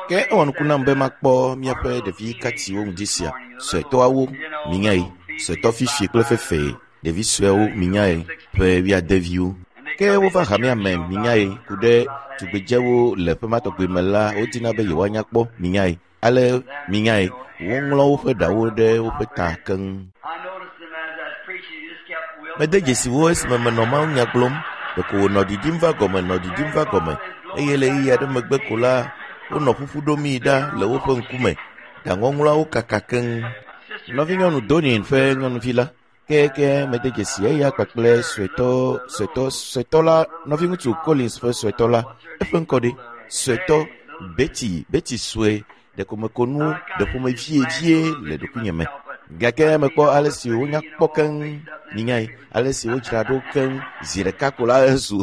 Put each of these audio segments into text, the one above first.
Ke ewɔ nuku nam be makpɔ míaƒe ɖevi katiwo ŋdi sia, suetɔawo, minyae, suetɔ fifi kple fefee, ɖevi suewo, minyae, ƒe wuiadeviwo. Ke wova hamea me, minyae, ku ɖe tugbedzewo le ƒe ma tɔgbi me la, wodina be yewoanya kpɔ, minyae. Ale, minyae, woŋlɔ woƒe ɖawo ɖe woƒe ta keŋ. Mede dzesi wo esime menɔ mawunya gblɔm. Ɖeko wònɔ ɖiɖim va gɔme, nɔ ɖiɖim va gɔme, eye le ɣeyiɣi aɖe megbe ko la, wonɔ ƒuƒu ɖomii ɖa le woƒe ŋkume. Ɖaŋɔŋlɔawo kaka keŋ. Nɔvinyɔnu Donin ƒe nyɔnuvi la, ke mede dzesi eya kpakple suetɔ, suetɔ, suetɔ la, nɔviŋutsu Collins ƒe suetɔ la, eƒe ŋkɔ ɖe? Suetɔ, Betty, Betty sue, ɖeko meko nu ɖe ƒomevie vie le ɖokuinye me. Gake mekpɔ ale si wonya kpɔ keŋ, minyae, ale si wodzra ɖo keŋ zi ɖeka ko la ezu.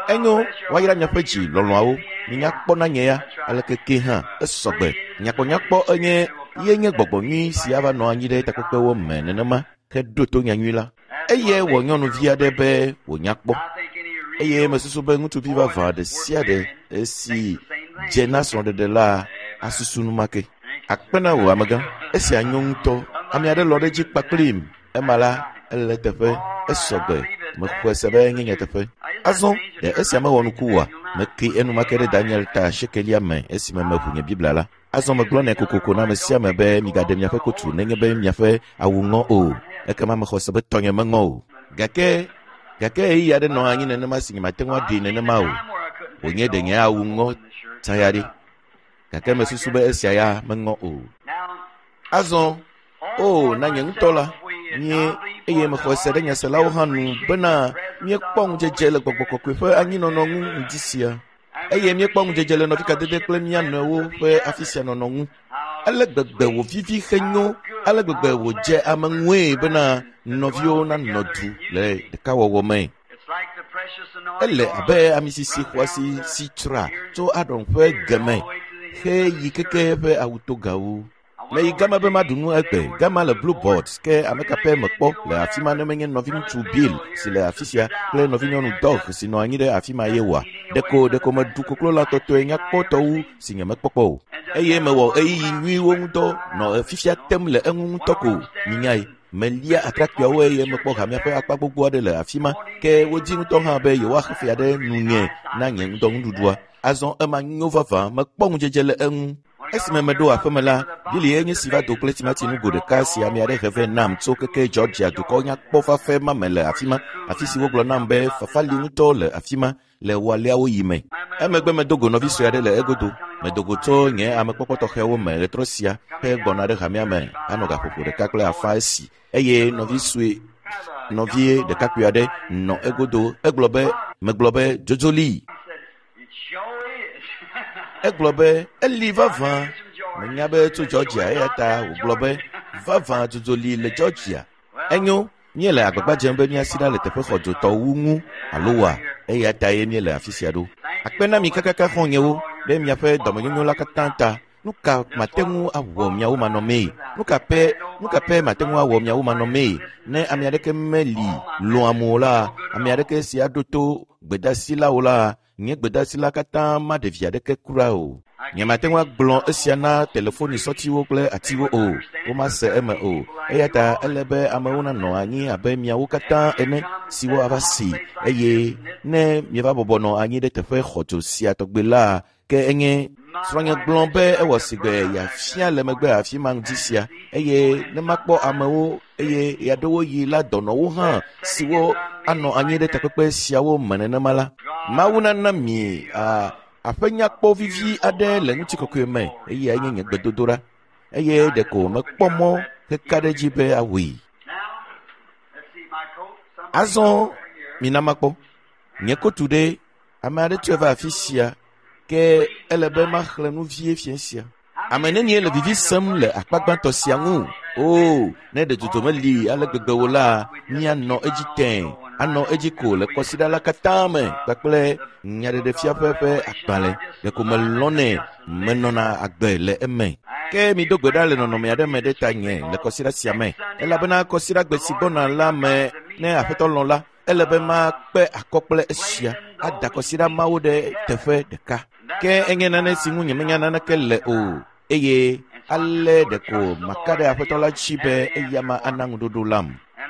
Enyo, woayra miaƒe dzi lɔlɔ̃awo. Minya kpɔ na nye ya, aleke ke hã, esɔgbe. Nyakpɔnyakpɔ enye ye nye gbɔgbɔ nyui si ava nɔ anyi ɖe takpekpewo me nenema heɖo to nyanyui la. Eye wɔ nyɔnuvi aɖe be wònya kpɔ. Eye mesusu be ŋutsuvi vavã ɖe sia ɖe si dze na srɔ̃ɖeɖe la asusu numake. Akpe na wò amegã. Esia nyo ŋutɔ. Ame aɖe lɔ ɖe edzi kpakplim. Ema la, ele eteƒe. Esɔgbe. Mexɔe se be enye nyateƒe. Azɔ, ɖe esia mewɔ nuku oa? Meke enumake ɖe Daniel ta asiekelia me esime meʋu nye Biblia la. Azɔ megblɔnɛ kokoko na ame sia ame be migaɖe miaƒe kotu nenye be miaƒe awu ŋɔ o. Ekema mexɔ se be tɔnye meŋɔ o. Gake, gake ɣeyiɣi aɖe nɔ anyi nenema si nyemate ŋu aɖee nenema o. Wònye ɖe nye awu ŋɔ tsã ya ɖe. Gake mesusu be esia ya meŋɔ o. Azɔ, o, na nye ŋutɔ la, mie, eye mexɔe se ɖe nyaselawo hã nu bena míekpɔ ŋudzedze le gbɔgbɔ kɔkɔe ƒe anyinɔnɔ ŋu ŋdi sia. Eye míekpɔ ŋudzedze le nɔvikadede kple mía nɔewo ƒe afi sia nɔnɔ ŋu. Ale gbegbe wòvivi henyo, ale gbegbe wòdze ame ŋue bena nɔviwo nanɔ du le ɖekawɔwɔ me. Ele abe amisisi xɔasi si tsra tso Aron ƒe geme heyi keke eƒe awutogawo. Meyi gama be maɖu nu egbe. Gama le Blue Board, ke ame ka pɛ mekpɔ le afi ma ne menye nɔviŋutsu Bill si le afi sia kple nɔvinyɔnu Doug si nɔ anyi ɖe afi ma ye oa? Ɖeko ɖeko meɖu koklolã tɔtɔe nyakpɔtɔ wu si nyemekpɔ kpɔ o. Eye mewɔ ɣeyiɣi nyuiwo ŋudɔ nɔ fifia tem le eŋu ŋutɔ ko. Minyae, melia atrakpuiawo eye mekpɔ hamea ƒe akpa gbogbo aɖe le afi ma, ke wodi ŋutɔ hã be yewoaxe fea ɖe nunye na nye ŋdɔnuɖuɖua. Azɔ ema nyo vavã, mekpɔ ŋudzedze le eŋu. Esime meɖo aƒeme la, Billy ye nye si va do kple timati nugo ɖeka si ame aɖe he vɛ nam tso keke Georgia dukɔ nyakpɔ fafɛ ma me le afi ma, afi si wogblɔ nam be fafa li ŋutɔ le afi ma le wɔaleawo yi me. Emegbe medo go nɔvi sue aɖe le egodo. Medo go tso nye amekpɔkpɔ tɔxɛwo me ɣetrɔ sia hegbɔna ɖe hamea me anɔ gaƒoƒo ɖeka kple afã esi eye nɔvi sue nɔvie ɖekakpui aɖe nɔ egodo. Egblɔ be, megblɔ be, dzodzo li. Egblɔ be, Eli vavã. Menya be tso Georgia eya ta wògblɔ be, Vavã dzodzo li le Georgia. Enyo, míele agbagba dzem be míasi ɖa le teƒe xɔdzotɔ wu ŋu, alo oa? Eya tae míele afi sia ɖo. Akpe na mi kakaka xɔ̃nyewo ɖe miaƒe dɔmenyonyo la katã ta. Nu ka mate ŋu awɔ miawo manɔmee? Nu ka pɛ, nu ka pɛ mate ŋu awɔ miawo manɔmee? Ne ame aɖeke meli lɔ̃am o la, ame aɖeke si aɖo to gbedasi la o la, nye gbedasi la katã maɖe vi aɖeke kura o. Nyemate ŋu agblɔ esia na telefoni sɔtiwo kple atiwo o, womase eme o. Eya ta ele be amewo nanɔ anyi abe miawo katã ene siwo ava si eye ne mieva bɔbɔ nɔ anyi ɖe teƒe xɔdzo sia tɔgbe la, Ke enye srɔ̃nye gblɔ be ewɔ sigbe yeafia le megbe afi ma ŋdi sia eye ne makpɔ amewo eye ɣeaɖewoɣi la dɔnɔwo hã siwo anɔ anyi ɖe takpekpe siawo me nenema la, Mawu nana mi a, aƒe nyakpɔ vivi aɖe le ŋutikɔkɔe me eyae nye nye gbedodoɖa eye ɖeko mekpɔ mɔ heka ɖe edzi be awɔe. Azɔ mina makpɔ nye kotu ɖe Ame aɖe tsɔe va afi sia, ke ele be maxlẽ nu vie fiẽ sia. Ame nenie le vivi sem le akpa gbãtɔ sia ŋu? Oo, ne ɖe dzodzo meli ale gbegbe o la, míanɔ edzi tẽe, anɔ edzi ko le kɔsiɖa la katã me kpakple Nyaɖeɖefia ƒe ƒe agbalẽ. Ɖeko melɔ̃nɛ, menɔna agbe le eme. Ke mido gbe ɖa le nɔnɔme aɖe me ɖe tanye le kɔsiɖa sia me, elabena kɔsiɖagbe si gbɔna la me, ne Aƒetɔ lɔ̃ la, ele be makpe akɔ kple esia ada kɔsiɖa mawo ɖe teƒe ɖeka. Ke enye nane si ŋu nyemenya naneke le o, eye ale ɖeko maka ɖe Aƒetɔ la dzi be eya ma ana ŋuɖoɖo lam.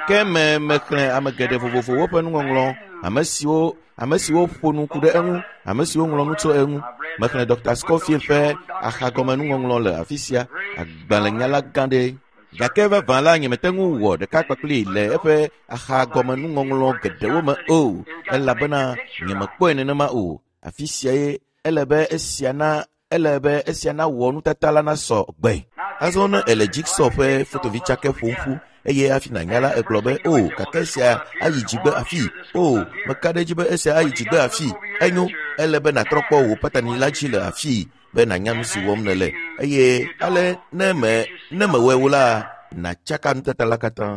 Ke me mexlẽ ame geɖe vovovowo ƒe nuŋɔŋlɔ, ame siwo ame siwo ƒo nu ku ɖe eŋu, ame siwo ŋlɔ nu tso eŋu. Mexlẽ Dr. Scofield ƒe axagɔmenuŋɔŋlɔ le afi sia, agbalẽnyala gã ɖe. Gake vavã la nyemete ŋu wɔ ɖeka kpakpli le eƒe axagɔmenuŋɔŋlɔ geɖewo me o, elabena nyemekpɔe nenema o. Afi siae ele be esia na ele be esia nawɔ nutata la nasɔ gbe. Azɔ ne ele jigsaw ƒe fotovitsake ƒom ƒu eye hafi nànya la egblɔ be o gake esia ayi dzigbe afi o meka ɖe edzi be esia ayi dzigbe afi enyo ele be nàtrɔ kpɔ wò patani la dzi le afii be nànya nu si wɔm nèle eye ale ne me ne mewɔe o la nàtsaka nutata la katã.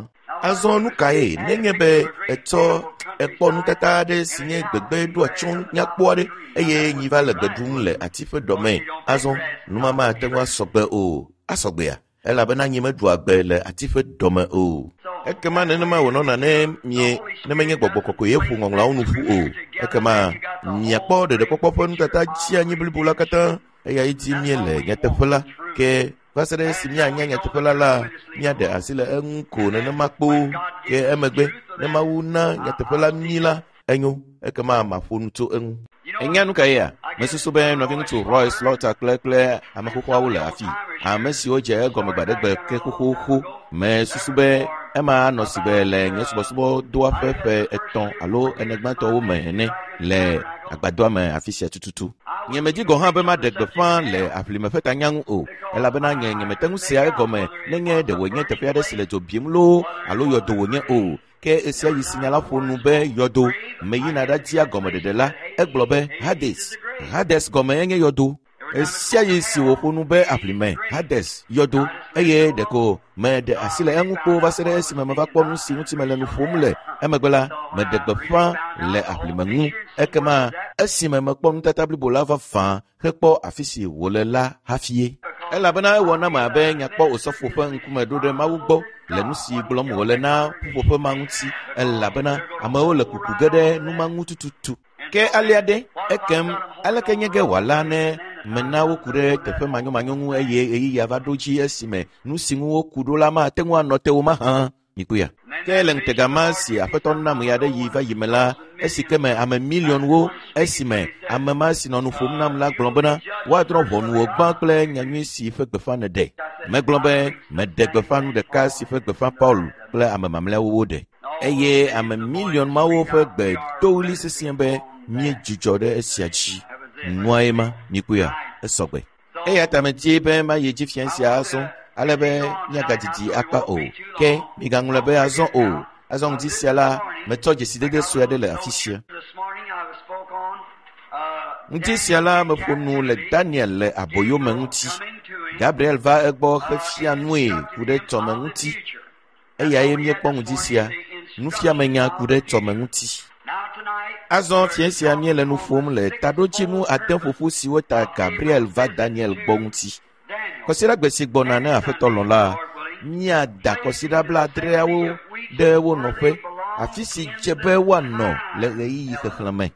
Azɔ nu kae nenye be ètsɔ ekpɔ nutata aɖe si nye gbegbe ɖo atsyɔ̃ nyakpɔ aɖe eye nyi va le gbe ɖum le ati ƒe ɖɔme. Azɔ numama ate ŋu asɔ gbe o. Asɔ gbea? Elabena nyi meɖua gbe le ati ƒe ɖɔme o. Ekema nenema wònɔna ne mie ne menye gbɔgbɔ kɔkɔe ye ƒo ŋɔŋlɔawo nu ƒu o. Ekema miakpɔ ɖeɖekpɔkpɔ ƒe nutata tsi anyi blibo la katã eyae dim míele nyateƒe la ke va se ɖe esi míanya nyateƒe la la míaɖe asi le eŋu ko nenema kpoo ke emegbe ne Mawu na nyateƒe la mí la enyo ekema maƒo nu tso eŋu. Ènya nu ka yea? Mesusu be nɔviŋutsu Roy Slaughter kple kple ame xoxoawo le afi. Ame siwo dze egɔme gbaɖegbe ke xoxoxo. Mesusu be ema anɔ si be le nye subɔsubɔdɔa ƒe ƒe etɔ̃ alo ene gbãtɔwo me ene le agbadɔa me afi sia tututu. Nyemedi gɔ̃ hã be maɖe gbeƒã le aʋlime ƒe tanya ŋu o, elabena nye nyemete ŋu sea egɔme nenye ɖe wònye teƒe aɖe si le dzo bim loo alo yɔdo wònye o. Ke ɣesiaɣi si nya la ƒo nu be yɔdo meyina ɖadia gɔmeɖeɖe la, egblɔ be Hades. Hades gɔme enye yɔdo. Ɣesiaɣi si wòƒo nu be aʋlime, Hades, yɔdo, eye ɖeko meɖe asi le eŋu kpoo va se ɖe esime meva kpɔ nu si ŋuti mele nu ƒom le. Emegbe la, meɖe gbeƒã le aʋlime ŋu. Ekema esime mekpɔ nutata blibo la vavã hekpɔ afi si wòle la hafie. Elabena ewɔ nam abe nyakpɔ osɔfo ƒe ŋkume ɖo ɖe Mawu gbɔ le nu si gblɔm wòle na ƒuƒoƒe ma ŋuti, elabena amewo le kuku ge ɖe nu ma ŋu tututu. Ke alea ɖe, ekem aleke nye ge wòala ne mena woku ɖe teƒe manyomanyo ŋu eye ɣeyiɣia va ɖo dzi esime nu si ŋu woku ɖo la mate ŋu anɔ te o mahã? Mikpɔea? Ke le ŋutega ma si Aƒetɔ nam ɣe aɖe yi va yi me la, esi ke me ame miliɔnwo, esime ame ma si nɔ nu ƒom nam la gblɔ bena, woadrɔ̃ ʋɔnu wò gbã kple nyanyui si ƒe gbeƒã nèɖe. Megblɔ be, meɖe gbeƒã nu ɖeka si ƒe gbeƒã Paul kple ame mamlɛawo woɖe. Eye ame miliɔn mawo ƒe gbe do ɣli sesĩe be, míedzudzɔ ɖe esia dzi. Nuae ma, mikpɔea? Esɔgbe. Eya ta medi be mayi edzi fia sia azɔ, ale be míagadidi akpa o. Ke migaŋlɔe be azɔ o. Azɔ ŋdi sia la, metsɔ dzesidede sue aɖe le afi sia. Ŋdi sia la, meƒo nu le Daniel le aboyome ŋuti. Gabriel va egbɔ hefia nue ku ɖe tsɔme ŋuti. Eyae míekpɔ ŋdi sia, nufiamenya ku ɖe tsɔme ŋuti. Azɔ fiẽ sia míele nu ƒom le taɖodzinu ade ƒoƒu siwo ta Gabriel va Daniel gbɔ ŋuti. Kɔsiɖagbe si gbɔna ne Aƒetɔ lɔ̃ la, míada kɔsiɖa blaadreawo ɖe wo nɔƒe, afi si dze be woanɔ le ɣeyiɣi xexlẽme.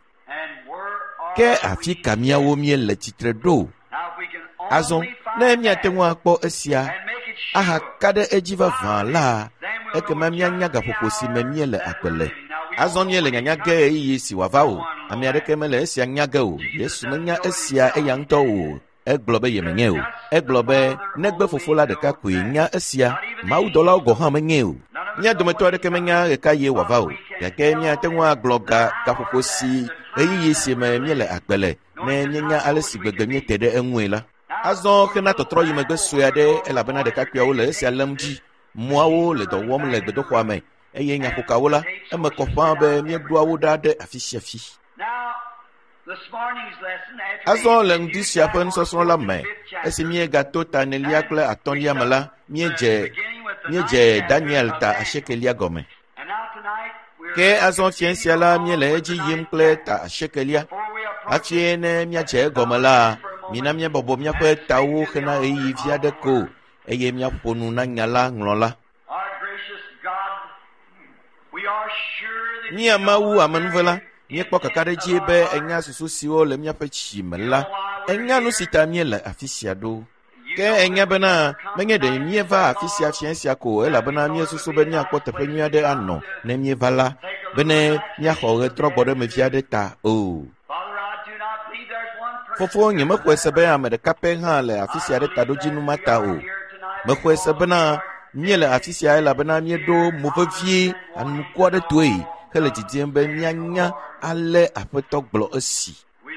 Ke afi ka míawo míele tsitre ɖo? Azɔ ne míate ŋu akpɔ esia ahaka ɖe edzi vavã la, ekema míanya gaƒoƒo si me míele agbe le. Azɔ míele nyanya ge ɣeyiɣi si wòava o. Ame aɖeke mele esia nya ge o. Yesu menya esia eya ŋutɔ o. Egblɔ be yemenyae o. Egblɔ be negbe Fofo la ɖeka koe nya esia. Mawudɔlawo gɔ̃ hã menyae o. Mía dometɔ aɖeke menya ɣekaɣie wòava o, gake míate ŋu agblɔ ga gaƒoƒo si ɣeyiɣi si me míele agbe le ne míenya ale si gbegbe míete ɖe eŋue la. Azɔ hena tɔtrɔ yi megbe sue aɖe elabena ɖekakpuiawo le esia lém dzi. Mɔawo le dɔ wɔm le gbedoxɔa me eye nyaƒokawo la, eme kɔ ƒãa be míeɖoa wo ɖa ɖe afi sia fi. Azɔ le ŋdi sia ƒe nusɔsrɔ̃ la me, esi míegato ta enelia kple atɔ̃lia me la, míedze míedze Daniel ta asiekelia gɔme. Ke azɔ fiẽ sia la, míele edzi yim kple ta asiekelia. Hafi ne míadze egɔme la, mina míabɔbɔ míaƒe tawo hena ɣeyiɣi vi aɖe ko eye míaƒo nu na nya la ŋlɔla. Mía Mawu amenuvela, Míekpɔ kakaɖedzi be enya susu siwo le míaƒe tsi me la, enya nu si ta míele afi sia ɖo. Ke enya bena menye ɖe míeva afi sia fiẽ sia ko elabena míesusu be míakpɔ teƒe nyui aɖe anɔ ne míeva la, bene míaxɔ ɣetrɔgbɔɖemevi aɖe ta o. Fofo, nyemexɔe se be ame ɖeka pɛ hã le afi sia ɖe taɖodzinu ma ta o. Mexɔe se bena míele afi sia elabena míeɖo mo vevie anuku aɖe toe hele didim be míanya ale Aƒetɔ gblɔ esi.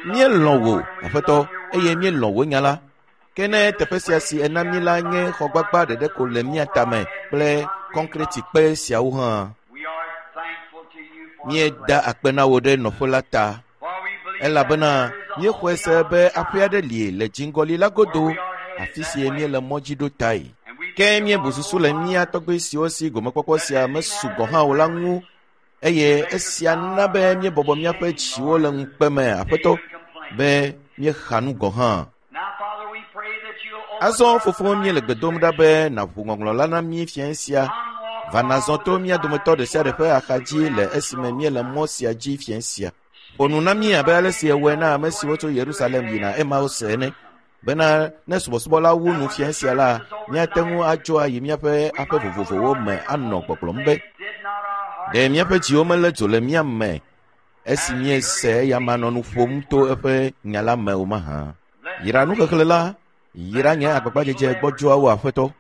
Míelɔ̃ wò, Aƒetɔ, eye míelɔ̃ wò nya la. Ke ne teƒe sia si ena mí la nye xɔgbagba ɖeɖe ko le mía tame kple kɔnkretikpe siawo hã, míeda akpe na wò ɖe nɔƒe la ta, elabena míexɔe se be aƒe aɖe li le dziŋgɔli la godo, afi si míele mɔ dzi ɖo tae. Ke míebu susu le mía tɔgbui siwo si gomekpɔkpɔ sia mesu gɔ̃ hã o la ŋu eye esia na be míebɔbɔ míaƒe dziwo le ŋukpe me, Aƒetɔ, be míexa nu gɔ̃ hã. Azɔ fofo míele gbe dom ɖa be nàʋu ŋɔŋlɔ la na mí fiẽ sia. Va nàzɔ to mía dometɔ ɖe sia ɖe ƒe axa dzi le esime míele mɔ sia dzi fiẽ sia. Ƒo nu na mí abe ale si èwɔe na ame siwo tso Yerusalem yina Emaus ene bena ne subɔsubɔ la wu nu fiẽ sia la, míate ŋu adzo ayi míaƒe aƒe vovovowo me anɔ gbɔgblɔm be, ɖe míaƒe dziwo melé dzo le mía me esi míese eyama nɔ nu ƒom to eƒe nya la me o mahã. Yra nuxexlẽ la, yra nye agbagbadzedze gbɔdzɔawo Aƒetɔ.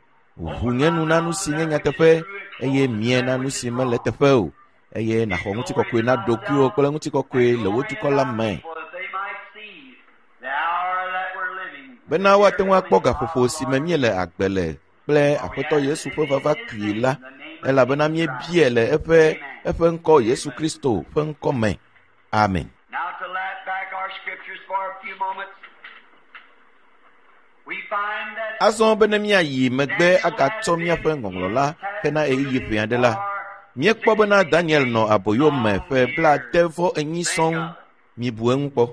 Ʋu nye nu na nu si nye nyateƒe eye mie na nu si mele teƒe o eye nàxɔ ŋutikɔkɔe na ɖokuiwò kple ŋutikɔkɔe le wò dukɔ la me. Bena woate ŋu akpɔ gaƒoƒo si me míele agbe le kple Aƒetɔ Yesu ƒe vava kpuie la, elabena míebiae le eƒe eƒe ŋkɔ Yesu Kristo ƒe ŋkɔ me. Amen. Now to lap back our scriptures for a few moments, we find that Azɔ be ne míayi megbe agatsɔ míaƒe ŋɔŋlɔ la hena ɣeyiɣi ʋɛ aɖe la, míekpɔ bena Daniel nɔ aboyo me ƒe 94 sɔŋ. Mibu eŋu kpɔ.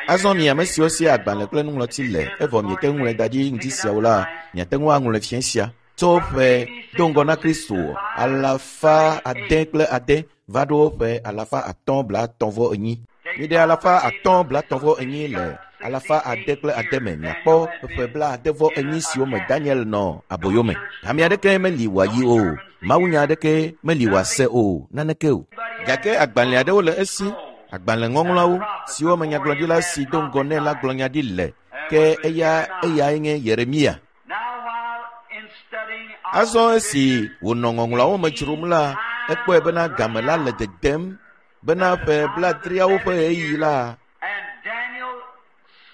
Azɔ mi ame siwo si agbalẽ kple nuŋlɔti le evɔ miete ŋu ŋlɔe da ɖi ŋdi siawo la, miate ŋu aŋlɔe fiẽ sia. Tso ƒe do ŋgɔ na Kristo 606 va ɖo ƒe 534. Miɖe 534 le 606 me miakpɔ ƒe 94 siwo me Daniel nɔ aboyo me. Ame aɖeke meli wòayi o, mawunya aɖeke meli wòase o, naneke o. Gake agbalẽ aɖewo le esi, agbalẽ ŋɔŋlɔawo siwo me nyagblɔɖila si do ŋgɔ nɛ la gblɔ nya ɖi le, ke eya eyae nye Yeremia. now while in studying our Azɔ esi wònɔ ŋɔŋlɔawo me dzrom la, ekpɔe bena game la le dedem bena ƒe 70 ƒe ɣeyiɣi la, and Daniel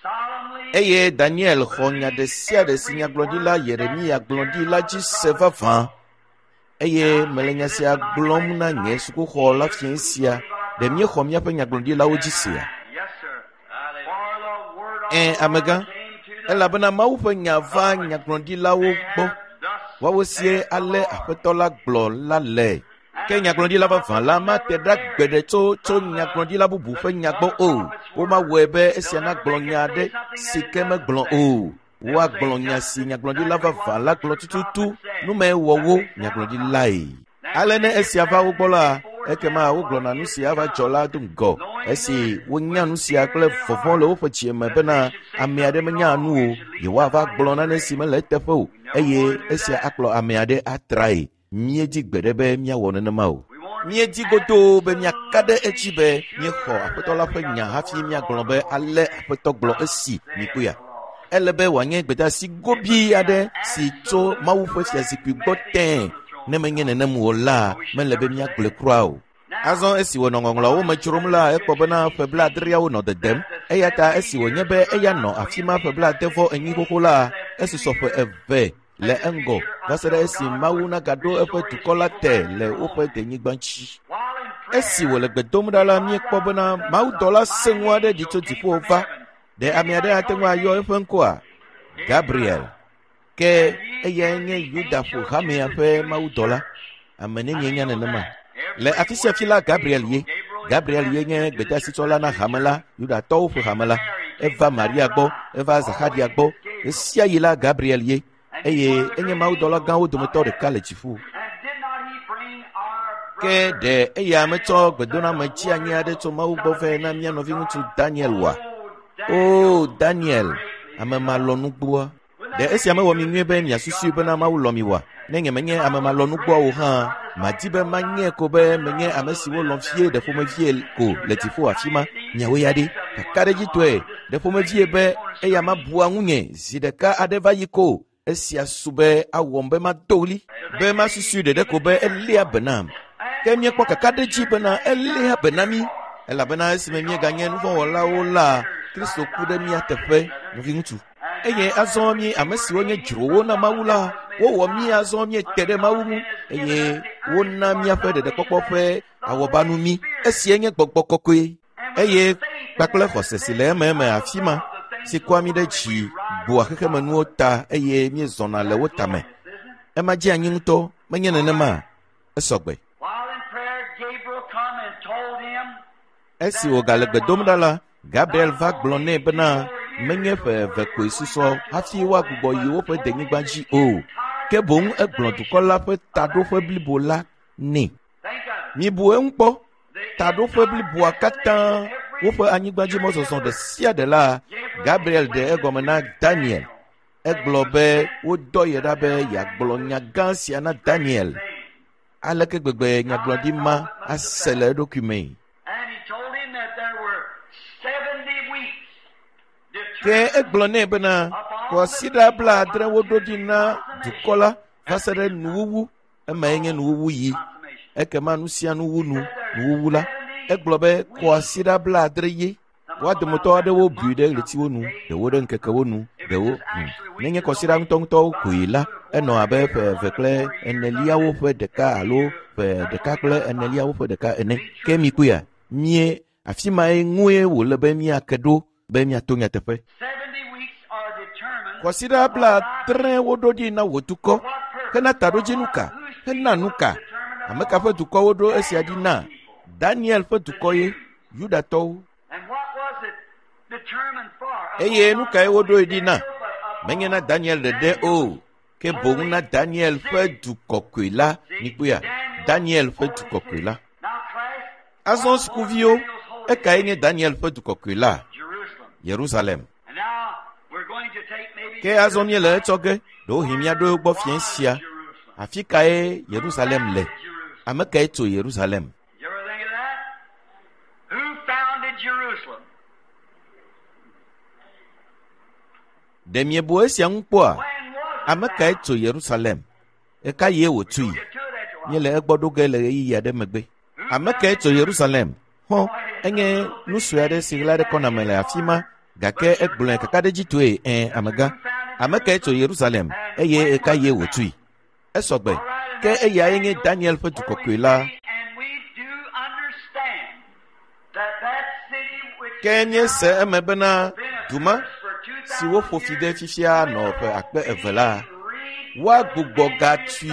solemnly eye Daniel xɔ nya ɖe sia ɖe si nyagblɔɖila Yeremia gblɔ ɖi la dzi se vavã. Eye mele nya sia gblɔm na nye sukuxɔ la fiẽ sia, ɖe míexɔ míaƒe nyagblɔɖilawo dzi sea? Yes, sir. For the word of Ẽ, the amegã, Lord came to the elabena Mawu ƒe nya va nyagblɔɖilawo gbɔ. Woawo sie ale Aƒetɔ la gblɔ la le. Ke nyagblɔɖila vavã la mate ɖa gbeɖe tso tso nyagblɔɖila bubu ƒe nya gbɔ o. Womawɔe be esia nagblɔ nya aɖe si ke megblɔ o. Woagblɔ nya si nyagblɔɖila vavã la gblɔ tututu nume wɔ wo nyagblɔɖilae. Ale ne esia va wo gbɔ la, ekema wogblɔna nu si ava dzɔ la do ŋgɔ esi wonya nu sia kple vɔvɔ̃ le woƒe dzi me bena ame aɖe menya nu o, yewoava gblɔ nane si mele eteƒe o eye esia akplɔ ame aɖe atrae. Míedi gbeɖe be míawɔ nenema o. Míedi godoo be míaka ɖe edzi be míexɔ Aƒetɔ la ƒe nya hafi míagblɔ be ale Aƒetɔ gblɔ esi mikpɔea. Ele be wòanye gbedeasi gobii aɖe si tso Mawu ƒe fiazikpui gbɔ tẽe. Ne menye nenem o la, mele be míagblɔe kura o. Azɔ esi wònɔ ŋɔŋlɔawo me dzrom la, ekpɔ bena ƒe 70 nɔ dedem. Eya ta esi wònye be eya nɔ afi ma ƒe 94 xoxo la, esusɔ ƒe 2 le eŋgɔ va se ɖe esi Mawu nagaɖo eƒe dukɔ la te le woƒe denyigba dzi. Esi wòle gbe dom ɖa la, míekpɔ bena mawudɔla sẽŋu aɖe ɖi tso dziƒo va. Ɖe ame aɖe ate ŋu ayɔ eƒe ŋkɔa? Gabriel. Ke eyae nye Yuda ƒo hamea ƒe mawudɔla. Ame nenie nya nenema? Le afi sia fi la, Gabriel ye. Gabriel ye nye gbedeasitsɔla na hame la, Yudatɔwo ƒe hame la. Eva Maria gbɔ, eva Zaxaria gbɔ. Ɣesiaɣi la, Gabriel ye. Eye enye mawudɔla gãwo dometɔ ɖeka le dziƒo. And did not he bring our Ke ɖe eya metsɔ gbedoname tsi anyi aɖe tso Mawu gbɔ vɛ na mía nɔviŋutsu Daniel oa? O Daniel, ame malɔ̃nugbɔa. Ɖe esia mewɔ mi nyuie be miasusui bena Mawu lɔ̃ mi oa? Ne nyemenye ame malɔ̃nugbɔa o hã, madi be manye ko be menye ame siwo lɔ̃ vie ɖe ƒomevie ko le dziƒo afi ma. Miawo ya ɖe, kakaɖedzitɔe, ɖe ƒomevie be eya mabua ŋunye zi ɖeka aɖe va yi ko. Esia su be awɔm be mado ɣli, be masusui ɖeɖe ko be eléa be nam. Ke míekpɔ kakaɖedzi bena eléa be na mí, elabena esime míeganye nuvɔ̃wɔlawo la, Kristo ku ɖe mía teƒe, nɔviŋutsu. Eye azɔ mí ame siwo nye dzrowo na Mawu la, wowɔ mí azɔ míete ɖe Mawu ŋu eye wona míaƒe ɖeɖekpɔkpɔ ƒe awɔbanu mí. Esia nye gbɔgbɔ kɔkɔe eye kpakple xɔse si le ememe afi ma, si kɔa mí ɖe dzi bua xexemenuwo ta eye míezɔna le wo tame. Ema dze anyi ŋutɔ, menye nenema? Esɔgbe. While in prayer, Gabriel come and told him Esi wògale gbe dom ɖa la, Gabriel va gblɔ nɛ bena menye ƒe eve koe susɔ hafi woagbugbɔ yi woƒe denyigba dzi o, ke boŋ egblɔ dukɔ la ƒe taɖoƒe blibo la nɛ. Think of it. Mibu eŋu kpɔ, taɖoƒe bliboa katã, woƒe anyigbadzimɔzɔzɔ ɖe sia ɖe la, Gabriel ɖe egɔme na Daniel. Egblɔ be wodɔ ye ɖa be yeagblɔ nya gã sia na Daniel. Aleke gbegbe nyagblɔɖi ma ase le eɖokui mee? And he told him that there were 70 weeks Ke egblɔ nɛ bena kɔsiɖa 70 woɖo ɖi na dukɔ la va se ɖe nuwuwu. Emae nye nuwuwu yi. Ekema nu sia nu wu nu, nuwuwu la. Egblɔ be kɔsiɖa 70 ye. Woa dometɔ aɖewo bui ɖe ɣletiwo nu, ɖewo ɖe ŋkekewo nu, ɖewo Nenye kɔsiɖa ŋutɔŋutɔwo koe la, enɔ abe ƒe eve kple eneliawo ƒe ɖeka alo ƒe ɖeka kple eneliawo ƒe ɖeka ene. Ke mi kpɔea, mie afi mae ŋue wòle be míake ɖo be míato nyateƒe. 70 weeks are determined Kɔsiɖa 70 woɖo ɖi na wò dukɔ. Hena taɖodzinu ka? Hena nu ka? Ame ka ƒe dukɔ woɖo esia ɖi na? Daniel ƒe dukɔ ye, Yudatɔwo. And what was it determined for? Eye nu kae woɖoe ɖi na? Menye na Daniel ɖeɖe o, ke boŋ na Daniel ƒe du kɔkɔe la. Mikpɔea, Daniel ƒe du kɔkɔe la. Now, class, Azɔ sukuviwo, ekae nye Daniel ƒe du kɔkɔe la? Jerusalem. Yerusalem. And now we're going to take maybe Ke azɔ míele etsɔ ge, ɖewohĩ míaɖo egbɔ fiẽ sia. Jerusalem. Afi kae Yerusalem le? Jerusalem. Ame kae tso Yerusalem? You ever think of that? Who founded Jerusalem? Ɖe miebu esia ŋu kpɔa? When was it Ame kae tso Yerusalem? Eka ye wòtui? Get to it after a while. Míele egbɔ ɖo ge le ɣeyiɣi aɖe megbe. Ame kae tso Yerusalem? Hɔ, enye nu sue aɖe si ɣla ɖe kɔna me le afi ma, gake egblɔe kakaɖedzitɔe ẽ amegã. Ame kae tso Yerusalem eye eka ye wòtui? Esɔgbe. Ke eyae nye Daniel ƒe du kɔkɔe la. And we do understand that that city which Ke míese eme bena du ma si woƒo fi de fifia nɔ ƒe 2000 la, woagbugbɔ gatui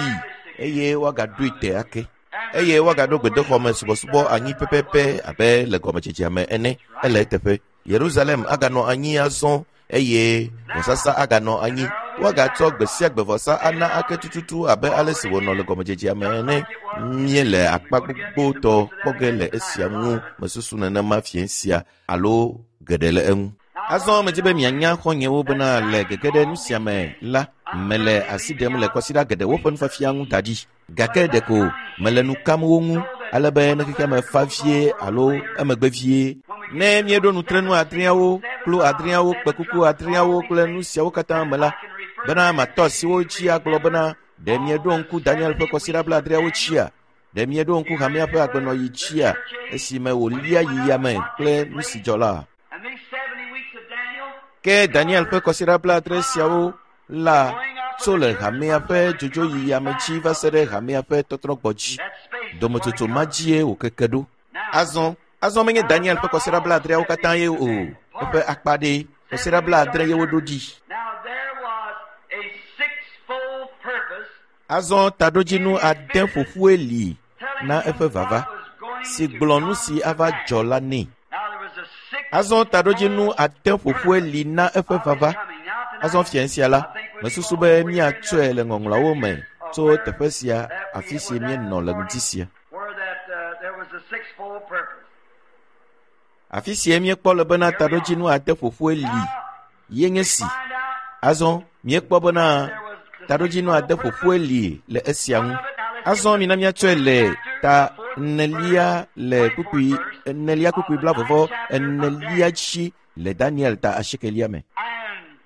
eye woagaɖoe te ake. Eye woagaɖo gbedoxɔ me subɔsubɔ anyi pɛpɛpɛ abe le gɔmedzedzea me ene. Ele eteƒe. Yerusalem aganɔ anyi azɔ eye vɔsasa aganɔ anyi. Woagatsɔ gbe sia gbe vɔsa ana ake tututu abe ale si wònɔ le gɔmedzedzea me ene. Míele akpa gbogbotɔ kpɔ ge le esia ŋu mesusu nenema fiẽ sia alo geɖe le eŋu. Azɔ medi be mianya xɔ̃nyewo bena le gege ɖe nu sia me la, mele asi ɖem le kɔsiɖa geɖewo ƒe nufiafia ŋu da ɖi. Gake ɖeko mele nu kam wo ŋu ale be ne xexea me fa vie alo emegbe vie. Ne míeɖo nutrenu adreawo, kplu adreawo, kpekuku adreawo kple nu siawo katã me la, bena matɔ asi wo dzi agblɔ bena ɖe mieɖo ŋku Daniel ƒe kɔsiɖa 70 dzia? Ɖe mieɖo ŋku hamea ƒe agbenɔɣi dzia esime wòlia yi yame kple nu si dzɔ la? And these 70 weeks of Daniel Ke Daniel ƒe kɔsiɖa 70 siawo la tso le hamea ƒe dzodzoyi yame dzi va se ɖe hamea ƒe tɔtrɔgbɔ dzi. that space. Dometsotso ma dzie wòkeke ɖo. Azɔ, azɔ menye Daniel ƒe kɔsiɖa 70 katã ye o, eƒe akpa ɖee. Kɔsiɖa 70 ye woɖo ɖi. Now there was a sixfold purpose Azɔ taɖodzinu ade ƒoƒue li na eƒe vava, si gblɔ nu si ava dzɔ la nɛ. Now there was a six Azɔ taɖodzinu ade ƒoƒue li na eƒe vava. Azɔ fiẽ sia la, mesusu be míatsɔe le ŋɔŋlɔawo me tso teƒe sia afi si míenɔ le ŋdi sia. where sixfold purpose. Afi sie míekpɔ le bena taɖodzinu ade ƒoƒoe li ye nye si. Azɔ míekpɔ bena taɖodzinu ade ƒoƒoe li le esia ŋu. Azɔ mina míatsɔe le ta enelia le kpukpui enelia kpukpui blavɔvɔ enelia dzi le Daniel ta asiekelia me. And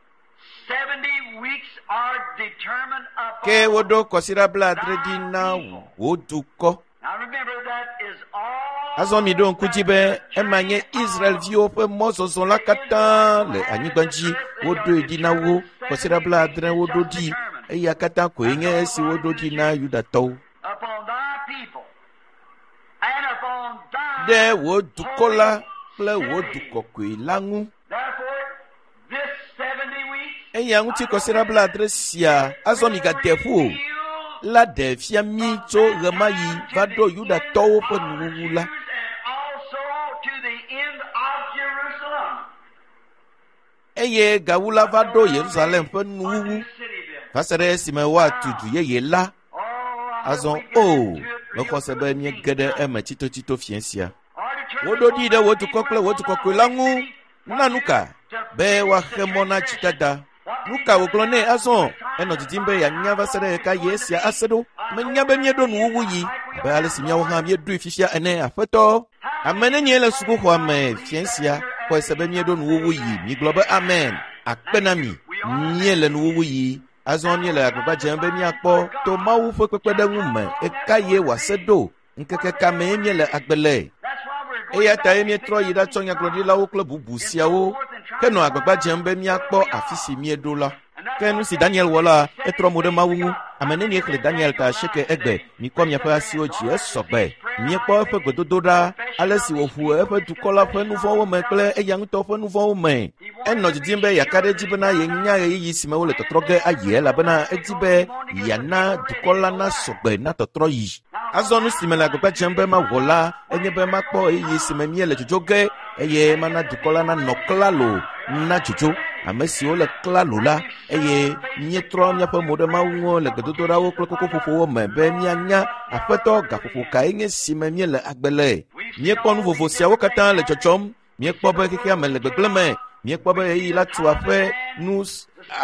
70 weeks are determined upon. Ke woɖo kɔsiɖa blaadre ɖi na wò dukɔ. Now remember that is all. Azɔ miɖo ŋku dzi be ema nye Israelviwo ƒe mɔzɔzɔ la katã le anyigba dzi. Woɖoe ɖi na wo kɔsiɖa blaadre woɖo ɖi. Eya katã koe nye esi woɖo ɖi na Yudatɔwo. Upon thy people and upon thy. Ɖe wò dukɔ la kple wò du kɔkɔe la ŋu. Therefore, this 70 weeks. Eya ŋuti kɔsiɖa blaadre sia azɔ migade ƒu o la ɖe fia mí tso ɣemaɣi va ɖo Yudatɔwo ƒe nuwuwu la. And also to the end of Jerusalem. Eye gawu la va ɖo Yerusalem ƒe nuwuwu New city built. va se ɖe esime woatu du yeye la. Oh, I Azɔ hope we get o, into it real mexɔ se be quick. míege ɖe eme tsitotsito fiẽ sia. Or determine Woɖo ɖi ɖe wò upon dukɔ kple wò du kɔkɔe la ŋu na nu ka? Be woaxe mɔ na dzidada. Nu ka wògblɔ nɛ azɔ? Enɔ didim be yeanya va se ɖe ɣeka ɣi esia ase ɖo. Menya be míeɖo nuwuwu yi abe ale si míawo hã míeɖoe fifia ene, aƒetɔ. Ame nenie le sukuxɔa me fiẽ sia xɔe se be míeɖo nuwuwu yi? Migblɔ be amen. Akpe na mi. Míele nuwuwu yi. Azɔ míele agbagba dzem be míakpɔ to Mawu ƒe kpekpeɖeŋu me ɣeka ɣie wòase ɖo. Ŋkeke ka mee míele agbe le? That's why we're going Eya back tae to míetrɔ yi ɖatsɔ nyagblɔɖilawo kple bubu siawo henɔ agbagba dzem be míakpɔ afi si míeɖo la. Ke nu si Daniel wɔ la, etrɔ mo ɖe Mawu ŋu. Ame nenie xlẽ Daniel ta asieke egbe? Mikɔ miaƒe asiwo dzi esɔgbe. Míekpɔ eƒe gbedodoɖa, ale si wòʋu eƒe dukɔ la ƒe nu vɔ̃wo me kple eya ŋutɔ ƒe nu vɔ̃wo me. Enɔ didim be yeaka ɖe edzi bena yenya ɣeyiɣi si me wole tɔtrɔ ge ayi elabena edi be yeana dukɔ la nasɔgbe na tɔtrɔ yi. Azɔ nu si mele agbagba dzem be mawɔ la enye be makpɔ ɣeyiɣi si me míele dzodzo ge eye mana dukɔ la nanɔ klalo na dzodzo. Ame siwo le klalo la eye míetrɔ míaƒe mo ɖe Mawu ŋu le gbedodoɖawo kple kokoƒoƒowo me be míanya aƒetɔ gaƒoƒo kae nye si me míele agbe le. Míekpɔ nu vovo siawo katã le dzɔdzɔm. Míekpɔ be xexea me le gbegblẽ me. Míekpɔ be ɣeyiɣi la tu aƒe nu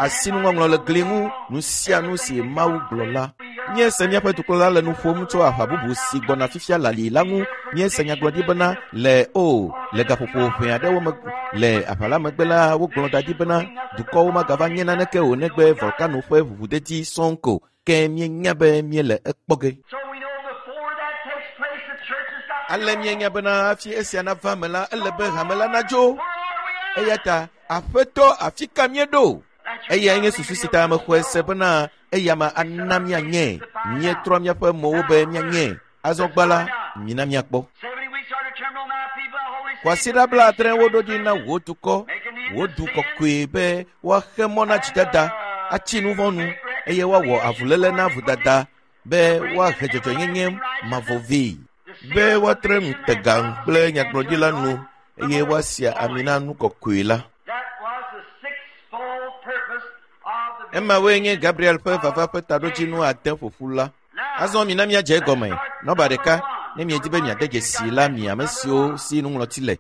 asinuŋɔŋlɔ le gli ŋu nu sia nu si Mawu gblɔ la. Míese míaƒe dukplɔla le nu ƒom tso aʋa bubu si gbɔna fifia lali la ŋu. Míese nyagblɔɖi bena le o le gaƒoƒo ʋɛ aɖewo me le aʋa la megbe la wogblɔ da ɖi bena dukɔwo magava nye naneke o negbe volkano ƒe ʋuʋudedi sɔŋ ko. Ke míenya be míele ekpɔ ge. So we know before that takes place, the church has got to Ale go. míenya bena hafi esia nava me la, ele be hame la nadzo. Where are we at? Eya ta aƒetɔ afi ka míeɖo? Eyae nye susu si ta mexɔe se bena eya ma ana míanye. Míetrɔ míaƒe mowo be míanye. Azɔ gbã la, mina míakpɔ. 70 weeks are determined on thy people, thy holy city. Kwasiɖa blaadre woɖo ɖi na wò dukɔ, wò du kɔkɔe be woaxe mɔ na dzidada, atsi nu vɔ̃ nu eye woawɔ avuléle na vodada be woahe dzɔdzɔenyenye mavɔ vɛ. Be woatre ŋutega kple nyagblɔɖila nu eye woasia ami na nu kɔkɔe la. That was the sixfold purpose of the Emawoe nye Gabriel ƒe vava ƒe taɖodzinu ade ƒoƒu la. Azɔ mina míadze egɔme. Nɔba ɖeka, ne miedi be miade dzesi la mi ame siwo si nuŋlɔti le.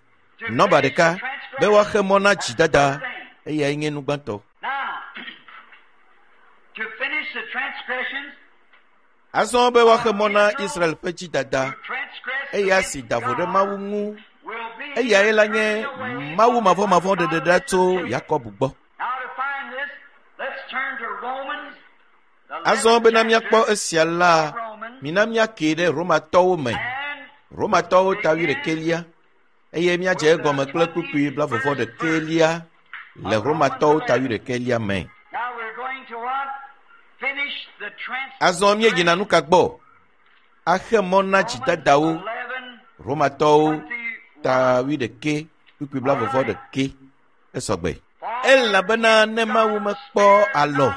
Nɔba ɖeka, be woaxe mɔ na dzidada, eyae nye nu gbãtɔ. Now, to finish the transgressions, Azɔ be woaxe mɔ na Israel ƒe dzidada, to transgress eya si da vo ɖe Mawu ŋu, will be eyae la nye Mawu mavɔmavɔ ɖeɖeɖa tso Yakob gbɔ. Now to find this, let's turn to Romans. The Azɔ 11th bena míakpɔ chapter, esia la, Romans, mina míakee ɖe Romatɔwo me. and Romatɔwo ta wuiɖekɛlia eye míadze egɔme kple kpukpui blavɔvɔ ɖekɛlia le Romatɔwo ta wuiɖekɛlia me. now we're going to what? Finish the trans. Azɔ míeyina nu ka gbɔ? Axe mɔ na dzidadawo. 11, Romatɔwo ta wuiɖekɛ kpukpui blavɔvɔ ɖekɛ esɔgbe. Elabena ne Mawu mekpɔ alɔ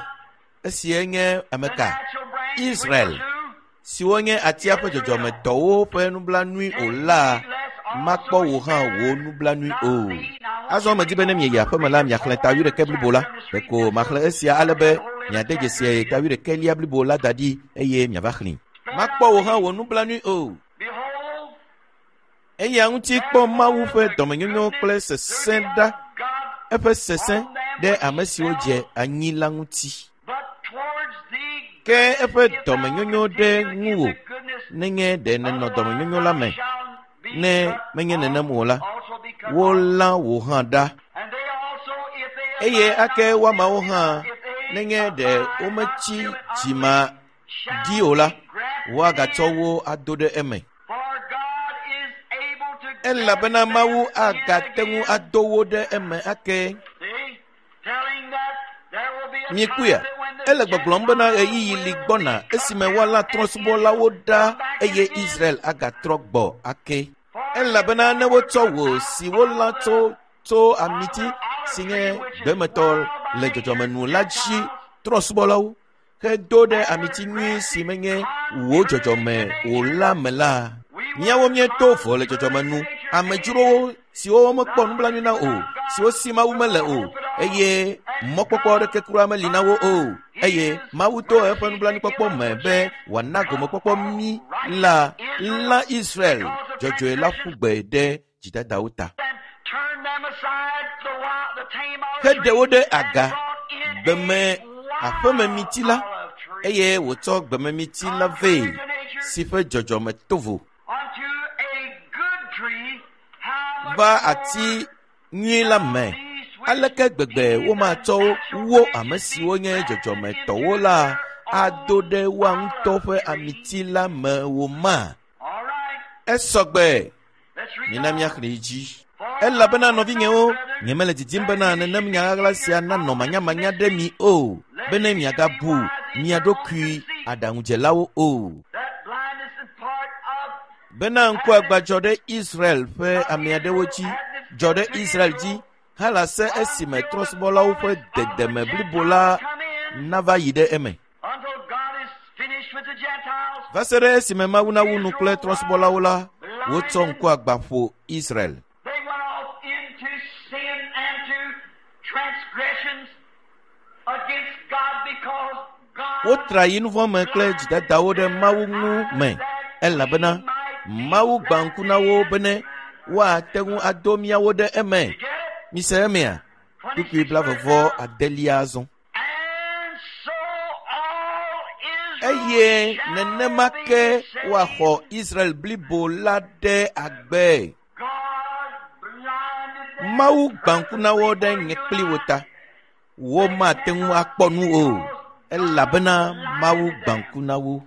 esie nye ame the ka? natural branch, Israel. which do, Siwo nye atia ƒe dzɔdzɔmetɔwo ƒe nublanui o la, makpɔ wò hã wò nublanui o. Azɔ medi be ne mieyi aƒeme la miaxlẽ ta wuiɖekɛ blibo la. Ɖeko maxlẽ esia ale be miade dzesi ta wuiɖekɛlia blibo la da ɖi eye miava xlẽe. Makpɔ wò hã wò nublanui o. Behold, Eya ŋuti kpɔ Mawu ƒe dɔmenyonyo kple sesẽ ɖa, eƒe sesẽ ɖe ame siwo dze anyi la ŋuti. Ke eƒe dɔmenyonyo ɖe ŋuwò nenye ɖe nènɔ dɔmenyonyo la me. Ne menye nenem o la, wolã wò hã ɖa. Eye ake woamawo hã nenye ɖe wometsi dzima ɖi o la, woagatsɔ wo ado ɖe eme. Elabena Mawu agate ŋu ado wo ɖe eme ake. Miekpɔea? Ele gbɔgblɔm bena ɣeyiɣi li gbɔna esime woalã trɔ̃subɔlawo ɖa eye Israel agatrɔ gbɔ ake. Elabena ne wotsɔ wò si wolã tso tso amiti si nye gbemetɔ le dzɔdzɔme nu la dzi trɔ̃subɔlawo hedo ɖe amiti nyui si menye wò dzɔdzɔme o la me la, míawo míeto vo le dzɔdzɔme nu, amedzrowo siwo womekpɔ nublanui na o, siwo si Mawu mele o, eye mɔkpɔkpɔ aɖeke kura meli na wo o, eye Mawu to eƒe nublanuikpɔkpɔ me be wòana gomekpɔkpɔ mí la, lã Israel dzɔdzɔe la ƒu gbe ɖe dzidadawo ta. Heɖe wo ɖe aga gbeme aƒememiti la, eye wòtsɔ gbememiti la vɛ si ƒe dzɔdzɔme to vo va ati nyui la me. Aleke gbegbe womatsɔ wo ame siwo nye dzɔdzɔmetɔwo la ado ɖe woa ŋutɔ ƒe amiti la me wo ma? Esɔgbe. Mina míaxlẽe dzi. Elabena nɔvinyewo, nyemele didim bena nenem nya ɣaɣla sia nanɔ manyamanya ɖe mi o, bene miagabu mia ɖokui aɖaŋudzelawo o. Bena ŋkuagbã dzɔ ɖe Israel ƒe ame aɖewo dzi, dzɔ ɖe Israel dzi halase esime trɔ̃subɔlawo ƒe dedeme blibo la nava yi ɖe eme. Va se ɖe esime Mawu nawu nu kple trɔ̃subɔlawo la, wotsɔ ŋkuagbã ƒo Israel. Wotra yi nuvɔ̃ me kple dzidadawo ɖe Mawu ŋu me, elabena Mawu gbã ŋku na wo bene woate ŋu ado míawo ɖe eme. Mise emea? Kpukpui blaeve adelia azɔ. Eye nenema ke woaxɔ Israel blibo la ɖe agbe. Mawu gbã ŋku na wo ɖe nye kpli wo ta. Womate ŋu akpɔ nu o, elabena Mawu gbã ŋku na wo.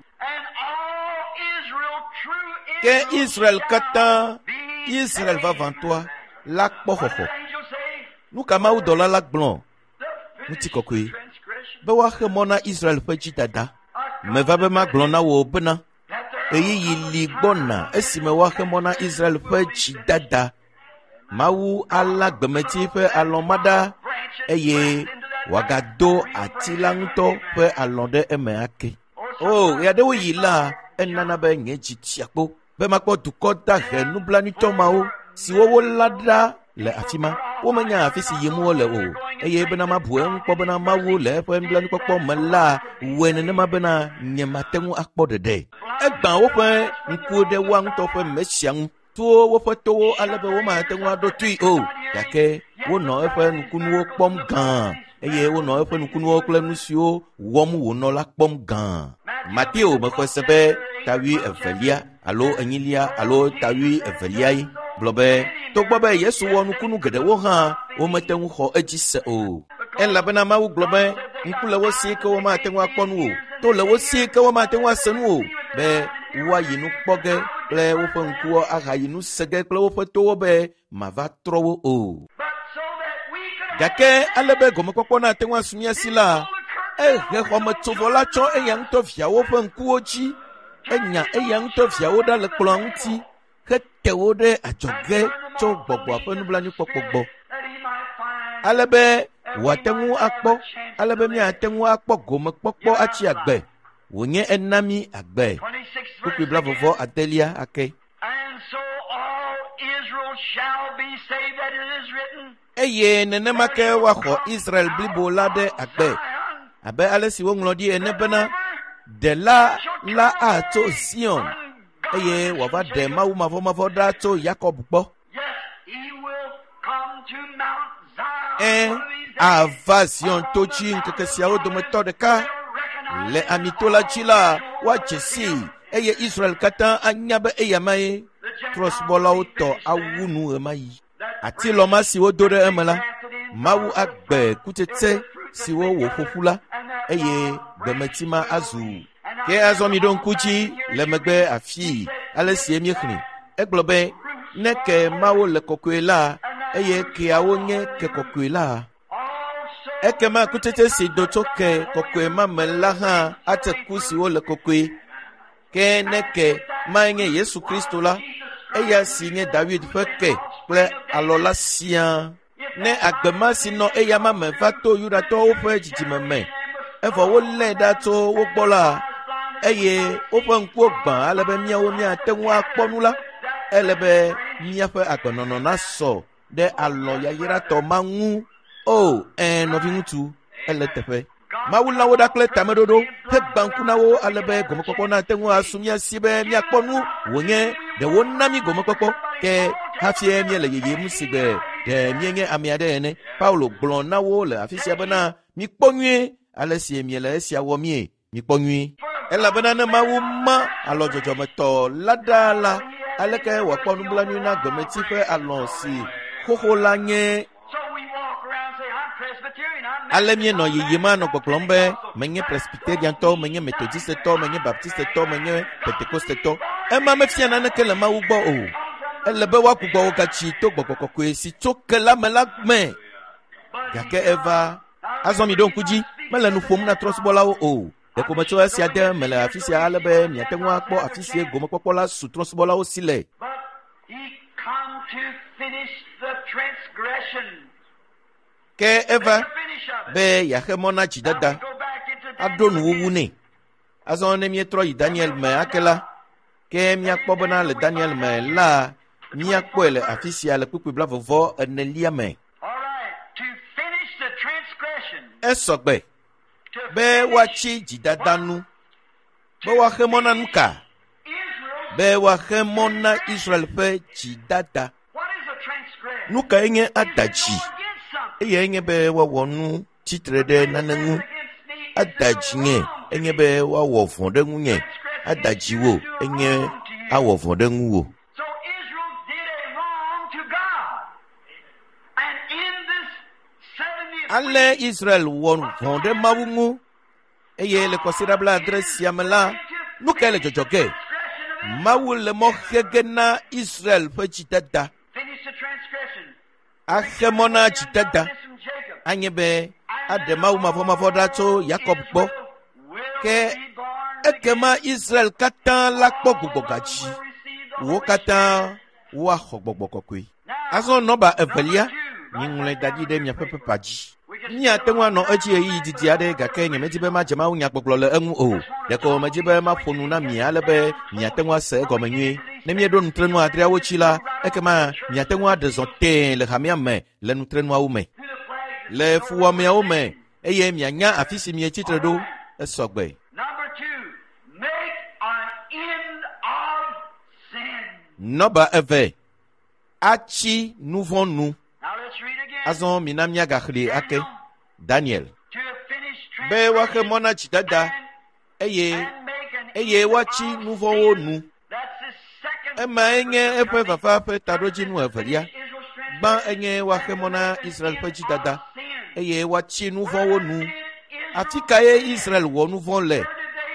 Ke Israel katã, Israel vavãtɔa, la kpɔ xɔxɔ. Nu ka mawudɔla la gblɔ? Ŋutikɔkɔe be woaxe mɔ na Israel ƒe dzidada. Meva be magblɔ na wò bena ɣeyiɣi li gbɔna esime woaxe mɔ na Israel ƒe dzidada. Mawu alã gbemeti ƒe alɔ ma ɖa eye wòagado ati la ŋutɔ ƒe alɔ ɖe eme ake. O, ɣeaɖewoɣi la, enana be nye dzi tsia kpo be makpɔ dukɔ dahe nublanuitɔ mawo siwo wolã ɖa le afi ma. Womenya afi si yim wole o, eye bena mabu eŋu kpɔ bena Mawu le eƒe nublanuikpɔkpɔ me la wɔe nenema bena nyemate ŋu akpɔ ɖeɖe. Egbã woƒe ŋkuwo ɖe woa ŋutɔ ƒe Mesia ŋu, to woƒe towo ale be womate ŋu aɖo toe o, gake wonɔ eƒe nukunuwo kpɔm gã eye wonɔ eƒe nukunuwo kple nu siwo wɔm wònɔ la kpɔm gã. Mateo mexɔe se be ta wuievelia alo enyilia alo ta wuieveliae gblɔ be togbɔ be Yesu wɔ nukunu geɖewo hã, womete ŋu xɔ edzi se o. Elabena Mawu gblɔ be ŋku le wo si ke womate ŋu akpɔ nu o, to le wo si ke womate ŋu ase nu o, be woayi nu kpɔ ge kple woƒe ŋkuwo ahayi nu se ge kple woƒe towo be mava trɔ wo o. Gake ale be gɔmekpɔkpɔ nate ŋu asu mía si la, ehe xɔmetsovɔ la tsɔ eya ŋutɔ viawo ƒe ŋkuwo dzi. Enya eya ŋutɔ viawo ɖa le kplɔ̃a ŋuti hete wo ɖe adzɔge tso gbɔgbɔa ƒe nublanuikpɔkpɔ gbɔ. Ale be wòate ŋu akpɔ, ale be míate ŋu akpɔ gomekpɔkpɔ atsi agbe. Wònye ena mí agbe. Kpukpui blaeve adelia ake. Eye nenema ke woaxɔ Israel blibo la ɖe agbe, abe ale si woŋlɔ ɖi ene bena, Ɖela la atso Zion. eye wòava ɖe Mawu mavɔmavɔ ɖa tso Yakob gbɔ. Yes, he will come to Mount Zion. Ẽ, one of these days. ava Zion to dzi ŋkeke siawo dometɔ ɖeka. Le amito la dzi la, woadze sii eye Israel katã anya be eyamae trɔ̃subɔlawo tɔ awu nu ɣemaɣi. Atilɔ ma si wodo ɖe eme la, Mawu agbe kutsetse siwo wòƒo ƒu la, eye gbemeti ma azu. Ke azɔ miɖo ŋku dzi le megbe afii ale sie míexlẽ. Egblɔ be, ne ke mawo le kɔkɔe la, eye keawo nye ke kɔkɔe la, Also, ekema kutsetse si do tso ke kɔkɔe ma me la hã ate ku siwo le kɔkɔe. Ke ne ke mae nye Yesu Kristo la, eya si nye David ƒe ke kple alɔ la siaa. Ne agbe ma si nɔ eyama me va to Yudatɔwo ƒe dzidzime me, evɔ wolé ɖa tso wo gbɔ la, eye woƒe ŋkuwo gbã ale be míawo míate ŋu akpɔ nu la, ele be míaƒe agbenɔnɔ nasɔ ɖe alɔ yayratɔ ma ŋu. O, ɛ̃, nɔviŋutsu, ele teƒe. Mawu lã wo ɖa kple tameɖoɖo hegbã ŋku na wo ale be gɔmekpɔkpɔ nate ŋu asu mía si be míakpɔ nu wònye ɖe wona mí gɔmekpɔkpɔ ke hafie míele yeyem si gbe ɖe míenye ame aɖe ene. Paulo gblɔ na wo le afi sia bena mikpɔ nyuie ale si miele esia wɔ mie, mikpɔ nyuie. Elabena ne Mawu ma alɔ dzɔdzɔmetɔ la ɖaa la, aleke wòakpɔ nublanui na gbemeti ƒe alɔ si xoxo la nye so we walk around and say, I'm Presbyterian, I'm ale Methodist, míenɔ I'm yeyem anɔ gbɔgblɔm be Baptist, menye presbyteriantɔ menye methodistetɔ menye baptistetɔ menye pentekostetɔ ema mefia naneke le Mawu gbɔ o ele be woagbugbɔ wo gatsi to gbɔgbɔ kɔkɔe si tso ke la me la me gake eva azɔ mi ɖo ŋku dzi mele nu ƒom na trɔ̃subɔlawo o ɖeko metsɔ esia de me le afi sia ale be miate ŋu akpɔ afi sie gomekpɔkpɔ la su trɔ̃subɔlawo si le But he come to finish the transgression. ke eva Make a finish of it. be yeaxe mɔ na Now dzidada we go back into aɖo Daniel nuwuwu again. nɛ azɔ ne míetrɔ yi Daniel me ake la ke míakpɔ bena le Daniel me la míakpɔe le afi sia le kpukpui blavevɔ enelia me All right, to finish the transgression. esɔgbe To be finish woatsi dzidada nu be woaxe mɔ na nu ka Israel's. be woaxe mɔ na Israel ƒe dzidada What is a transgression? nu kae nye Is to ada go dzi against something. eyae nye be woawɔ nu tsitre ɖe nane ŋu Transgress against me is ada to do dzi nye wrong to enye me. be woawɔ vɔ̃ ɖe ŋunye ada dzi wò enye awɔ vɔ̃ ɖe ŋuwò So Israel did a wrong to God. And in this 70th ale week, Israel wɔ vɔ̃ ɖe Mawu ŋu eye le kɔsiɖa blaadre sia me la nu kae le dzɔdzɔ ge transgression of Israel. Mawu le mɔ xe ge na Israel ƒe dzidada Finish the transgression. axe mɔ na dzidada Ungodliness from Jacob. anye be aɖe Mawu mavɔmavɔ ɖa tso Yakob gbɔ Ke Ke ekema Israel katã la kpɔ gbugbɔgadzi wo katã woaxɔ gbɔgbɔ kɔkɔe azɔ nɔba evelia miŋlɔe da ɖi ɖe miaƒe pepa dzi míate ŋu anɔ edzi ɣeyiɣi didi aɖe gake nyemedi be madze Mawu nyagbɔgblɔ le eŋu o ɖeko medzi be maƒo nu na mi ale be miate ŋu ase egɔme nyuie ne míeɖo nutrenu adreawo tsi la ekema miate ŋu aɖe zɔ tẽe le hamea me le nutrenuawo me le fuwɔameawo me eye mianya afi si mietsi tre ɖo esɔgbe Number two, make an end of sin. nɔba eve atsi nu vɔ̃ nu Now let's read again. azɔ mina míagaxlẽe ake Daniel To finish be woaxe mɔ na dzidada and, eye and make an eye end woatsi of nu vɔ̃wo sin. nu That's the second emae nye purpose of eƒe coming. vava ƒe taɖodzinu evelia Israel's gbã transgression enye woaxe mɔ na Israel ƒe dzidada of sin. eye woatsi nu vɔ̃wo nu Where did afi Israel kae Israel wɔ nu vɔ̃ le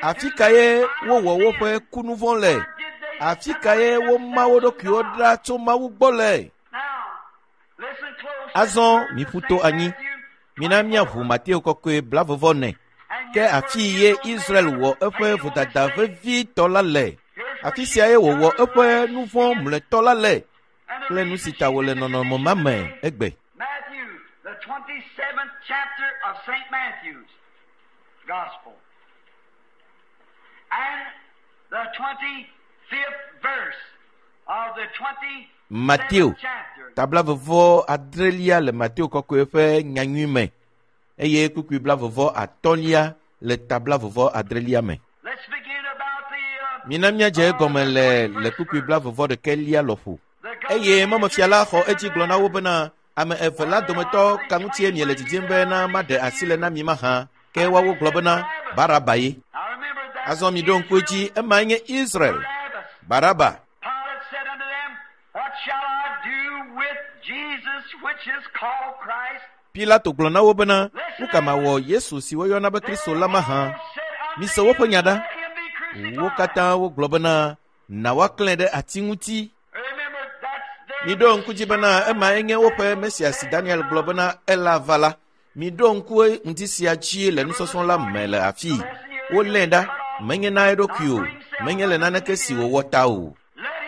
afi kae wowɔ woƒe kunu vɔ̃ le Where did they afi kae woma wo ɖokuiwo ɖa tso Mawu gbɔ le Now, listen close. Azɔ miƒu to anyi. Mina míaʋu Mateo kɔkɔe blavevɔ ne And ke here's afi where ye Israel Israel made wɔ her eƒe fatal vodada mistake. vevitɔ la le Here's where afi she siae wòwɔ discovered eƒe nu vɔ̃ mlɔetɔ la le And the kple nu reason si ta she wòle did it nɔnɔme ma me today, egbe Matthew, the 27th chapter of St. Matthew's Gospel. And the 25th verse of the 27th Mateo chapter. tablavevɔ adrelia le Mateo kɔkɔe ƒe nyanyui me eye kpukpui blavevɔ atɔ̃lia le tablavevɔ adrelia me Let's begin about the Mina míadze egɔme le le kpukpui 41 lɔƒo. Eye mɔmefia la xɔ edzi gblɔ na wo bena, ame eve la dometɔ ka ŋutie miele didim bena maɖe asi le na mi mahã? Ke woawo gblɔ bena, Baraba ye. Azɔ miɖo ŋku edzi, emae nye Israel. Baraba. Pilate said unto them, What shall I do with Jesus which is called Christ? Pilato gblɔ na wo bena, nu ka mawɔ Yesu si woyɔna be Kristo la mahã? Mise woƒe nya ɖa. Wo katã wogblɔ bena, na woaklãe ɖe ati ŋuti. Remember, that's their Miɖo ŋku dzi bena emae nye woƒe Mesia si Daniel gblɔ bena ela va la. Miɖo ŋku ŋdi sia dzi le nusɔsrɔ̃ la me le afii. Wolée ɖa, menye na eɖokui o, menye le naneke si wòwɔ ta o.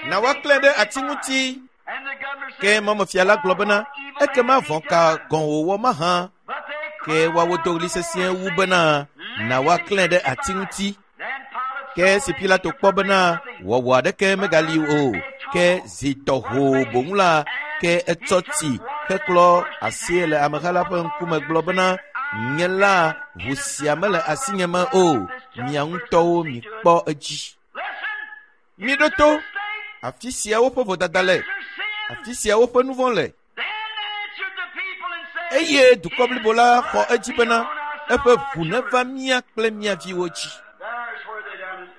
Na woaklãe ɖe ati ŋuti. And the governor Ke said, mɔmefia la gblɔ bena, ekema vɔ̃ ka gɔ̃ wòwɔ mahã? But they Ke woawo do ɣli sesĩe wu bena, na woaklãe ɖe ati ŋuti. Then Pilate Ke esi Pilato kpɔ bena wɔwɔ aɖeke megali o, ke zi tɔ hoo boŋ la, ke etsɔ tsi heklɔ asie le ameha la ƒe ŋkume gblɔ bena, nye la ʋu sia mele asinye me o, mia ŋutɔwo mikpɔ edzi. Listen, Miɖo to, afi sia woƒe vodada le, their sin. afi sia woƒe nu vɔ̃ le. Then answered the people and said, Eye dukɔ blibo la xɔ edzi bena, eƒe ʋu neva mía kple mía viwo dzi. There's where they done it.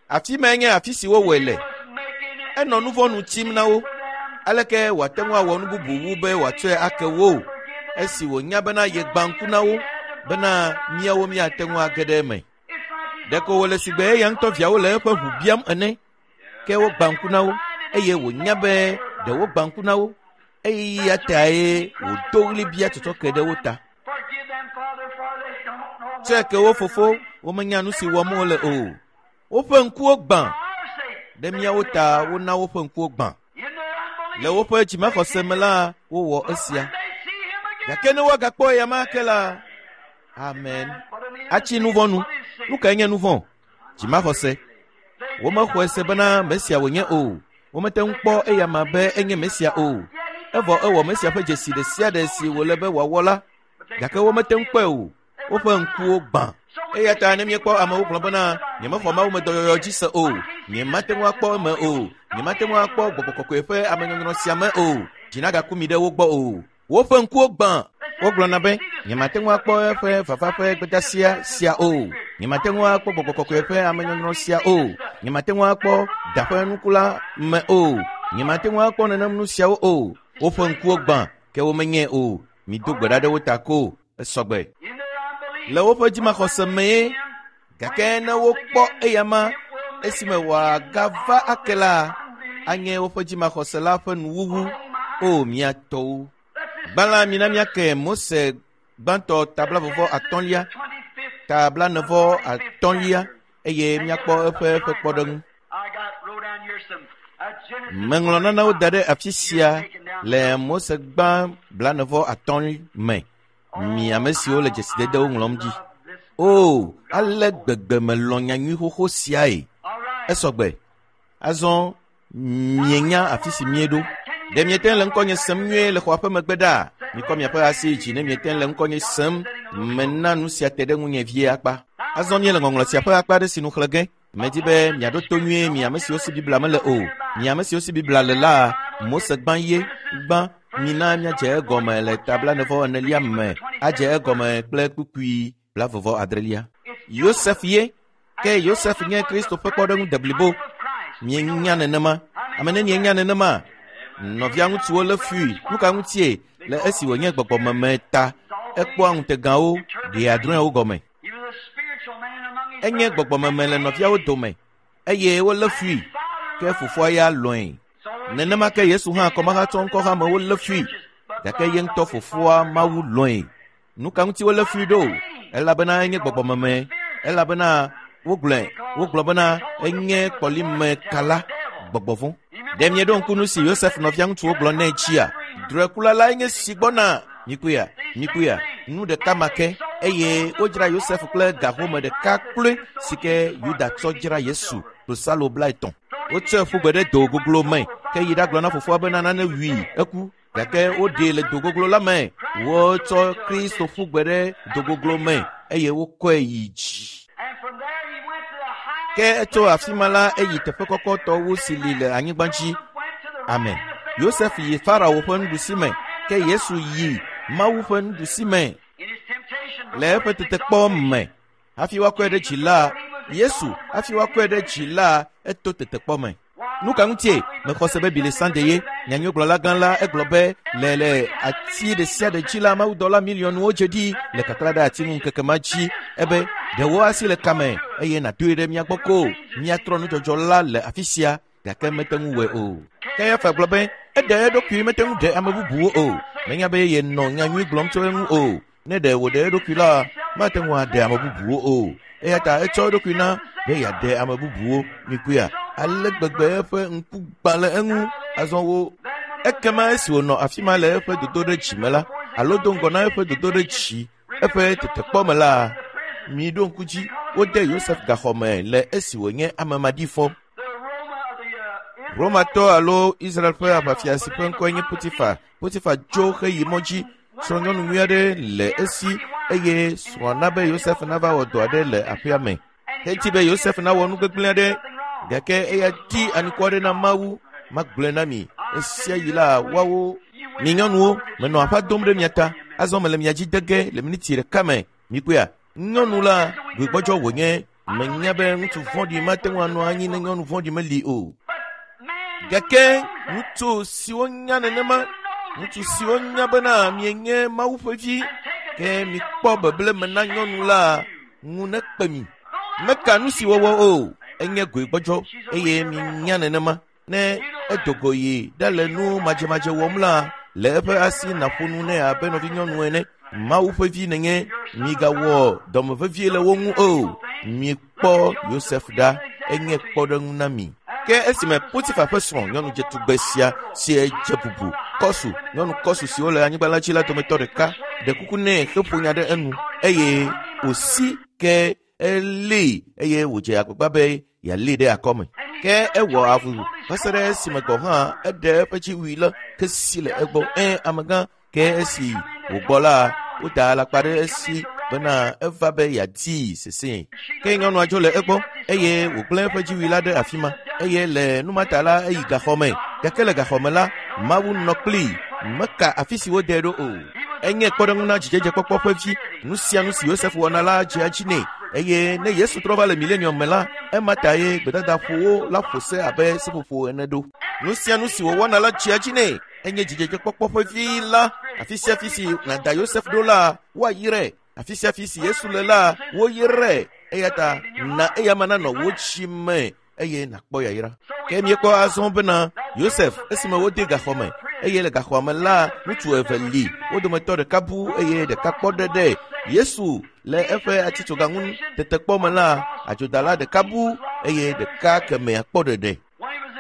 Afi mae nye afi si wowɔe le. Was making it Enɔ nu vɔ̃ nu tsim na wo. for them. Aleke wòate ŋu awɔ nu bubu wu be wòatsɔe ake wo esi wònya bena yegbã ŋku na wo bena míawo míate ŋu age ɖe eme. It's like he's Ɖeko wòle sigbe eya ŋutɔ viawo le eƒe ʋu biam ene. Ke wogbã ŋku na wo eye wònya be ɖe wogbã ŋku na wo. Eya tae wòdo ɣli bia tsɔtsɔke ɖe wo ta. Forgive them, Father, for they don't know what Tsɔe ke wo fofo, womenya nu si wɔm wole o. Woƒe ŋkuwo gbã for our sake. ɖe míawo ta wona woƒe ŋkuwo gbã. In their unbelief, Le woƒe dzimaxɔse me la, wowɔ esia. when they see him again, Gake ne woagakpɔ eya ma ake la, amen. Atsi nu vɔ̃ nu. Nu kae nye nu vɔ̃? Dzimaxɔse. Womexɔe se bena Mesia wònye o. Womete ŋu kpɔ eya ma be enye Mesia o. Evɔ ewɔ Mesia ƒe dzesi ɖe sia ɖe si wòle be wòawɔ la, gake womete ŋu kpɔe o. Woƒe ŋkuwo gbã. Eya ta ne míekpɔ amewo gblɔ bena, nyemexɔ Mawu me dɔyɔyɔ dzi se o, nyemate ŋu akpɔ eme o, nyemate ŋu akpɔ gbɔgbɔ kɔkɔe ƒe amenyɔnyrɔ sia me o, dzi nagaku mi ɖe wo gbɔ o. Woƒe ŋkuwo gbã. Wogblɔna be, nyemate ŋu akpɔ eƒe vava ƒe gbedeasia sia o, nyemate ŋu akpɔ gbɔgbɔ kɔkɔe ƒe amenyɔnyrɔ sia o, nyemate ŋu akpɔ da ƒe nuku la me o, nyemate ŋu akpɔ nenem nu siawo o. Woƒe ŋkuwo gbã, ke womenyae o. Mido gbe ɖa ɖe wo ta ko, esɔgbe. in their unbelief, Le woƒe dzimaxɔse mee, gake ne wokpɔ eya ma esime wòagava ake la, anye woƒe dzimaxɔse la ƒe nuwuwu. O mía tɔwo. Gbã la, mina míake Mose gbãtɔ ta 35, 25th ta 45 eye míakpɔ eƒe ƒe kpɔɖeŋu. I got wrote down here some Genesis Meŋlɔ nanewo da ɖe afi sia le Mose gbã 45 me. Mi ame siwo le dzesidedewo ŋlɔm dzi. O, ale gbegbe melɔ̃ nyanyui xoxo siae. All right. Esɔgbe. Azɔ mienya afi si míeɖo. Ɖe miete le ŋkɔnye sem nyuie le xɔa ƒe megbe ɖaa? Mikɔ miaƒe asi yi dzi ne miete le ŋkɔnye sem. Mena nu sia te ɖe ŋunye vie akpa. Azɔ míele ŋɔŋlɔ sia ƒe akpa aɖe si nu xlẽ ge. Medi be miaɖo to nyuie mi ame siwo si Biblia mele o. Mi ame siwo si Biblia le la, Mose gbã ye gbã. Mina míadze egɔme le ta 44 me. Adze egɔme kple kpukpui 36. Yosef ye. Ke Yosef nye Kristo ƒe kpɔɖeŋu deblibo. Mienya nenema. Ame nenie nya nenema? Nɔvia ŋutsuwo lé fui. Nu ka ŋutie? Le esi wònye gbɔgbɔmeme ta, ekpɔa ŋutegawo, ɖea drɔ̃ewo gɔme. He was a spiritual man among his Enye brothers. gbɔgbɔmeme le nɔviawo dome eye wolé fui. Ke fofoa ya lɔ̃e. Nenema ke Yesu hã kɔmahatsɔ ŋkɔhamewo lé fui. Gake ye ŋutɔ fofoa Mawu lɔ̃e. Nu ka ŋuti wolé fui ɖo? Elabena enye gbɔgbɔmeme. Elabena wogblɔe, wogblɔ bena enye kɔlimekala, gbɔgbɔ vɔ̃. Ɖe mieɖo ŋku nu si Yosef nɔvia ŋutsuwo gblɔ nɛ dzia? Drɔ̃ekula lae nye si gbɔna. Mikpɔea, mikpɔea, nu ɖeka ma ke eye wodzra Yosef kple ga home ɖeka kloe si ke Yuda tsɔ dzra Yesu klosalo 30. Wotsɔe ƒu gbe ɖe do goglo me ke yi ɖagblɔ na fofoa bena nane wui eku. Gake woɖee le do goglo la me. Wotsɔ Kristo ƒu gbe ɖe do goglo me eye wokɔe yi dzi. And from there he went to the Ke tso afi ma la eyi teƒe kɔkɔtɔ wu si li le anyigba dzi. Amen. Yosef yi Farao ƒe nuɖusi me, ke Yesu yi Mawu ƒe nuɖusi me le eƒe tetekpɔ me. Hafi woakɔe ɖe dzi la, Yesu hafi woakɔe ɖe dzi la, eto tetekpɔ me. Nu ka ŋutie mexɔ se be Billy Sunday ye nyanyuigblɔla gã la egblɔ be le le ati ɖe sia ɖe dzi la mawudɔla miliɔnwo dze ɖi le kakla ɖe ati ŋu ŋkeke ma dzi ebe ɖewo asi le kame eye nàdoe ɖe mía gbɔ ko míatrɔ nudzɔdzɔ la le afi sia gake mete ŋu wɔe o. Kayafa gblɔ be eɖe eɖokui mete ŋu ɖe ame bubuwo o. Menya be yenɔ nyanyui gblɔm tso eŋu o. Ne ɖe wòɖe eɖokui la, mate ŋu aɖe ame bubuwo o. Eya ta etsɔ eɖokui na be yeaɖe ame bubuwo. Mikpɔea, ale gbegbe eƒe ŋku gbã le eŋu azɔ wo. Ekema esi wònɔ afi ma le eƒe dodoɖedzi me la, alo do ŋgɔ na eƒe dodoɖedzi, eƒe tetekpɔ me la, miɖo ŋku dzi, wode Yosef gaxɔ me le esi wònye ame maɖifɔ. Romatɔ alo Israel ƒe aʋafia si ƒe ŋkɔe nye Potifa. Potifa tso heyi mɔ dzi. Srɔ̃nyɔnu nyui aɖe le esi eye srɔ̃a na be Yosef nava wɔ dɔ aɖe le aƒea me. Edi be Yosef nawɔ nu gbegblẽ aɖe gake eya di anukware aɖe na Mawu. Magblɔe na mi esia yi la woawo mi nyɔnuwo menɔ aƒa dom ɖe mia ta azɔ mele mia dzi de ge le miniti ɖeka me. Mikpɔea nyɔnu la gbegbɔdzɔ wònye menya be ŋutsu vɔ̃ɖi mate ŋu anɔ anyi ne nyɔnu vɔ̃ɖi meli o. Gake ŋutsu siwo nya nenema, ŋutsu siwo nya bena mienye Mawu ƒe vi, ke mikpɔ beble me na nyɔnu la ŋu nekpe mi. Meka nu si wɔwɔ o, enye goegbɔdzɔ eye minya nenema. Ne edo go yi ɖale nu madzemadze wɔm la, le eƒe asi nàƒo nu nɛ abe nɔvinyɔnu ene. Mawu ƒe vi nènye, migawɔ dɔmevevie le wo ŋu o. Mikpɔ Yosef ɖa, enye kpɔɖeŋu na mi. Ke esime Potifa ƒe srɔ̃ nyɔnu dzetugbe sia si dze bubu kɔsu nyɔnu kɔsu siwo le anyigba la dzi la dometɔ ɖeka ɖe kuku nɛ heƒo nya ɖe enu eye wòsi ke elée eye wòdze agbagba be yealée ɖe akɔme. Ke ewɔ avu va se ɖe esime gɔ̃ hã eɖe eƒe dziwui la ke si le egbɔ. Ẽ amegã ke esi wògbɔ la, woda alakpa ɖe esi bena eva be yeadii sesẽe. Ke nyɔnua dzo le egbɔ eye wògblẽ eƒe dziwui la ɖe afi ma eye le nu ma ta la eyi gaxɔ me. Gake le gaxɔ me la, Mawu nɔ kplii meka afi si wodee ɖo o. Enye kpɔɖeŋu na dzidzedzekpɔkpɔ ƒe vi. Nu sia nu si Yosef wɔna la dzea edzi nɛ eye ne Yesu trɔ va le milenium me la, ema ta ye gbedadaƒowo la ƒo se abe seƒoƒo ene ɖo. Nu sia nu si wòwɔna la dzea edzi nɛ. Enye dzidzedzekpɔkpɔ ƒe vi la. Afi sia afi si nàda Yosef ɖo la, woayrae. Afi sia afi si Yesu le la, woyrae. Eya ta na eyama nanɔ wò dzi me eye nàkpɔ yayra. Ke míekpɔ azɔ bena Yosef esime wode gaxɔ me eye le gaxɔa me la ŋutsu eve li wo dometɔ ɖeka bu eye ɖeka kpɔ ɖe ɖe Yesu le eƒe atitsoga ŋu tetekpɔ me la adzodala ɖeka bu eye ɖeka kemɛa kpɔ ɖeɖe.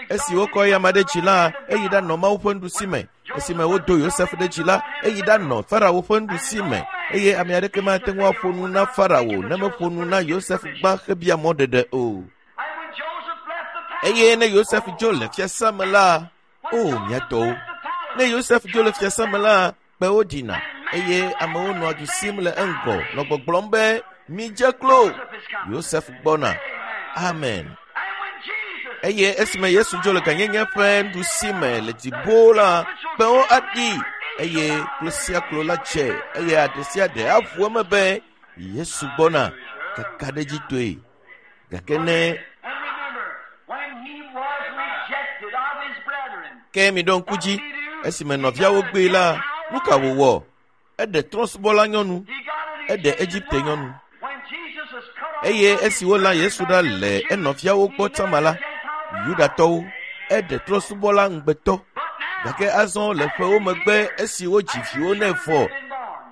Esi wokɔ eyama ɖe dzi la eyi ɖanɔ Mawu ƒe nuɖusi me. Esime wodo Yosef ɖe dzi la eyi ɖanɔ Farao ƒe nuɖusi me eye ame aɖeke mate ŋu aƒo nu na Farao ne meƒo nu na Yosef gbã hebia mɔɖeɖe o. Eye ne Yosef dzo le fiasã me la, o mía tɔwo, ne Yosef dzo le fiasã me la, kpewo ɖina eye amewo nɔa du sim le eŋgɔ nɔ gbɔgblɔm be midze klo. Yosef gbɔna. Amen. Eye esime Yesu dzo le gãnyenye ƒe nuɖusi me le dziƒo la, kpewo aɖi eye klo sia klo la dze eye aɖe sia ɖe aʋu eme be Yesu gbɔna kakaɖedzitɔe. Gake ne ke miɖo ŋku dzi esime nɔviawo gbee la, nu ka wòwɔ? Eɖe trɔ̃subɔla nyɔnu, eɖe Egipte nyɔnu. Eye esi wolã Yesu ɖa le enɔviawo gbɔ tsama la, Yudatɔwo, eɖe trɔ̃subɔla ŋugbetɔ. Gake azɔ le ƒewo megbe esi wodzi viwo nɛ vɔ,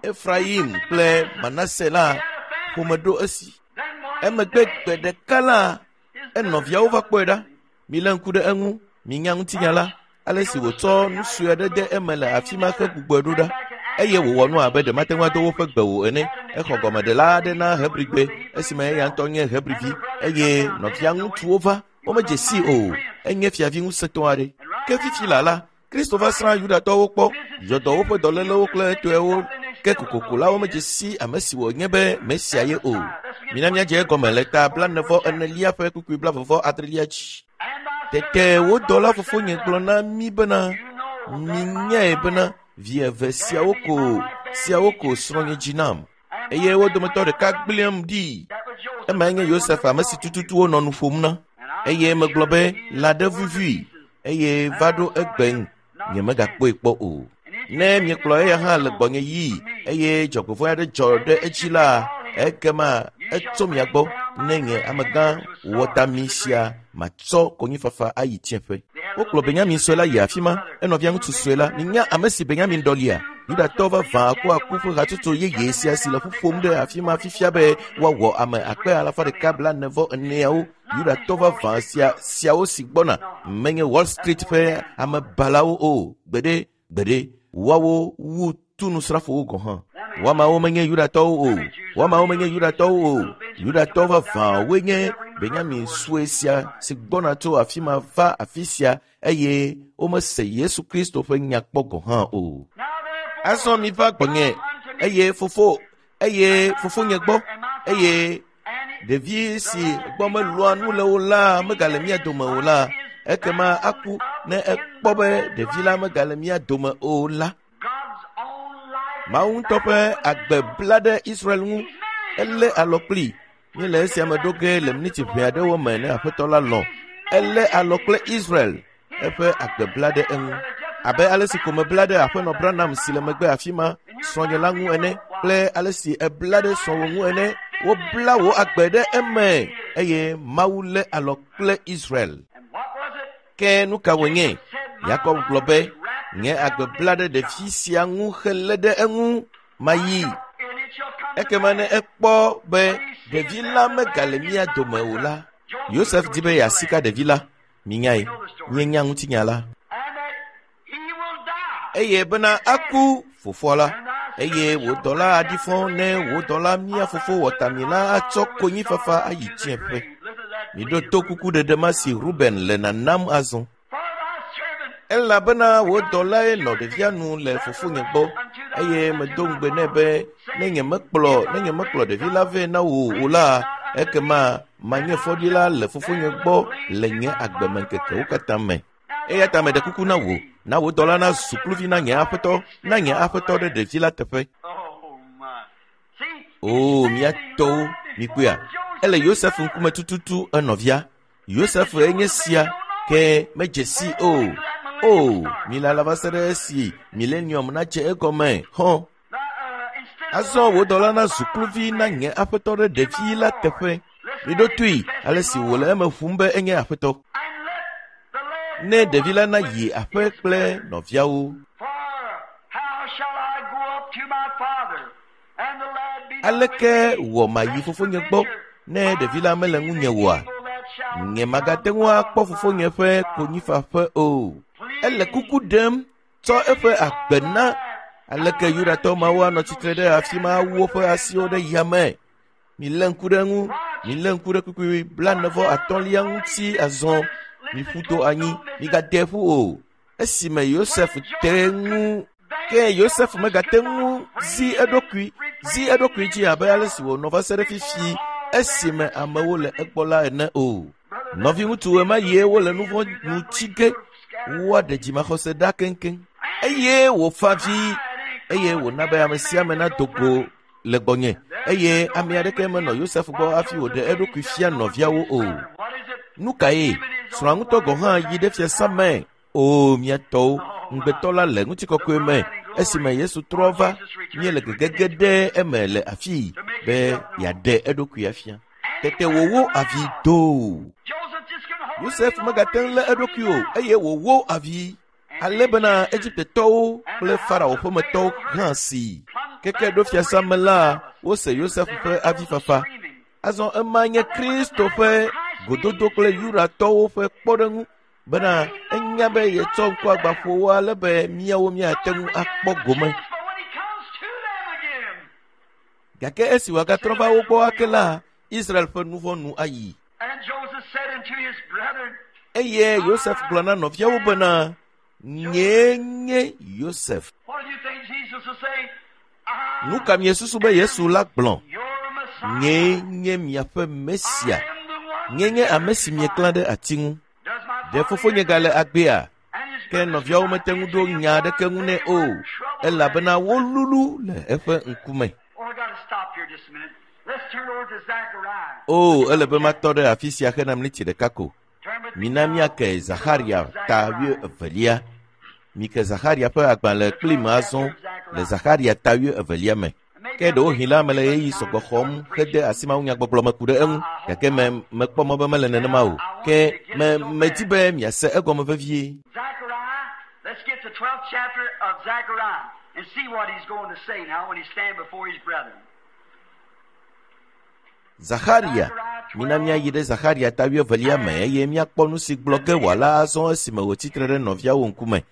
Efrayim kple Manase la, ƒome ɖo esi. Emegbe gbe ɖeka la, enɔviawo va kpɔe ɖa. Milé ŋku ɖe eŋu, minya ŋutinya la, ale si wòtsɔ nu sue aɖe de eme le afi ma hegbugbɔe ɖo ɖa. Eye wòwɔ nu abe ɖe mate ŋu ado woƒe gbe o ene. Exɔ gɔmeɖela aɖe na Hebrigbe esime eya ŋutɔ nye Hebrivi eye nɔvia ŋutsuwo va. Womedze sii o. Enye fiavi ŋusẽtɔ aɖe. Ke fifi la la, Kristo va srã Yudatɔwo kpɔ, yɔ dɔ woƒe dɔlélewo kple etɔewo, ke kokoko la womedze si ame si wònye be Mesia ye o. Mina míadze egɔme le ta 44 ƒe kpukpui 36 dzi. Tete wo dɔla fofonye gblɔ na mí bena, minyae bena vi eve siawo ko srɔ̃nye dzi nam, eye wo dometɔ ɖeka gblẽm ɖi. Emae nye Yosef, ame si tututu wonɔ nu ƒom na. Eye megblɔ be lã ɖe vuvui, eye va ɖo egbe nyemegakpɔe kpɔ o. Ne miekplɔ eya hã le gbɔnye yii, eye dzɔgbevɔ̃e aɖe dzɔ ɖe edzi la, ekema etso mia gbɔ ne nye amegã wɔtami sia matsɔ konyifafa ayi tsiẽƒe. Wokplɔ Benyamin sue la yi afi ma, enɔvia ŋutsu sue la. Minya ame si Benyamin ɖɔlia? Yudatɔ vavã akuaku ƒe hatsotso yeye sia si le ƒu ƒom ɖe afi ma fifia be woawɔ ame 144,000 Yudatɔ vavã siawo si gbɔna menye Wall Street ƒe amebalawo o. Gbeɖe, gbeɖe, woawo wu tunusrafowo gɔ̃ hã. Woamawo menye Yudatɔwo o. Woamawo menye Yudatɔwo o. Yudatɔ vavãwoe nye Benyamin sue sia si gbɔna tso afi ma va afi sia, eye womese Yesu Kristo ƒe nya kpɔ gɔ̃ hã o. Azɔ miva gbɔnye, eye fofonye gbɔ, eye ɖevi si gbɔ melɔa nu le o la megale mía dome o la, ekema aku ne ekpɔ be ɖevi la megale mía dome o la. Mawu ŋutɔ ƒe agbe bla ɖe Israel ŋu, elé alɔ kpli. Míele esia me ɖo ge le miniti ʋɛ aɖewo me ne Aƒetɔ la lɔ̃. Elé alɔ kple Israel, eƒe agbe bla ɖe eŋu. Abe ale si ko mebla ɖe Aƒenɔ Branham si le megbe afi ma, srɔ̃nye la ŋu ene, kple ale si ebla ɖe srɔ̃wò ŋu ene, wobla wò agbe ɖe eme, eye Mawu lé alɔ kple Israel. Ke nu ka wònye? Yakob gblɔ be, nye agbe bla ɖe ɖevi sia ŋu helé ɖe eŋu, mayi. Ekema ne ekpɔ be ɖevi la megale mía dome o la, Yosef di be yeasika ɖevi la. Minyae, míenya ŋutinya la. Eye bena aku fofoa la, eye wò dɔla aɖi fɔ ne wò dɔla mía fofo wɔtami la atsɔ konyifafa ayi tsiẽƒe. Miɖo to kukuɖeɖe ma si Ruben le nanam azɔ. Elabena wò dɔlae nɔ ɖevia nu le fofonye gbɔ, eye medo ŋugbe nɛ be ne nyemekplɔ ɖevi la vɛ na wò o la, ekema manye fɔɖila le fofonye gbɔ le nye agbemeŋkekewo katã me. Eya ta meɖe kuku na wò, na wò dɔla nazu kluvi na nye aƒetɔ, na nye aƒetɔ ɖe ɖevi la teƒe. O, mía tɔwo, mikpɔea, ele Yosef ŋkume tututu enɔvia. Yosef enye sia, ke medze si o. O, milala va se ɖe esi milenium nadze egɔme hɔ. Azɔ wò dɔla nazu kluvi na nye aƒetɔ ɖe ɖevi la teƒe. Miɖo toe ale si wòle eme ƒum be enye aƒetɔ. Ne ɖevi la nayi aƒe kple nɔviawo. Aleke wɔ mayi fofonye gbɔ ne ɖevi la mele ŋunye oa? Nye magate ŋu akpɔ fofonye ƒe konyifaƒe o. Ele kuku ɖem tsɔ eƒe agbe na. Aleke Yudatɔ mawo anɔ tsitre ɖe afi ma awu woƒe asiwo ɖe yame? Milé ŋku ɖe eŋu, milé ŋku ɖe kpukpui 43 ŋuti azɔ. Miƒu to anyi, migade ƒu o. Esime Yosef te ŋu, ke Yosef megate ŋu zi eɖokui dzi abe ale si wònɔ va se ɖe fifi esime amewo le egbɔ la ene o. Nɔviŋutsu ɣemaɣie wole nu vɔ̃ nu tsi ge, woaɖe dzimaxɔse ɖa keŋkeŋ. Eye wòfa avi, eye wòna be ame sia ame nado go le gbɔnye, eye ame aɖeke menɔ Yosef gbɔ hafi wòɖe eɖokui fia nɔviawo o. Nu kae? Srɔ̃a ŋutɔ gɔ̃ hã yi ɖe fiasã me. O, mía tɔwo, ŋugbetɔ la le ŋutikɔkɔe me. Esime Yesu trɔ va, míele gegege ɖe eme le afii be yeaɖe eɖokui afia. Tete wòwó avi doo. Yosef megate ŋu lé eɖokui o, eye wòwó avi. Ale bena Egiptetɔwo kple Farao ƒemetɔwo hã si. Keke ɖo fiasã me la, wose Yosef ƒe avifafa. Azɔ ema nye Kristo ƒe gododo kple Yudatɔwo ƒe kpɔɖeŋu bena enya be yetsɔ ŋkuagbãƒowo ale be míawo míate ŋu akpɔ gome. Gake esi wòagatrɔ va wo gbɔ ake la, Israel ƒe nu vɔ̃ nu ayi. Eye Yosef gblɔ na nɔviawo bena, nyee nye Yosef. Nu ka miesusu be Yesu la gblɔ? Nyee nye miaƒe Mesia. Nye nye ame si mieklã ɖe ati ŋu. Ɖe fofonye gale agbea? Ke nɔviawo mete ŋu ɖo nya aɖeke ŋu nɛ o, elabena wolulu le eƒe ŋkume. O, ele be matɔ ɖe afi sia hena miniti ɖeka ko. Mina míake Zaxaria ta wuievelia. Mike Zaxaria ƒe agbalẽ kplim azɔ le Zaxaria ta wuievelia me. Ke ɖewohĩ la mele ɣeyiɣi sɔgbɔ xɔm hede asi mawunyagbɔgblɔ me ku ɖe eŋu, gake me mekpɔ mɔ be mele nenema o. Ke me medi be miase egɔme vevie. Zechariah, let's get the 12th chapter of Zechariah and see what he's going to say now when he stand before his brethren. Zaxaria, mina míayi ɖe Zaxaria ta wuievelia me eye míakpɔ nu si gblɔ ge wòala azɔ esime wòtsi tre ɖe nɔviawo ŋkume.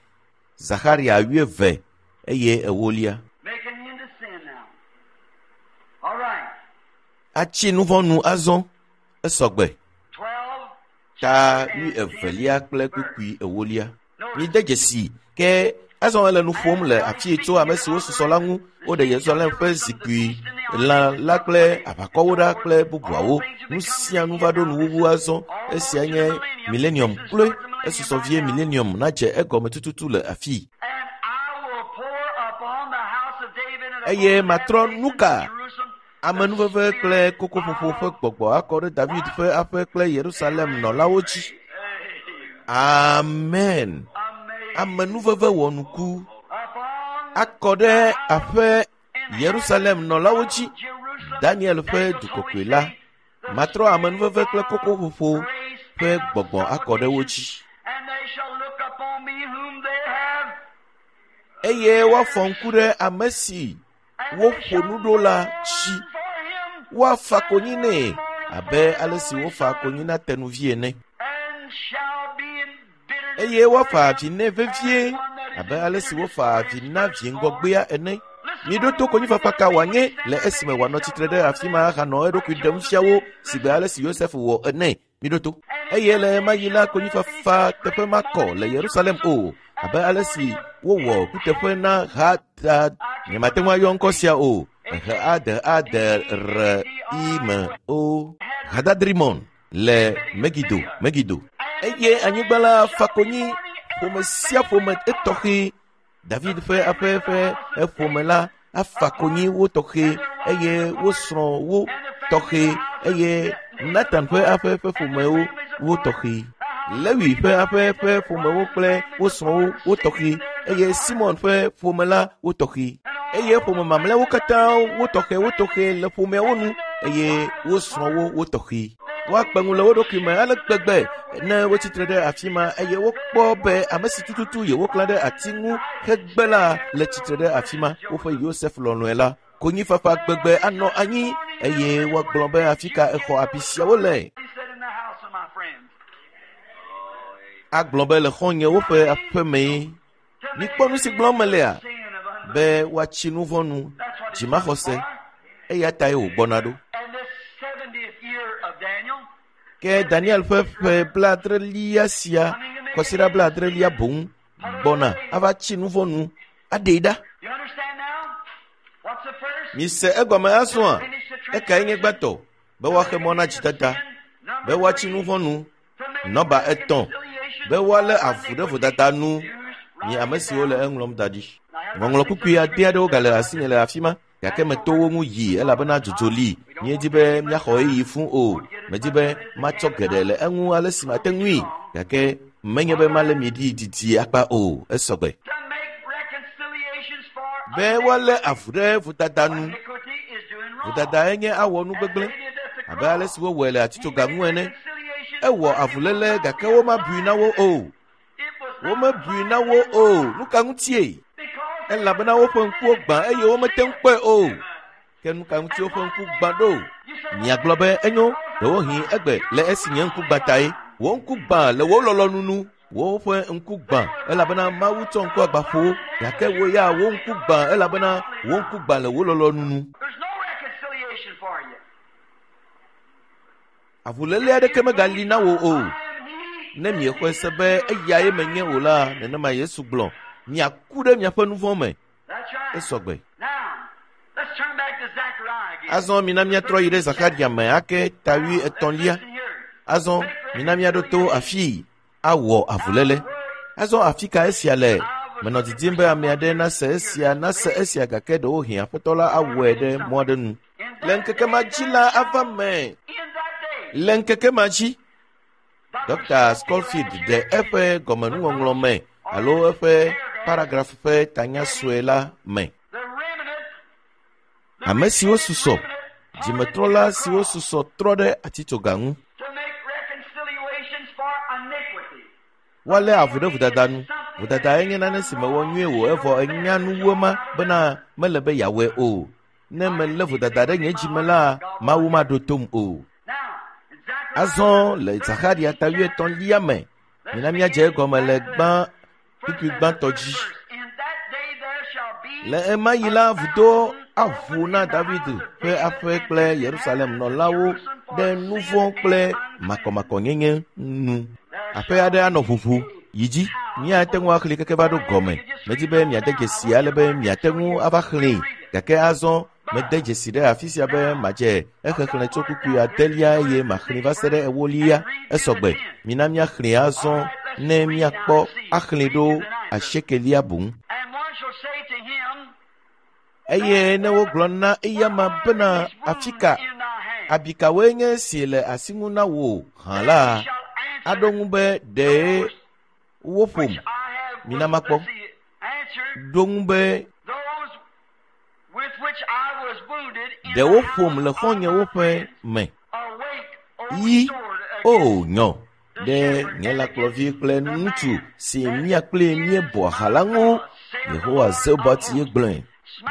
Zaxaria wuieve eye ewolia. Make an end to sin now. All right. Atsi nu vɔ̃ nu azɔ. Esɔgbe. 12. Ta wuievelia kple kpukpui ewolia. Mide dzesi ke azɔ ele nu ƒom le afii tso ame siwo susɔ la ŋu. Woɖe Yerusalem ƒe zikpui lã la kple aʋakɔwo ɖa kple bubuawo. Nu sia nu va ɖo nuwuwu azɔ. Esia nye millennium kloe. Esusɔ vie millennium nadze egɔme tututu le afii. And I will pour upon the house of David and upon Eye the matrɔ inhabitants nu ka? of Jerusalem Amenuveve kple kokoƒoƒo ƒe gbɔgbɔ akɔ ɖe David ƒe aƒe kple Yerusalem nɔlawo dzi. Amen. Amenuveve wɔnuku upon akɔ ɖe aƒe Yerusalem nɔlawo dzi. Daniel ƒe du kɔkɔe la matrɔ amenuveve kple kokoƒoƒo ƒe gbɔgbɔ akɔ ɖe wo dzi. And they shall look upon me whom they have Eye woafɔ ŋku ɖe ame si woƒo nu ɖo la dzi. for him Woafa konyi nɛ abe ale si wofa konyi na tenuvi ene. and shall be in bitterness Eye woafa avi nɛ vevie abe ale si wofa avi na vi ŋgɔgbea ene. Miɖo to konyifafa ka wòanye le esime wòanɔ tsitre ɖe afi ma ahanɔ eɖokui ɖem fia wo sigbe ale si Yosef wɔ ene. Miɖo to. Eye le ɣemaɣi la konyifafa teƒe makɔ le Yerusalem o abe ale si wowɔ kuteƒe na Hadad. Nyemate ŋu ayɔ ŋkɔ sia o. H A D A D R I M O. Hadadrimon le Megido, Megido. Eye anyigba la fa konyi ƒome sia ƒome etɔxɛ. David ƒe aƒe ƒe eƒome la afa konyi wo tɔxɛ eye wo srɔ̃ wo tɔxɛ eye Nathan ƒe aƒe ƒe ƒomewo wo tɔxɛ. Lewi ƒe aƒe ƒe ƒomewo kple wo srɔ̃wo wo tɔxɛ eye Simon ƒe ƒome la wo tɔxɛ. Eye ƒome mamlɛawo katã wo tɔxɛ wo tɔxɛ le ƒomeawo nu eye wo srɔ̃wo wo tɔxɛ. Woakpe ŋu le wo ɖokui me ale gbegbe ne wotsitre ɖe afi ma eye wokpɔ be ame si tututu yewoklã ɖe ati ŋu hegbe la le tsitre ɖe afi ma woƒe Yosef lɔlɔ̃e la. Konyifafa gbegbe anɔ anyi eye woagblɔ be afi ka exɔ abi siawo le. He said in the house of my friends. Agblɔ be le xɔ̃nyewo ƒe aƒe mee. Mikpɔ nu si gblɔm melea Sin of unbelief. be woatsi nu vɔ̃ nu dzimaxɔse eya tae wògbɔna ɖo. And this 70th year of Daniel, Ke Daniel ƒe ƒe blaadrelia sia kɔsiɖa blaadrelia boŋ gbɔna ava tsi nu vɔ̃ nu aɖee ɖa. you understand now? What's the first? Mise egɔme azɔa ekae nye gbãtɔ be woaxe mɔ na dzidada, be woatsi nu vɔ̃ nu, nɔba etɔ̃ be woalé avu ɖe vodada nu. Mi ame siwo le eŋlɔm da ɖi. Ŋɔŋlɔ kpukpui ade aɖewo gale asinye le afi ma gake meto wo ŋu yi elabena dzodzo li. Míedi be míaxɔ ɣeyiɣi fũu o. Medi be matsɔ geɖe le eŋu ale si mate ŋui gake menye be malé mi ɖi didi akpa o. Esɔgbe. To make reconciliations for Be woalé avu ɖe vodada nu. iniquity is doing wrong. Vodada enye awɔ nu gbegblẽ abe ale si wowɔe le atitsoga ŋu ene. Ewɔ avuléle gake womabui na wo o. Womebui na wo o. Nu ka ŋutie? Elabena woƒe ŋkuwo gbã eye womete ŋu kpɔe o. Ke nu ka ŋuti woƒe ŋku gbã ɖo? Miagblɔ be enyo, ɖewohĩ egbe le esi nye ŋku gbã tae. Wò ŋku gbã le wò lɔlɔ̃nu nu. Woƒe ŋku gbã elabena Mawu tsɔ ŋku agba ƒo wo. Gake wò ya wò ŋku gbã elabena wò ŋku gbã le wò lɔlɔ̃nu nu. There's no reconciliation for you. Avuléle aɖeke megali na wò o. I am he. Ne miexɔe se be eyae menye o la, nenema Yesu gblɔ, miaku ɖe miaƒe nu vɔ̃ me. That's right. Esɔgbe. Now, let's Azɔ mina míatrɔ yi ɖe Zakaria me ake ta 33. Azɔ mina míaɖo to afii awɔ avuléle. Azɔ afi ka esia le? Menɔ didim be ame aɖe nase esia nase esia gake ɖewohĩ Aƒetɔ la awɔe ɖe mɔ aɖe nu. Le ŋkeke ma dzi la ava me. Le ŋkeke ma dzi, Dr. Scofield ɖe eƒe gɔmenuŋɔŋlɔ me alo eƒe paragraf ƒe tanya sue la me. Ame siwo susɔ, dzimetrɔla siwo susɔ trɔ ɖe atitsoga ŋu. Woalé avu ɖe vodada nu. Vodada nye nane si mewɔ nyuie o evɔ enya nu wu ema bena mele be yeawɔe o. Ne melé vodada ɖe nye dzime la, Mawu maɖo tom o. Azɔ le Zakaria ta 33 me, mina míadze egɔme le gbã kpukpui gbãtɔ dzi. Le ema yi la, vudo aʋu na David ƒe aƒe kple Yerusalem nɔlawo ɖe nu vɔ̃ kple makɔmakɔnyenye nu. Aƒe aɖe anɔ ʋuʋu yi dzi. Míate ŋu axlẽe keke va ɖo gɔme. Medi be miade dzesi ale be miate ŋu ava xlẽe gake azɔ mede dzesi ɖe afi sia be madze exexlẽ tso kpukpui adelia eye maxlẽe va se ɖe ewolia. Esɔgbe. Mina míaxlẽe azɔ ne míakpɔ axlẽe ɖo asiekelia boŋ. Eye ne wogblɔ na eyama bena afi ka abikawoe nye esi le asi ŋu na wò hã la, aɖo ŋu be ɖee woƒom. Mina makpɔ. Ɖo ŋu be ɖe woƒom le xɔ̃nyewo ƒe me. Yi, o nyɔ, ɖe nye lãkplɔvi kple ŋutsu si mía kpli míebɔ ha la ŋu. Yehowa Zebaot ye gblɔe.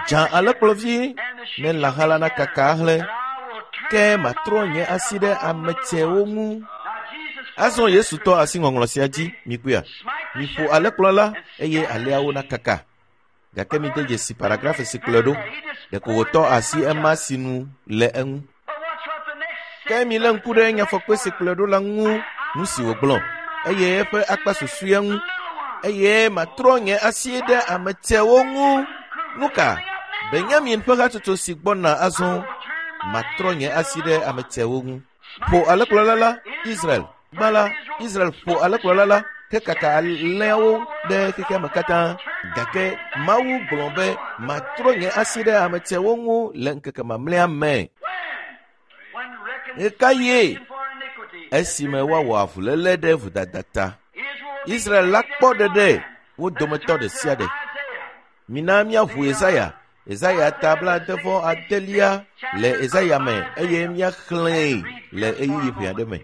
Dza alẽkplɔvi ne lãha la nakaka ahlẽ, ke matrɔ nye asi ɖe ame tsɛwo ŋu. Azɔ Yesu tɔ asi ŋɔŋlɔ sia dzi, mikpɔea? Miƒo alẽkplɔla eye alẽawo nakaka. Gake mide dzesi paragraf si kplɔe ɖo. Ɖeko wòtɔ asi ema si nu le eŋu. Ke milé ŋku ɖe nyafɔkpe si kplɔe ɖo la ŋu, nu si wògblɔ, eye eƒe akpa susɔea ŋu. Eye matrɔ nye asi ɖe ame tsɛwo ŋu. Nu ka? Benyamin ƒe hatsotso si gbɔna azɔ, matrɔ nye asi ɖe ame tsɛwo ŋu. Ƒo alẽkplɔla la, Israel. Gbã la, Israel ƒo alẽkplɔla la ke kaka alẽawo ɖe xexea me katã. Gake Mawu gblɔ be matrɔ nye asi ɖe ame tsɛwo ŋu le ŋkeke mamlɛa me. Ɣekaɣie? Esime woawɔ avuléle ɖe vodada ta. Israel la kpɔ ɖeɖe wo dometɔ ɖe sia ɖe. Mina míaʋu Yesaya, Yesaya ta 69 le Yesaya me eye míaxlẽe le ɣeyiɣi ʋɛ aɖe me.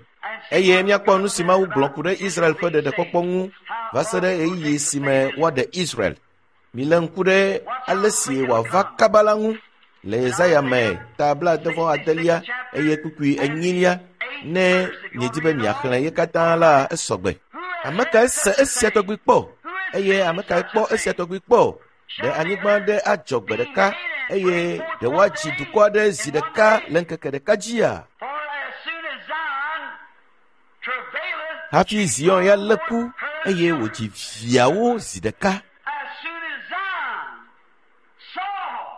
Eye míakpɔ nu si Mawu gblɔ ku ɖe Israel ƒe ɖeɖekpɔkpɔ ŋu va se ɖe ɣeyiɣi si me woaɖe Israel. Milé ŋku ɖe ale si wòava kaba la ŋu le Yesaya me ta 69 eye kpukpui 4 ne miedi be miaxlẽ ye katã la esɔgbe. Ame kae se esia tɔgbi kpɔ? Eye ame kae kpɔ esia tɔgbi kpɔ? Ɖe anyigba aɖe adzɔ gbe ɖeka eye ɖe woadzi dukɔ aɖe zi ɖeka le ŋkeke ɖeka dzia? Hafi Zion ya lé ku eye wòdzi viawo zi ɖeka.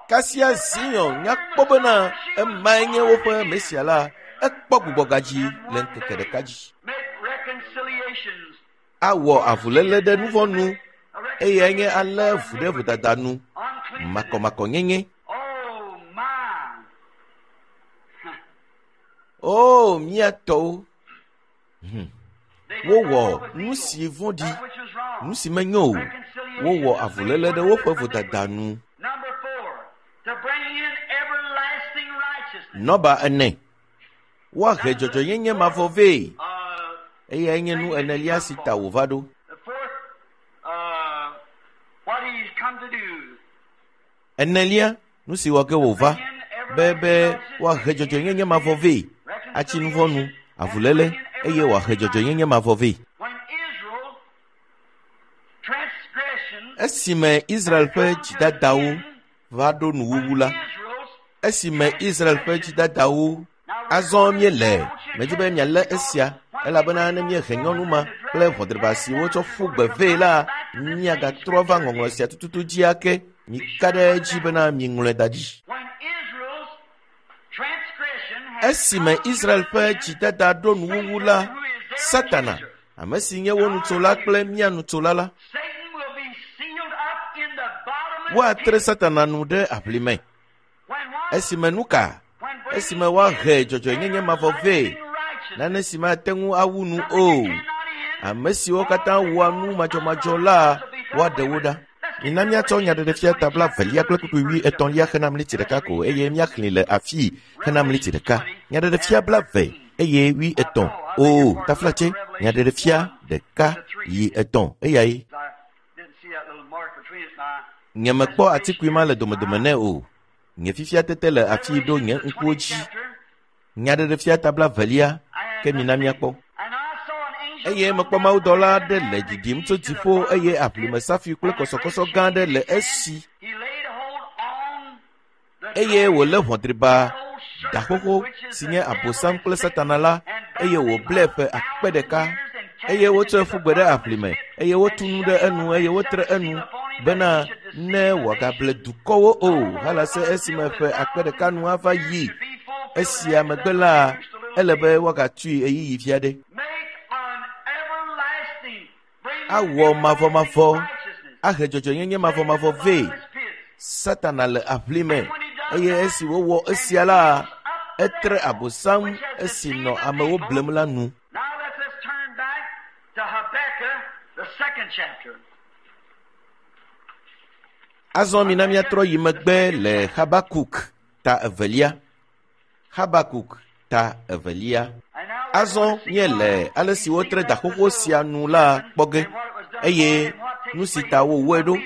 Kasia Zion nya kpɔ bena emae nye woƒe Mesia la, ekpɔ gbugbɔgadzi le ŋkeke ɖeka dzi. Awɔ avuléle ɖe nuvɔ̃ nu eye nye alé vu ɖe vodada nu, makɔmakɔnyenye. O, mía tɔwo! Wowɔ nu si vɔ̃ɖi, nu si menyo o. Wowɔ avuléle ɖe woƒe vodada nu. Nɔba 4. Woahe dzɔdzɔenyenye mavɔ vɛ. Eyae nye nu enelia si ta wòva ɖo. Enelia, nu si wɔ ge wòva be be woahe dzɔdzɔenyenye mavɔ vɛ, atsi nu vɔ̃ nu, avuléle, eye wòahe dzɔdzɔenyenye mavɔ vɛ. Esime Israel ƒe dzidadawo va ɖo nuwuwu la, esime Israel ƒe dzidadawo azɔ míele, medi be mialé esia, elabena ne míehe nyɔnu ma kple ʋɔdriba si wotsɔ ƒu gbe vɛ la, míagatrɔ va ŋɔŋlɔ sia tututu dzi ake. Mika ɖe edzi bena miŋlɔe da ɖi. Esime Israel ƒe dzidada ɖo nuwuwu la, Satana, ame si nye wo nutsola kple mía nutsola la, woatre Satana nu ɖe aʋlime. Esime nu ka? Esime woahe dzɔdzɔenyenye mavɔ vɛ, nane si mate ŋu awu nu o. Ame siwo katã wɔa nu madzɔmadzɔ la, woaɖe wo ɖa. Mina míatsɔ nyaɖeɖefia ta 2 kple kpukpui 80 hena mliti ɖeka ko eye míaxlẽe le afii hena mliti ɖeka. Nyaɖeɖefia 2 eye 80. O, taflatse, nyaɖeɖefia 1 yi 3 eyae. Nyemekpɔ atikui ma le domedome nɛ o. Nye fifia tete le afii ɖo nye ŋkuwo dzi. Nyaɖeɖefia ta 2, ke mina míakpɔ. Eye mekpɔ mawudɔla aɖe le ɖiɖim tso dziƒo eye aʋlime safi kple kɔsɔkɔsɔ gã aɖe le esi. Eye wòlé ʋɔdriba da xoxo si nye Abosam kple Satana la, eye wòblɛ ƒe akpe ɖeka. Eye wotsɔe ƒu gbe ɖe aʋlime, eye wotu nu ɖe enu, eye wotre enu bena ne wòagable dukɔwo o halase esime ƒe akpe ɖeka nu ava yi. Esia megbe la, ele be woagatui ɣeyiɣi vi aɖe. Awɔ mavɔmavɔ, ahe dzɔdzɔenyenye mavɔmavɔ vɛ. Satana le aʋlime eye esi wowɔ esia la, etre Abosam esi nɔ amewo blem la nu. Now let us turn back to Habakkuk, the second chapter. Azɔ mina míatrɔ yi megbe le Habakuk ta 2. Habakuk ta 2. Azɔ míele ale si wotre da xoxo sia nu la kpɔ ge eye nu si ta wowɔe ɖo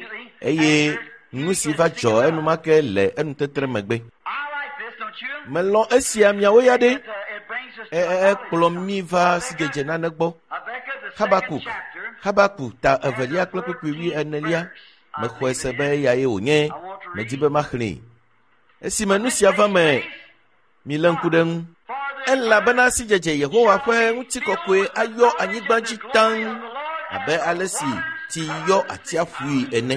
eye nu si va dzɔ enumake le enutetre megbe. I like this, don't you? Melɔ̃ esia miawo ya ɖe. It brings us to Ekplɔ mí va sidzedze nane gbɔ. Habakkuk, the second Habakuk, chapter. Habakuk ta 2 kple kpukpui 40. Mexɔe se be eyae wònye. Medi be maxlẽe. Esime nu sia va me, milé ŋku ɖe ŋu. Elabena sidzedze Yehowa ƒe ŋutikɔkɔe ayɔ anyigba dzi taŋ abe ale si tsi yɔ atsiaƒui ene.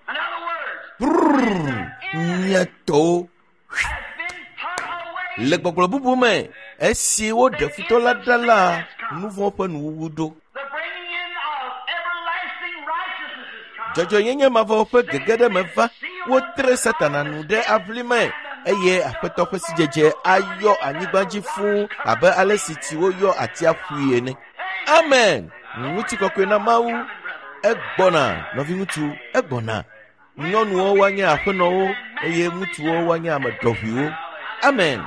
In other words, Brrr, mía tɔwo. has been put away. Le gbɔgblɔ bubu me, esi woɖe futɔ la ɖa la, nu vɔ̃ ƒe nuwuwu ɖo. The bringing in of everlasting righteousness is come. Dzɔdzɔenyenye mavɔ ƒe gege ɖe me va, wotre Satana nu ɖe aʋlime eye Aƒetɔ ƒe sidzedze ayɔ anyigba dzi fũu abe ale si tsiwo yɔ atsiaƒui ene. Amen. Ŋutikɔkɔe na Mawu. Egbɔna, nɔviŋutsu, egbɔna. Nyɔnuwo woanye aƒenɔwo eye ŋutsuwo woanye ame ɖɔʋuiwo. Amen.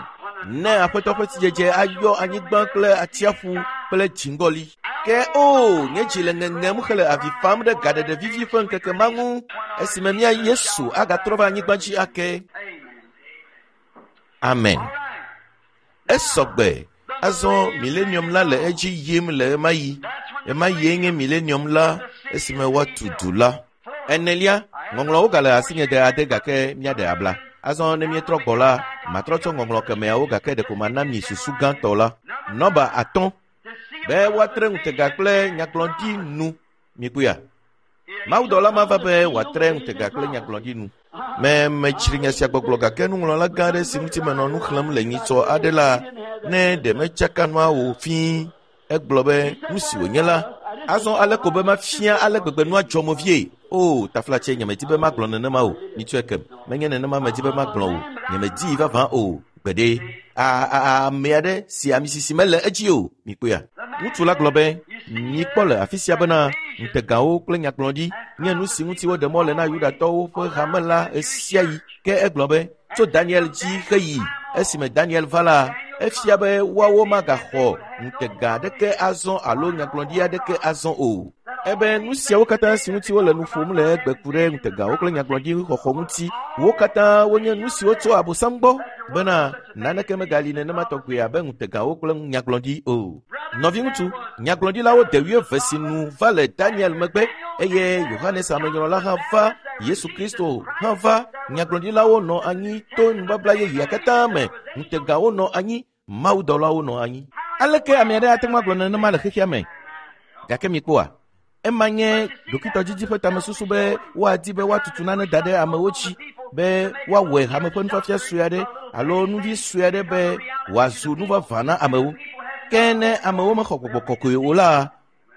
Ne Aƒetɔ ƒe sidzedze ayɔ anyigba kple atsiaƒu kple dziŋgɔli. Ke o, nye dzi le ŋeŋem hele avi fam ɖe gaɖeɖe vivi ƒe ŋkeke ma ŋu esime mía Yesu agatrɔ va anyigba dzi ake. Amen. Amen. All right. Esɔgbe. Azɔ millennium la le edzi yim le ɣemaɣi. Ɣemaɣie nye millennium la esime woatu du la. 4, ŋɔŋlɔwo gale asinye de ade gake míaɖe abla. Azɔ ne míetrɔ gbɔ la, matrɔ tsɔ ŋɔŋlɔ kemeawo gake ɖeko mana mi susu gãtɔ la. Nɔba 5, be woatre ŋutega kple nyagblɔɖi nu. Mikpɔea? Mawudɔla ma va be wòatre ŋutega kple nyagblɔɖi nu. Me metsri nya sia gbɔgblɔ gake nuŋlɔla gã aɖe si ŋuti menɔ nu xlẽm le nyitsɔ aɖe la, ne ɖe metsaka nua wò fĩi. Egblɔ be nu si wònye la, azɔ ale ko be mafia ale gbegbe nua dzɔ mo vie. O, taflatse, nyemedi be magblɔ nenema o. Mitsɔe kem. Menye nenema medi be magblɔ o. Nyemedii vavã o. Gbeɖe. Ame aɖe si amisisi mele edzi o. Mikpɔea? Ŋutsu la gblɔ be, mikpɔ le afi sia bena ŋutegawo kple nyagblɔɖi nye nu si ŋuti woɖe mɔ le na Yudatɔwo ƒe hame la ɣesiaɣi. Ke egblɔ be, tso Daniel dzi heyi esime Daniel va la, efia be woawo magaxɔ ŋutega aɖeke azɔ alo nyagblɔɖi aɖeke azɔ o. Ebe nu siawo katã si ŋuti wole nu ƒom le egbe ku ɖe ŋutegawo kple nyagblɔɖi xɔxɔ ŋuti, wo katã wonye nu siwo tso Abosam gbɔ bena naneke megali nenema tɔgbe abe ŋutegawo kple nyagblɔɖi o. Nɔviŋutsu, nyagblɔɖilawo de 20 si nu va le Daniel megbe eye Yohanes amenyrɔla hã va, Yesu Kristo hã va. Nyagblɔɖilawo nɔ anyi to nubabla yeyea katã me, ŋutegawo nɔ anyi, mawudɔlawo nɔ anyi. Aleke ame aɖe ate ŋu agblɔ nenema le xexea me? Gake mikpɔa, ema nye ɖokuitɔdidi ƒe tamesusu be woadi be woatutu nane da ɖe amewo dzi. be woawɔe hame ƒe nufiafia sue aɖe alo nuvi sue aɖe be wòazu nu vavã na amewo. Ke ne amewo mexɔ gbɔgbɔ kɔkɔe o la,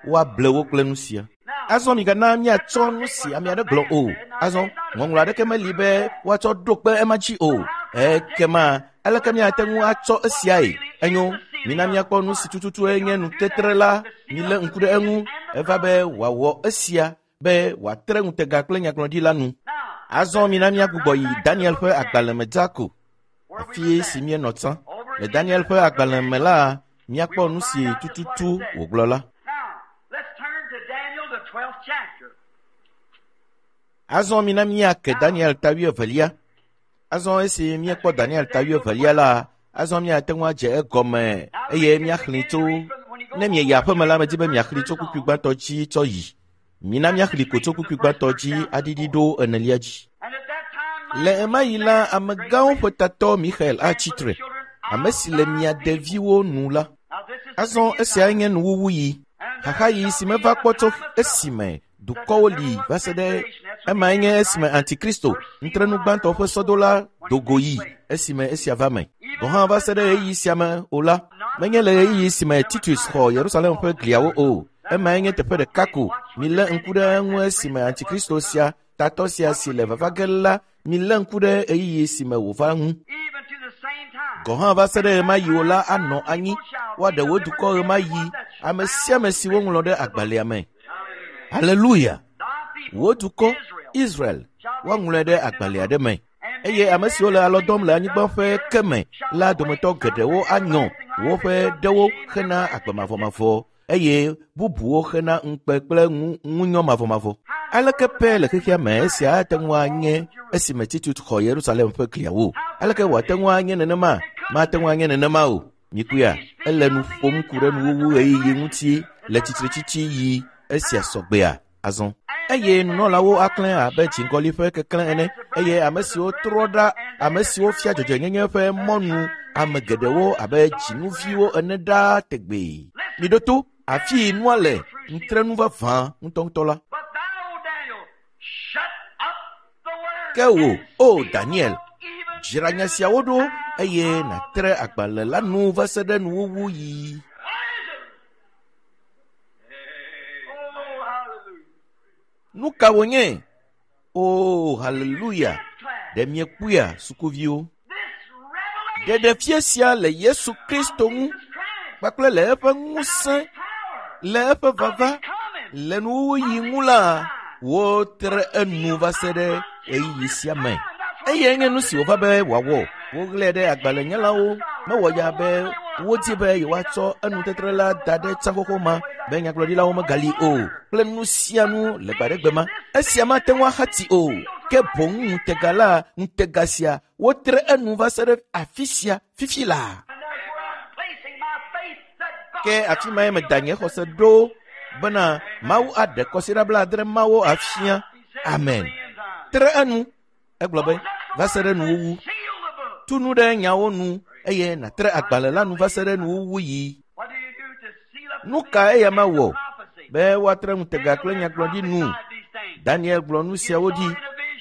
woable wo kple nu sia. Azɔ migana míatsɔ nu si ame aɖe gblɔ o. Azɔ ŋɔŋlɔ aɖeke meli be woatsɔ ɖo kpe ema dzi o. Ekema aleke míate ŋu atsɔ esiae? Enyo, mina míakpɔ nu si tututue nye nutetre la. Milé ŋku ɖe eŋu. Eva be wòawɔ esia be wòatre ŋutega kple nyagblɔɖi la nu. Azɔ mina míagbugbɔ yi Daniel ƒe agbalẽ me dzaa ko, afi si míenɔ tsã. Le Daniel ƒe agbalẽ me la, míakpɔ nu si tututu wògblɔ la. Azɔ mina míake Daniel ta wuievelia. Azɔ esi míekpɔ Daniel ta wuievelia la, azɔ míate ŋu adze egɔme eye míaxlẽe tso ne mieyi aƒeme la, medi be miaxlẽe tso kpukpui gbãtɔ dzi tsɔ yi. Mina míaxlẽe ko tso kpukpui gbãtɔ dzi aɖiɖi ɖo enelia dzi. Le ɣemaɣi la, amegãwo ƒe tatɔ Mixael atsi tre, ame si le mia deviwo nu la. Azɔ esiae nye nuwuwuɣi, xaxaɣi si meva kpɔ tso esime dukɔwo li va se ɖe emae nye esime Antikristo, ŋutrenu gbãtɔ ƒe sɔdola do go yi esime esia va me. Gɔ̃ hã va se ɖe ɣeyiɣi sia me o la, menye le ɣeyiɣi si me Titus xɔ Yerusalem ƒe gliawo o. Emae nye teƒe ɖeka ko. Milé ŋku ɖe eŋu esime Antikristo sia, tatɔ sia si le vava ge la, milé ŋku ɖe ɣeyiɣi si me wòva ŋu. Gɔ̃ hã va se ɖe ɣemaɣi o la anɔ anyi. Woaɖe wò dukɔ ɣemaɣi, ame sia ame si woŋlɔ ɖe agbalẽa me. Haleluya! Wò dukɔ, Israel, woaŋlɔe ɖe agbalẽ aɖe me. Eye ame siwo le alɔ dɔm le anyigba ƒe ke me la dometɔ geɖewo anyɔ woƒe ɖewo hena agbe mavɔmavɔ eye bubuwo hena ŋukpe kple ŋunyɔ mavɔmavɔ. Aleke pɛ le xexea me esia ate ŋu anye esime Titus xɔ Yerusalem ƒe gliawo? Aleke wòate ŋu anye nenema? Mate ŋu anye nenema o. Mikuya, ele nu ƒom ku ɖe nuwuwu ɣeyiɣi ŋuti le tsitretsitsi yi esia sɔgbea azɔ. Eye nunɔlawo aklẽ abe dziŋgɔli ƒe keklẽ ene, eye ame siwo trɔ ɖa, ame siwo fia dzɔdzɔenyenye ƒe mɔnu ame geɖewo abe dzinuviwo ene ɖaa tegbee. Miɖo to, afii nua le ŋutrenu vavã ŋutɔŋutɔ la. Ke wò, O Daniel, dzra nya siawo ɖo eye nàtre agbalẽ la nu va se ɖe nuwuwu yi. Nu ka wònye? O, haleluya! Ɖe miekpɔea, sukuviwo? Ɖeɖefia sia le Yesu Kristo ŋu kpakple le eƒe ŋusẽ, le eƒe vava, le nuwuwuɣi ŋu la, wotre enu va se ɖe ɣeyiɣi sia me. Eyae nye nu si wòva be wòawɔ. Woɣlae ɖe agbalẽnyalawo. Mewɔ ya be wodi be yewoatsɔ enutetre la da ɖe tsã xoxo ma be nyagblɔɖilawo megali o kple nu sia nu le gbaɖegbe ma. Esia mate ŋu axati o. Ke boŋ ŋutega la, ŋutega sia, wotre enu va se ɖe afi sia fifi laa. Ke afi mae meda nye xɔse ɖo bena Mawu aɖe kɔsiɖa blaadre mawo afia. Amen. Tre enu. Egblɔ be, va se ɖe nuwuwu. Tu nu ɖe nyawo nu eye nàtre agbalẽ la nu va se ɖe nuwuwu yi. Nu ka eya ma wɔ? Be woatre ŋutega kple nyagblɔɖi nu. Daniel gblɔ nu siawo ɖi.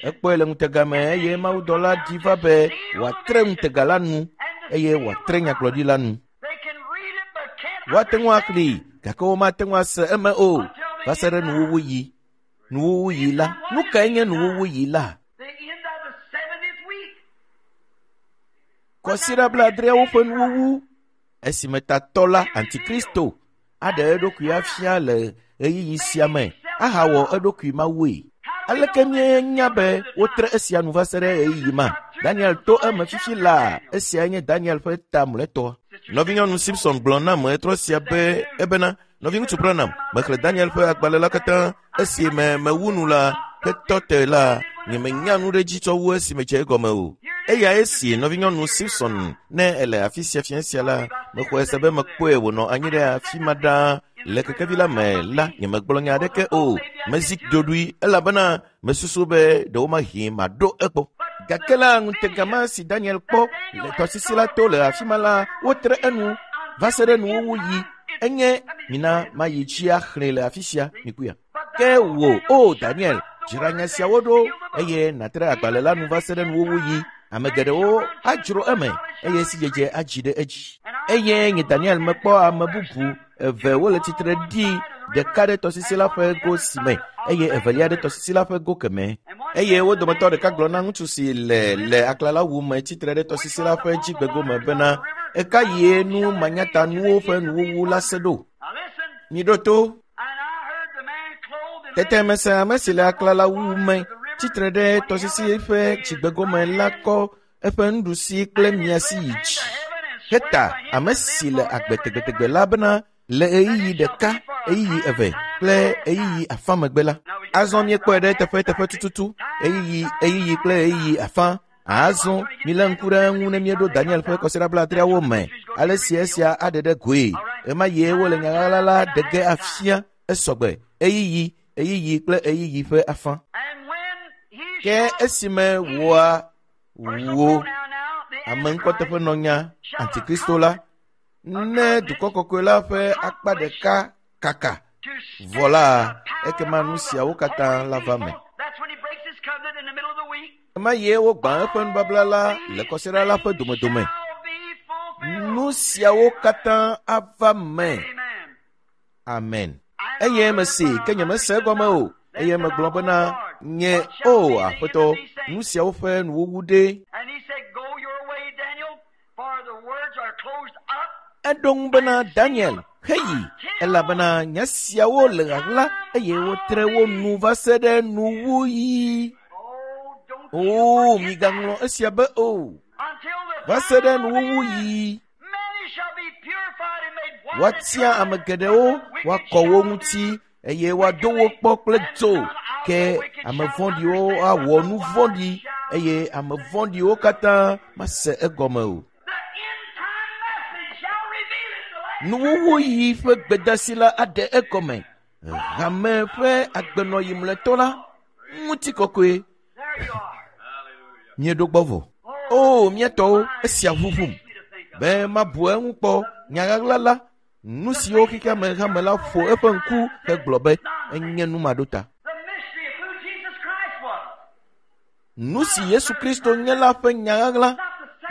Ekpɔe le ŋutega me eye mawudɔla ɖi va be wòatre ŋutega la nu eye wòatre nyagblɔɖi la nu. Woate ŋu axlẽe gake womate ŋu ase eme o va se ɖe nuwuwu yi. Nuwuwu yi la. Nu kae nye nuwuwu yi la? Kɔsiɖa blaadreawo ƒe nuwuwu esime tatɔ la Antikristo aɖe eɖokui afia le ɣeyiɣi sia me ahawɔ eɖokui mawue. Aleke míenya be wotre esia nu va se ɖe ɣeyiɣi ma? Daniel to eme fifi laa. Esiae nye Daniel ƒe ta mlɔetɔ. Nɔvinyɔnu Simpson gblɔ nam ɣetrɔ sia be ebena, Nɔviŋutsu Branham, mexlẽ Daniel ƒe agbalẽ la katã esime mewu nu la hetɔ te la, nyemenya nu ɖe edzi tsɔ wu esime dze egɔme o. Eya esi nɔvinyɔnu Simpson ne ele afi sia fiẽ sia la, mexɔe se be mekpɔe wònɔ anyi ɖe afi ma ɖaa le kekevi la me la, nyemegblɔ nya aɖeke o. Mezi ɖoɖoe elabena mesusu be ɖewomahi maɖo egbɔ. Gake la, ŋutega ma si Daniel kpɔ le tɔsisi la to le afi ma la, wotre enu va se ɖe nuwuwu yi. Enye mina mayi dzi axlẽe le afi sia, mikuya. Ke wò, O Daniel, Dzra nya siawo ɖo eye nàtre agbalẽ la nu va se ɖe nuwuwuyi. Ame geɖewo adzro eme eye sidzedze adzi ɖe edzi. Eye nye Daniel mekpɔ ame bubu eve wole tsitre ɖi, ɖeka ɖe tɔsisi la ƒe go si me eye evelia ɖe tɔsisi la ƒe go kemɛ. Eye wo dometɔ ɖeka gblɔ na ŋutsu si le le aklalawu me tsitre ɖe tɔsisi la ƒe dzigbegome bena, eka yie nu manyatanuwo ƒe nuwuwu la se ɖo? Miɖo to. Tete mese ame si le aklalawu me tsitre ɖe tɔsisi ƒe dzigbegome la kɔ eƒe nuɖusi kple miasi yi dzi heta ame si le agbe tegbetegbe la bena le ɣeyiɣi ɖeka, ɣeyiɣi eve kple ɣeyiɣi afã megbe la. Azɔ míekpɔe ɖe teƒe tututu, ɣeyiɣi kple ɣeyiɣi afã. Azɔ milé ŋku ɖe eŋu ne míeɖo Daniel ƒe kɔsiɖa blaadreawo me, ale si esia aɖe ɖe goe. Ɣema yie wole nya ɣaɣla la ɖe ge afia esɔgbe, ɣeyiɣi kple ɣeyiɣi ƒe afã. Ke esime wòa wò ame ŋkɔteƒenɔnya Antikristo la, ne dukɔ kɔkɔe la ƒe akpa ɖeka kaka vɔ la, ekema nu siawo katã la va me. Ema ye wogbã eƒe nubabla la le kɔsiɖa la ƒe domedome. Nu siawo katã ava me. Amen. Eye mese ke nyemese egɔme o. Eye megblɔ bena, nye o Aƒetɔ, nu siawo ƒe nuwuwu ɖe. Eɖo ŋu bena, Daniel, heyi, elabena nya siawo le ɣaɣla eye wotre wo nu va se ɖe nuwuɣi. O, migaŋlɔ esia be o. Va se ɖe nuwuwuɣi. Woatia ame geɖewo, woakɔ wo ŋuti eye woado wo kpɔ kple dzo. Ke ame vɔ̃ɖiwo awɔ nu vɔ̃ɖi eye ame vɔ̃ɖiwo katã mase egɔme o. Nuwuwuɣi ƒe gbedasi la aɖe egɔme. Hame ƒe agbenɔyi mlɔetɔ la ŋutikɔkɔe. Míeɖo gbɔ vɔ. O, mía tɔwo, esia ʋuʋum be mabu eŋu kpɔ nya ɣaɣla la, nu siwo xexea me hame la ƒo eƒe ŋku hegblɔ be enye nu maɖota. Nu si Yesu Kristo nye la ƒe nya ɣaɣla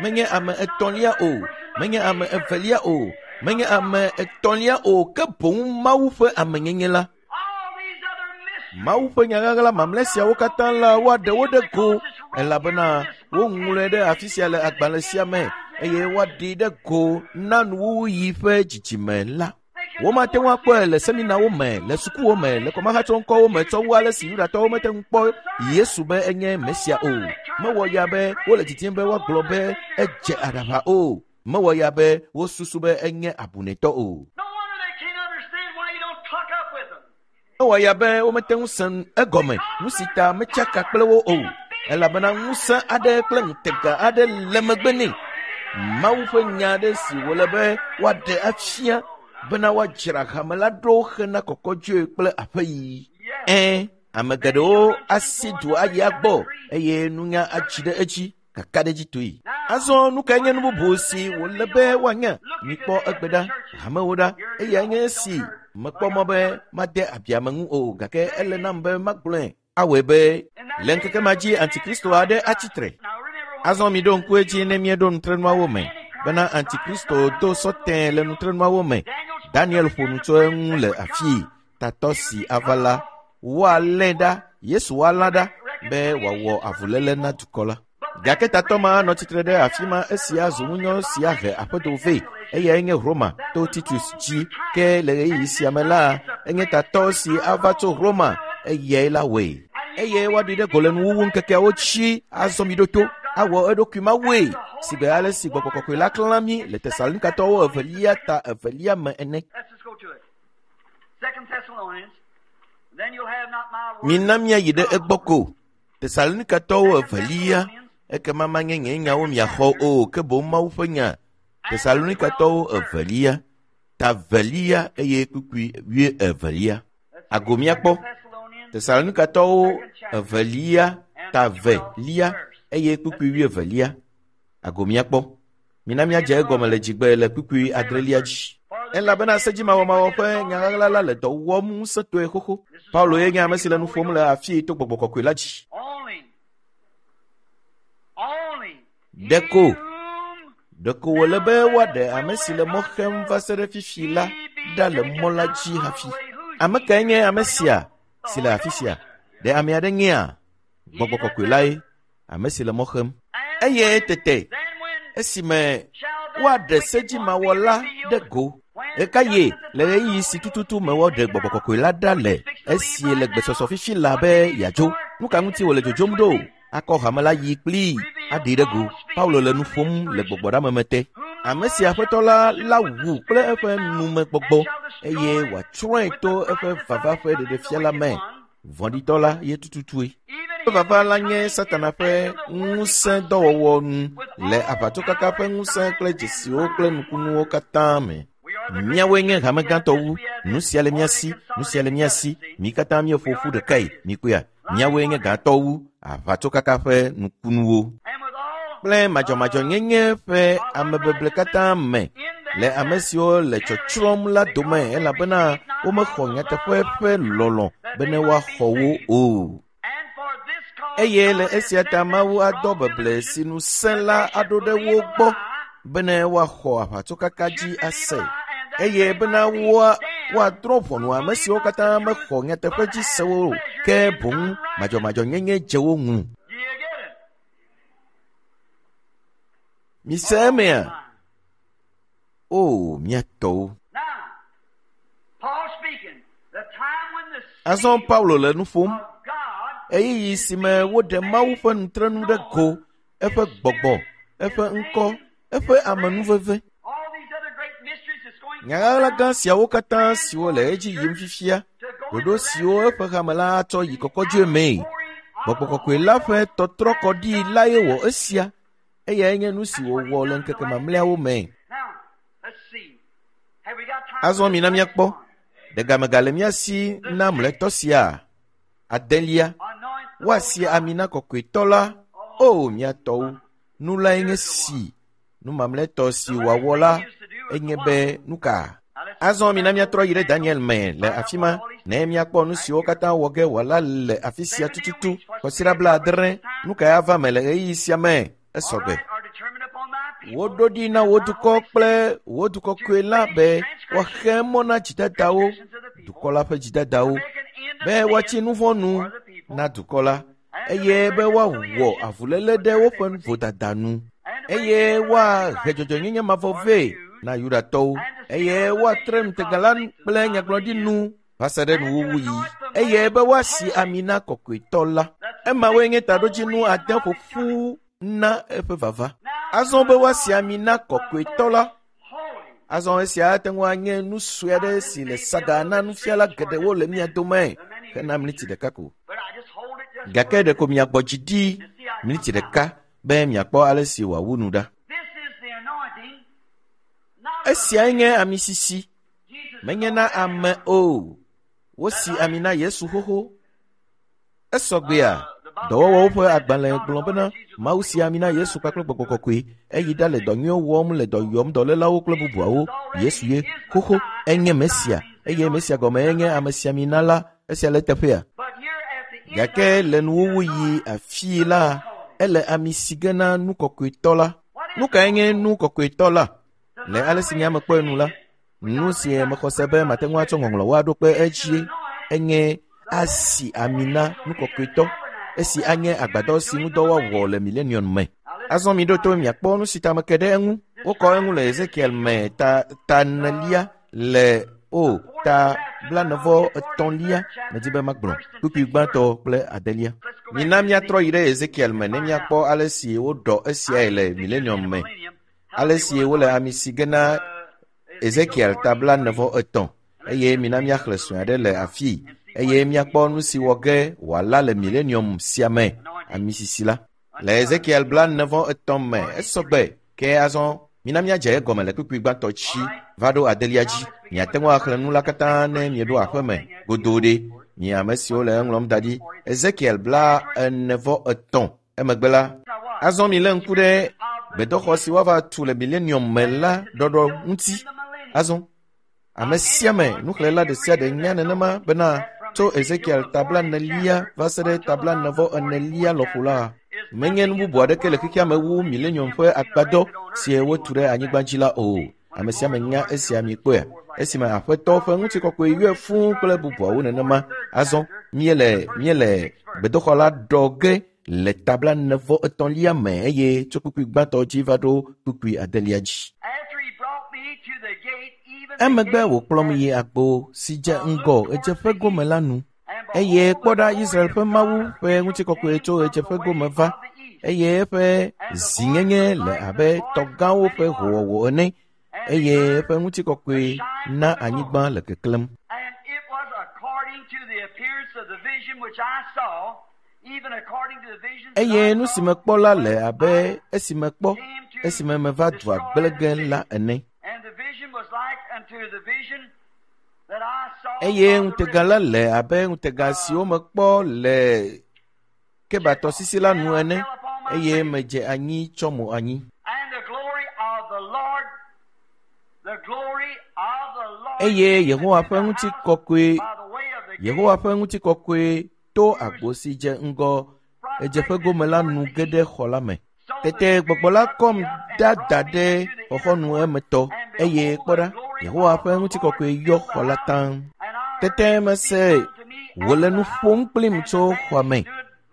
menye ame etɔ̃lia o, menye ame evelia o, menye ame etɔ̃lia o, ke boŋ Mawu ƒe amenyenye la. Mawu ƒe nya ɣaɣla mamlɛ siawo katã la woaɖe wo ɖe go, elabena woŋlɔe ɖe afi sia le agbalẽ sia me eye woaɖee ɖe go na nuwuwuɣi ƒe dzidzime la. Womate ŋu akpɔe le seminawo me, le sukuwo me, le kɔmahatsɔŋkɔwo me tsɔ wu ale si Yudatɔwo mete ŋu kpɔ Yesu be enye Mesia o. Mewɔ ya be wole didim be woagblɔ be edze aɖaʋa o. Mewɔ ya be wosusu be enye abunɛtɔ o. Mewɔ ya be womete ŋu se egɔme nu si ta metsaka kple wo o, elabena ŋusẽ aɖe kple ŋutega aɖe le megbe nɛ. Mawu ƒe nya aɖe si wòle be woaɖe afia bena woadzra hame la ɖo hena kɔkɔdzoe kple aƒeyiyi. Ẽ, ame geɖewo asi du ayi agbɔ eye nunya atsi ɖe edzi kakaɖedzitɔe. Azɔ nu kae nye nu bubu si wòle be woanya? Mikpɔ egbe ɖa, hamewo ɖa, eyae nye esi mekpɔ mɔ be made abiame ŋu o, gake ele nam be magblɔe awɔe be le ŋkeke ma dzi Antikristo aɖe atsitre. Azɔ miɖo ŋku edzi ne míeɖo nutrenuawo me bena Antikristo do sɔtɛe le nutrenuawo me. Daniel ƒo nu tso eŋu le afii. Tatɔ si ava la, woalé ɖa, Yesu woalã ɖa be wòawɔ avuléle na dukɔ la. Gake tatɔ ma nɔ tsitre ɖe afi ma esi azu ŋunyɔ si ahe aƒedo vɛ. Eyae nye Roma to Titus dzi. Ke le ɣeyiɣi sia me la, enye tatɔ si ava tso Roma, eyae la wɔe. Eye woaɖoe ɖe go le nuwuwu ŋkekeawo dzi azɔ mi ɖo to awɔ eɖokui mawue si gbe ale si gbɔgbɔ kɔkɔe la klã mí le Tesalonikatɔwo evelia ta evelia me ene. Mina míayi ɖe egbɔ ko. Tesalonikatɔwo evelia, ekema manye nye nyawo miaxɔ o, ke boŋ Mawu ƒe nya. Tesalonikatɔwo evelia, ta velia eye kpukpui wuievelia. Ago míakpɔ. Tesalonikatɔwo evelia, ta velia eye kpukpui wuievelia. Ago míakpɔ. Mina míadze egɔme le dzigbe le kpukpui adrelia dzi. Elabena sedzimawɔmawɔ ƒe nyaɣaɣla la le dɔ wɔm ŋusẽtɔe xoxo. Paulo ye nye ame si le nu ƒom le afii to gbɔgbɔ kɔkɔe la dzi. Ɖeko wòle be woaɖe ame si le mɔ xem va se ɖe fifi la ɖa le mɔ la dzi hafi. Ame kae nye ame sia si le afi sia? Ɖe ame aɖe nyea? Gbɔgbɔ kɔkɔe lae, ame si le mɔ xem. Eye tete esime woaɖe sedzimawɔla ɖe go. Ɣekaɣie le ɣeyiɣi si tututu me woaɖe gbɔgbɔ kɔkɔe la ɖa le esi le gbesɔsɔ fifi la be yeadzo? Nu ka ŋuti wòle dzodzom ɖo? Akɔ hame la yi kplii aɖee ɖe go. Paulo le nu ƒom le gbɔgbɔɖameme te. Ame si Aƒetɔ la la wu kple eƒe numegbɔgbɔ eye wòatsrɔ̃e to eƒe vava ƒe ɖeɖefia la me. Vɔ̃ɖitɔ la ye tututue. Eƒe vava la nye Satana ƒe ŋusẽ dɔwɔwɔ nu le aʋatsokaka ƒe ŋusẽ kple dzesiwo kple nukunuwo katã me. Míawoe nye hame gãtɔ wu. Nu sia le mía si, nu sia le mía si. Mí katã míeƒo ƒu ɖekae. Mikpɔea? Míawoe nye gãtɔ wu aʋatsokaka ƒe nukunuwo kple madzɔmadzɔnyenye ƒe amebeble katã me le ame siwo le tsɔtsrɔ̃m la dome elabena womexɔ nyateƒe ƒe lɔlɔ̃ bene woaxɔ wo o. Eye le esia ta Mawu adɔ beble si nu sẽ la aɖo ɖe wo gbɔ bene woaxɔ aʋatsokaka dzi ase eye bena woadrɔ̃ ʋɔnu ame siwo katã mexɔ nyateƒe dzi se wo o, ke boŋ madzɔmadzɔnyenye dze wo ŋu. Mise emea? O, mía tɔwo! Azɔ Paulo le nu ƒom. Ɣeyiɣi si me woɖe Mawu ƒe nutrenu ɖe go, eƒe gbɔgbɔ, eƒe ŋkɔ, eƒe amenuveve. Nyaɣaɣla gã siawo katã siwo le edzi yim fifia, ɖoɖo siwo eƒe hame la atsɔ yi kɔkɔdzoe mee. Gbɔgbɔ kɔkɔe la ƒe tɔtrɔ kɔ ɖi lae wɔ esia. Eyae nye nu si wòwɔ le ŋkeke mamlɛawo me. Azɔ mina míakpɔ. Ɖe game gale mía si na mlɔetɔ sia? Adelia, woasi ami na kɔkɔetɔ la. O, mía tɔwo, nu lae nye si. Nu mamlɛtɔ si wòawɔ la enye be nu ka? Azɔ mina míatrɔ yi ɖe Daniel me le afi ma ne míakpɔ nu siwo katã wɔ ge wòala le afi sia tututu. Kɔsiɖa 70, nu kae ava me le ɣeyiɣi sia me? Esɔgbe. Woɖo ɖi na wò dukɔ kple wò dukɔkɔe la be woaxe mɔ na dzidadawo, dukɔ la ƒe dzidadawo, be woatsi nu vɔ̃ nu na dukɔ la, eye be woawɔ avuléle ɖe woƒe vodada nu, eye woahe dzɔdzɔenyenye mavɔ vɛ na Yudatɔwo, eye woatre ŋutega la kple nyagblɔɖi nu va se ɖe nuwuwuɣi, eye be woasi ami na kɔkɔetɔ la. Emawoe nye taɖodzinu ade ƒoƒu na eƒe vava. Azɔ be woasi ami na kɔkɔetɔ la. Azɔ esia ate ŋu anye nu sue aɖe si le saga na nufiala geɖewo le mía dome hena miniti ɖeka ko. Gake ɖeko miagbɔ dzi ɖi miniti ɖeka be miakpɔ ale si wòawu nu ɖa. Esiae nye ami sisi. Menye na ame o. Wosi ami na Yesu xoxo. Esɔgbea, dɔwɔwɔwo ƒe agbalẽ gblɔ bena Mawu si ami na Yesu kpakple gbɔgbɔ kɔkɔe. Eyi ɖa le dɔ nyuiwo wɔm le dɔ yɔm dɔlélawo kple bubuawo. Yesu ye xoxo enye Mesia eye Mesia gɔme enye amesiamina la. Esia le eteƒea. Gake le nuwuwuɣi afii la, ele ami si ge na nu kɔkɔetɔ la. Nu kae nye nu kɔkɔetɔ la? Le ale si nye ame kpɔe nu la, nu si mexɔ se be mate ŋu atsɔ ŋɔŋlɔwo aɖo kpe edzie enye asi ami na nu kɔkɔetɔ, esi anye agbadɔ si ŋudɔ woawɔ le milenium me. Azɔ miɖo to miakpɔ nu si ta meke ɖe eŋu. Wokɔ eŋu le Ezekiel me ta 4 le o ta 43 medi be magblɔ kpukpui gbãtɔ kple adelia. Mina míatrɔ yi ɖe Ezekiel me ne míakpɔ ale si woɖɔ esiae le milenium me. Ale si wole ami si ge na Ezekiel ta 43 eye mina míaxlẽ sue aɖe le afii eye míakpɔ nu si wɔ ge wòala le milenium sia me ami sisi la. Le Ezekiel 43 me esɔgbe ke azɔ mina míadze egɔme le kpukpui gbãtɔ tsi va ɖo adelia dzi. Miate ŋu axlẽ nu la katã ne mieɖo aƒe me godoo ɖe. Mi ame siwo le eŋlɔm da ɖi. Ezekiel 43 emegbe la, azɔ milé ŋku ɖe gbedoxɔ si woava tu le milenium me la ɖɔɖɔ ŋuti. Azɔ. Ame sia ame nuxlẽla ɖe sia ɖe nya nenema bena tso Ezekiel ta 44 va se ɖe ta 44 lɔƒo la, menye nu bubu aɖeke le xexea me wu milenium ƒe agbadɔ si wotu ɖe anyigba dzi la o. Ame sia ame nya esia mikpɔe. Esime Aƒetɔ ƒe ŋutikɔkɔe yɔe fũu kple bubuawo nenema. Azɔ míele gbedoxɔ la ɖɔ ge le ta 43 me eye tso kpukpui gbãtɔ dzi va ɖo kpukpui adelia dzi. Emegbe wòkplɔm yi agbo si dze ŋgɔ ɣedzeƒe gome la nu. Eye kpɔ ɖa Israel ƒe Mawu ƒe ŋutikɔkɔe tso ɣedzeƒe gome va, eye eƒe zinyenye le abe tɔgãwo ƒe howɔwɔ ene, eye eƒe ŋutikɔkɔe na anyigba le keklẽm. Eye nu si mekpɔ la le abe esi mekpɔ esime meva dua gblẽ ge la ene. Eye ŋutega la le abe ŋutega siwo mekpɔ le Kebatɔsisi la nu ene, eye medze anyi tsɔ mo anyi. Eye Yehowa ƒe ŋutikɔkɔe to agbo si dze ŋgɔ ɣedzeƒe gome la nu ge ɖe xɔ la me. Tete gbɔgbɔ la kɔm ɖada ɖe xɔxɔnu emetɔ, eye kpɔ ɖa, Yehowa ƒe ŋutikɔkɔe yɔ xɔ la taŋ. Tete mese wòle nu ƒom kplim tso xɔa me,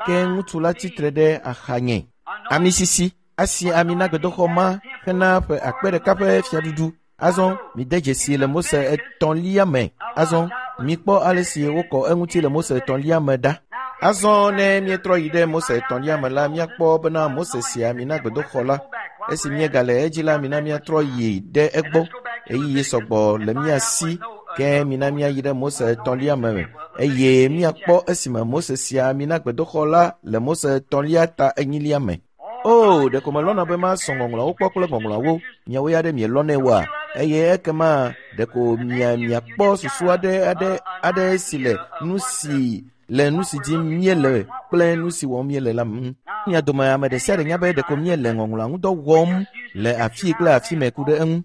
ke ŋutsu la tsitre ɖe axanye. Ami sisi asi ami na gbedoxɔ ma hena ƒe 1000 ƒe fiaɖuɖu. Azɔ mide dzesi le Mose 3 me. Azɔ mikpɔ ale si wokɔ eŋuti le Mose 3 me ɖa. Azɔ ne míetrɔ yi ɖe Mose 3 me la, míakpɔ bena Mose si ami na gbedoxɔ la. Esi míegale edzi la, mina míatrɔ yi ɖe egbɔ. Ɣeyiɣi sɔgbɔ le mía si, ke mina míayi ɖe Mose 3 me eye míakpɔ esime Mose si ami na gbedoxɔ la le Mose 3 ta 4 me. O, ɖeko melɔ̃na be masɔ ŋɔŋlɔawo kpɔ kple ŋɔŋlɔawo, miawo ya ɖe mielɔ̃nɛ oa? Eye ekema ɖeko miakpɔ susu aɖe si le nu si le nu si dim míele kple nu si wɔm míele la ŋu. Mia dome ame ɖe sia ɖe nya be ɖeko míele ŋɔŋlɔa ŋudɔ wɔm le afi kple afi me ku ɖe eŋu.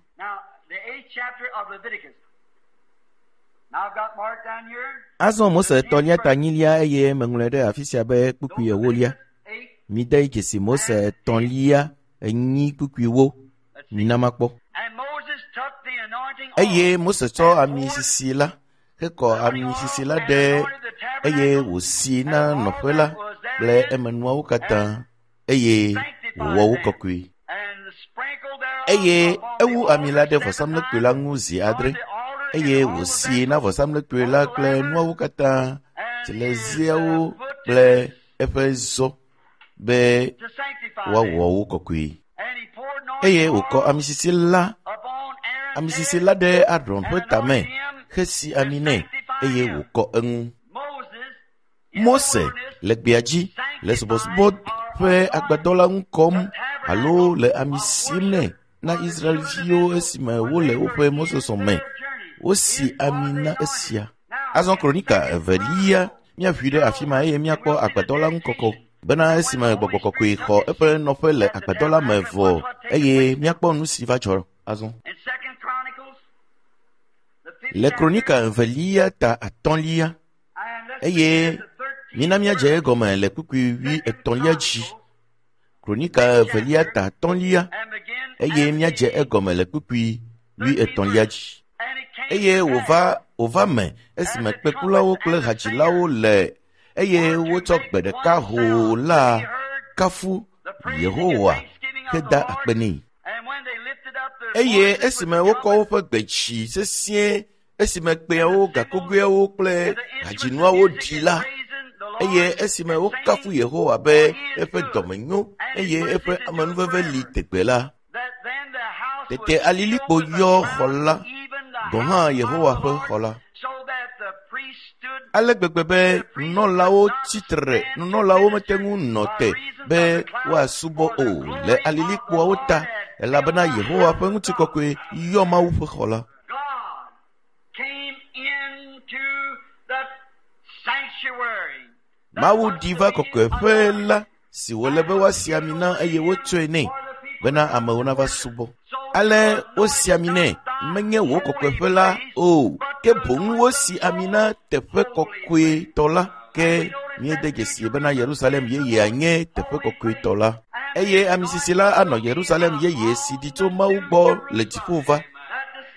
Azɔ Mose 3 ta 4 eye meŋlɔe ɖe afi sia be kpukpui 4. Mide dzesi Mose 3 4 kpukpuiwo. Mina makpɔ. Eye Mose tsɔ ami sisi la hekɔ ami sisi la ɖe eye wòsi na nɔƒe la kple emenuawo katã eye wòwɔ wo kɔkɔe. Eye ewu ami la ɖe vɔsamlekpui la ŋu zi 7 eye wòsi na vɔsamlekpui la kple nuawo katã, tsileziawo kple eƒe zɔ be woawɔ wo kɔkɔe. Eye wòkɔ ami sisi la ɖe Aron ƒe tame hesi ami nɛ eye wòkɔ eŋu. Mose le gbea dzi le subɔsubɔ ƒe agbadɔ la ŋu kɔm alo le ami sim nɛ na Israelviwo esime wole woƒe mɔzɔzɔ me. Wosi ami na esia. Azɔ Kronika 2 míaʋui ɖe afi ma eye míakpɔ agbadɔ la ŋu kɔkɔ bena esime gbɔgbɔ kɔkɔe xɔ eƒe nɔƒe le agbadɔ la me vɔ eye míakpɔ nu si va dzɔ azɔ. Le Kronika 2 ta 5 eye mina míadze egɔme le kpukpui 23 dzi. Kronika 2 ta 5 eye míadze egɔme le kpukpui 23 dzi. Eye wòva me esime kpekulawo kple hadzilawo le eye wotsɔ gbe ɖeka hoo la kafu Yehowa heda akpe nɛ. Eye esime wokɔ woƒe gbe dzi sesĩe esime kpẽawo, gakogoeawo kple hadzinuawo ɖi la, eye esime wokafu Yehowa be eƒe dɔme nyo eye eƒe amenuveve li tegbe la, tete alilikpo yɔ xɔ la, gɔ̃ hã Yehowa ƒe xɔ la. Ale gbegbe be nunɔlawo tsitre, nunɔlawo mete ŋu nɔ te be woasubɔ o le alilikpoawo ta, elabena Yehowa ƒe ŋutikɔkɔe yɔ Mawu ƒe xɔ la. Mawu ɖi va kɔkɔeƒe la si wòle be woasi ami na eye wotsɔe nɛ bena amewo nava subɔ. Ale wosi ami nɛ, menye wò kɔkɔeƒe la o, ke boŋ wosi ami na teƒe kɔkɔetɔ la. Ke míede dzesi bena Yerusalem yeyea nye teƒe kɔkɔetɔ la. Eye ami sisi la anɔ Yerusalem yeye si ɖi tso Mawu gbɔ le dziƒo va,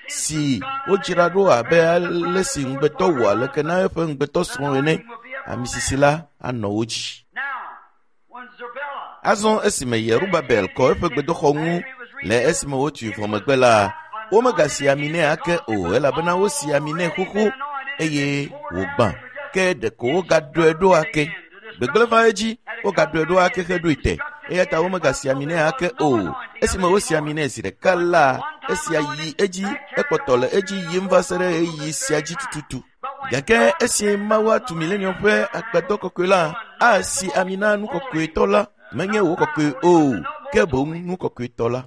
si wodzra ɖo abe ale si ŋugbetɔ wɔ aleke na eƒe ŋugbetɔ srɔ̃ ene. Ami sisi la anɔ wo dzi. Azɔ esime Yerubabel kɔ eƒe gbedoxɔ ŋu le esime wotui vɔ megbe la, womegasi ami nɛ ake o elabena wosi ami nɛ xoxo eye wògbã. Ke ɖeko wogaɖɔe ɖo ake. Gbegblẽ va edzi, wogaɖɔe ɖo ake heɖoe te. Eya ta womegasi ami nɛ ake o. Esime wosi ami nɛ zi ɖeka la, esia yi edzi, ekpɔtɔ le edzi yim va se ɖe ɣeyiɣi sia dzi tututu. Gake esi Mawu atu milenium ƒe agbadɔ kɔkɔe la, asi ami na nu kɔkɔetɔ la, menye wò kɔkɔe o, ke boŋ nu kɔkɔetɔ la.